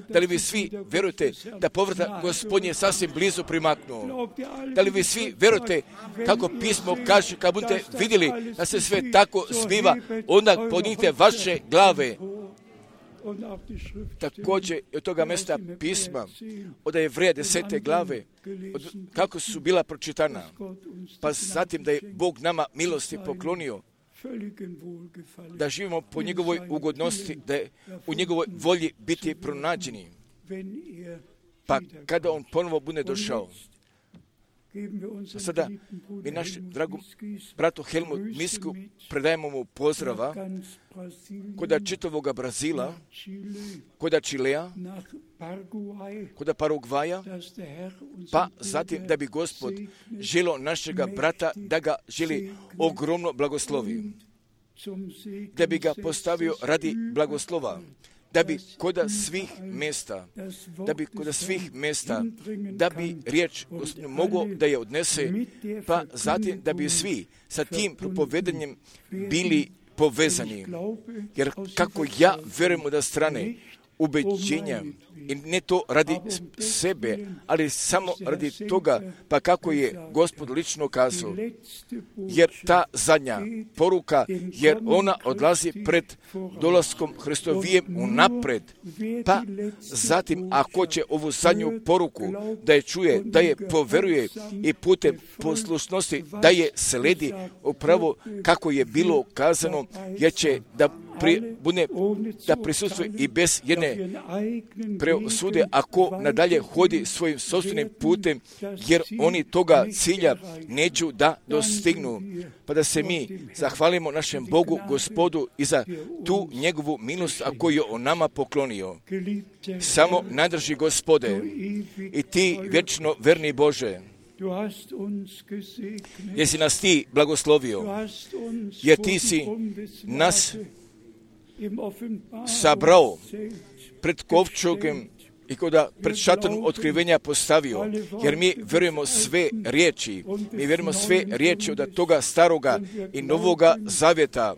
Da li vi svi vjerujete da povrata Gospodnje sasvim blizu primaknuo? Da li vi svi vjerujete kako pismo kaže, kad budete vidjeli da se sve tako zbiva, onda podignite vaše glave. Također od toga mjesta pisma od Jevreja 10. glave kako su bila pročitana, pa zatim da je Bog nama milosti poklonio da živimo po njegovoj ugodnosti, da je u njegovoj volji biti pronađeni, pa kada on ponovo bude došao. Sada mi naš dragom bratu Helmut Misku predajemo mu pozdrava kod čitavoga Brazila, kod Čilea, kod Paragvaja, pa zatim da bi Gospod želio našega brata da ga želi ogromno blagoslovi, da bi ga postavio radi blagoslova, da bi kod svih mjesta, da bi riječ mogao da je odnese, pa zatim da bi svi sa tim propovedanjem bili povezani. Jer kako ja vjerujem od strane ubeđenja, i ne to radi sebe, ali samo radi toga, pa kako je Gospod lično kazao, jer ta zadnja poruka, jer ona odlazi pred dolaskom Hristovijem unapred, pa zatim ako će ovu zadnju poruku da je čuje, da je poveruje i putem poslušnosti da je sledi upravo kako je bilo kazano, jer će da da prisustuje i bez jedne preosude, ako nadalje hodi svojim sopstvenim putem, jer oni toga cilja neću da dostignu. Pa da se mi zahvalimo našem Bogu, Gospodu, i za tu njegovu milost, a koju je on nama poklonio. Samo nadrži, Gospode, i ti vječno verni Bože, jer si nas ti blagoslovio, jer ti si nas sabrao pred kovčegom i koda pred šatorom otkrivenja postavio, jer mi vjerujemo sve riječi, od toga staroga i novoga zavjeta,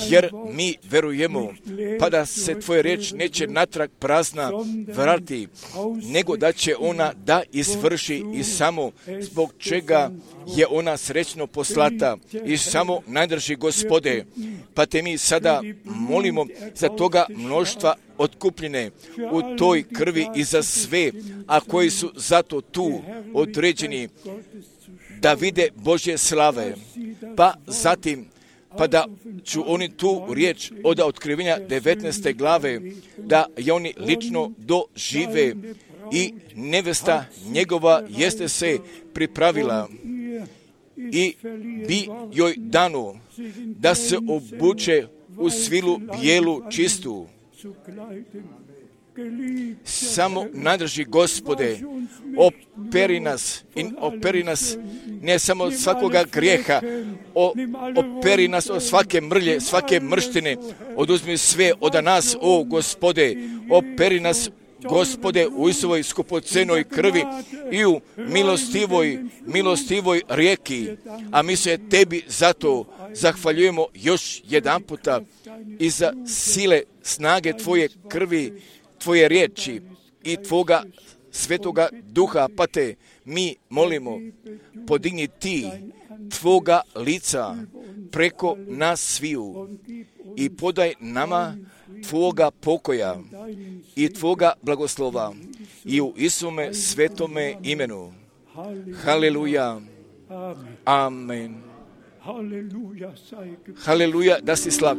jer mi vjerujemo, pa da se tvoja riječ neće natrag prazna vratiti, nego da će ona da izvrši i samo zbog čega je ona srećno poslata i samo nadrži, Gospode, pa te mi sada molimo za toga mnoštva otkupljene u toj krvi i za sve, a koji su zato tu određeni da vide Božje slave, pa zatim pa da ću oni tu riječ od otkrivenja 19. glave, da je oni lično dožive i nevesta njegova jeste se pripravila i bi joj dano da se obuče u svilu bijelu čistu. Samo nadrži, Gospode, operi nas ne samo od svakoga grijeha, operi nas od svake mrlje, svake mrštine, oduzmi sve od nas, o Gospode, operi nas, Gospode, u Isusovoj skupocenoj krvi i u milostivoj rijeki, a mi se tebi zato zahvaljujemo još jedan puta i za sile, snage tvoje krvi, tvoje riječi i tvoga svetoga duha, pa te mi molimo, podigni ti tvoga lica preko nas sviju i podaj nama tvoga pokoja i tvoga blagoslova i u Isuse svetome imenu. Haleluja. Amen. Haleluja, da si slav.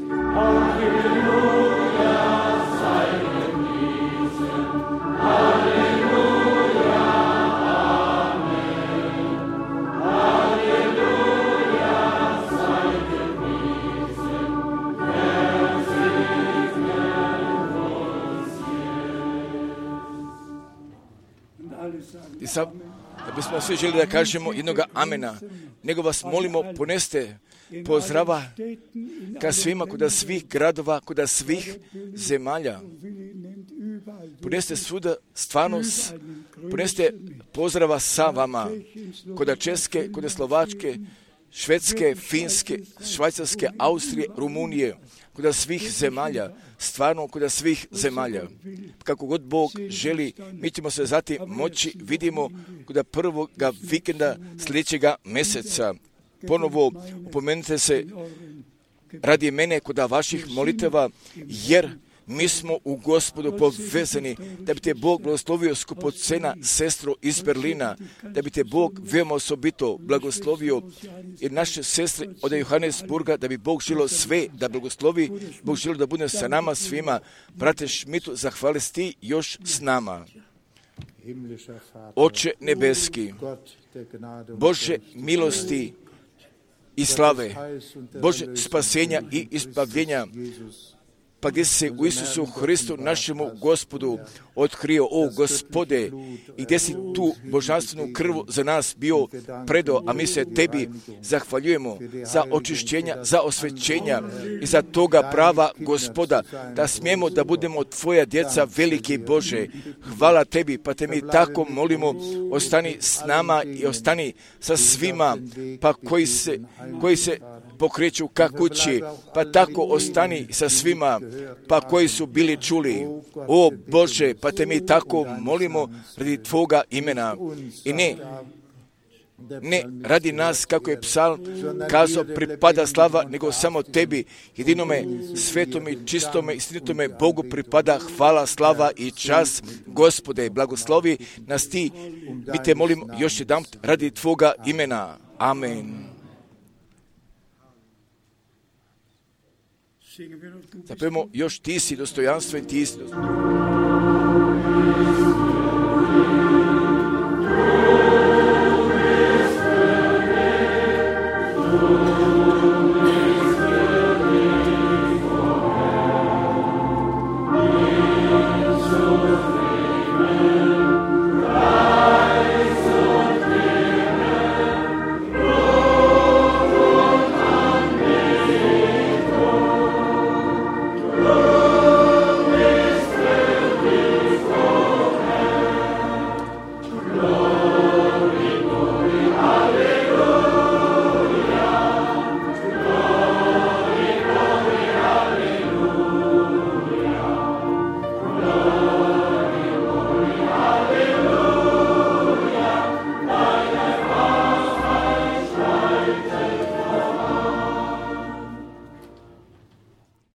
I sad, da bismo svi želi da kažemo jednoga amena, nego vas molimo, poneste pozdrava ka svima, kuda svih gradova, kuda svih zemalja. Poneste svuda stvarno, poneste pozdrava sa vama, kuda Česke, kuda Slovačke, Švedske, Finske, Švajcarske, Austrije, Rumunije, kuda svih zemalja, stvarno kuda svih zemalja. Kako god Bog želi, mi ćemo se zatim moći, vidimo kuda prvoga vikenda sljedećega mjeseca. Ponovo upomenite se radi mene kuda vaših moliteva, jer mi smo u Gospodu povezani, da bi te Bog blagoslovio skupocena sestro iz Berlina, da bi te Bog veoma osobito blagoslovio i naše sestre od Johannesburga, da bi Bog želio sve da blagoslovi, Bog želio da bude sa nama svima. Brate Šmitu, zahvali ti još s nama. Oče nebeski, Bože milosti i slave, Bože spasenja i izbavljenja, pa gdje se u Isusu Hristu, našemu Gospodu, otkrio, o Gospode, i gdje si tu božanstvenu krvu za nas bio predao, a mi se tebi zahvaljujemo za očišćenja, za osvećenja i za toga prava, Gospoda, da smijemo da budemo tvoja djeca, veliki Bože. Hvala tebi, pa te mi tako molimo, ostani s nama i ostani sa svima, pa koji se pokreću ka kući, pa tako ostani sa svima, pa koji su bili čuli. O Bože, pa te mi tako molimo radi tvoga imena i ne radi nas, kako je psalm kazao, pripada slava, nego samo tebi, jedinome svetome, čistome, istinitome Bogu pripada hvala, slava i čast. Gospode, blagoslovi nas ti, mi te molimo još jedan radi tvoga imena. Amen. Zapevamo još ti si dostojanstven, ti si dostojanstven.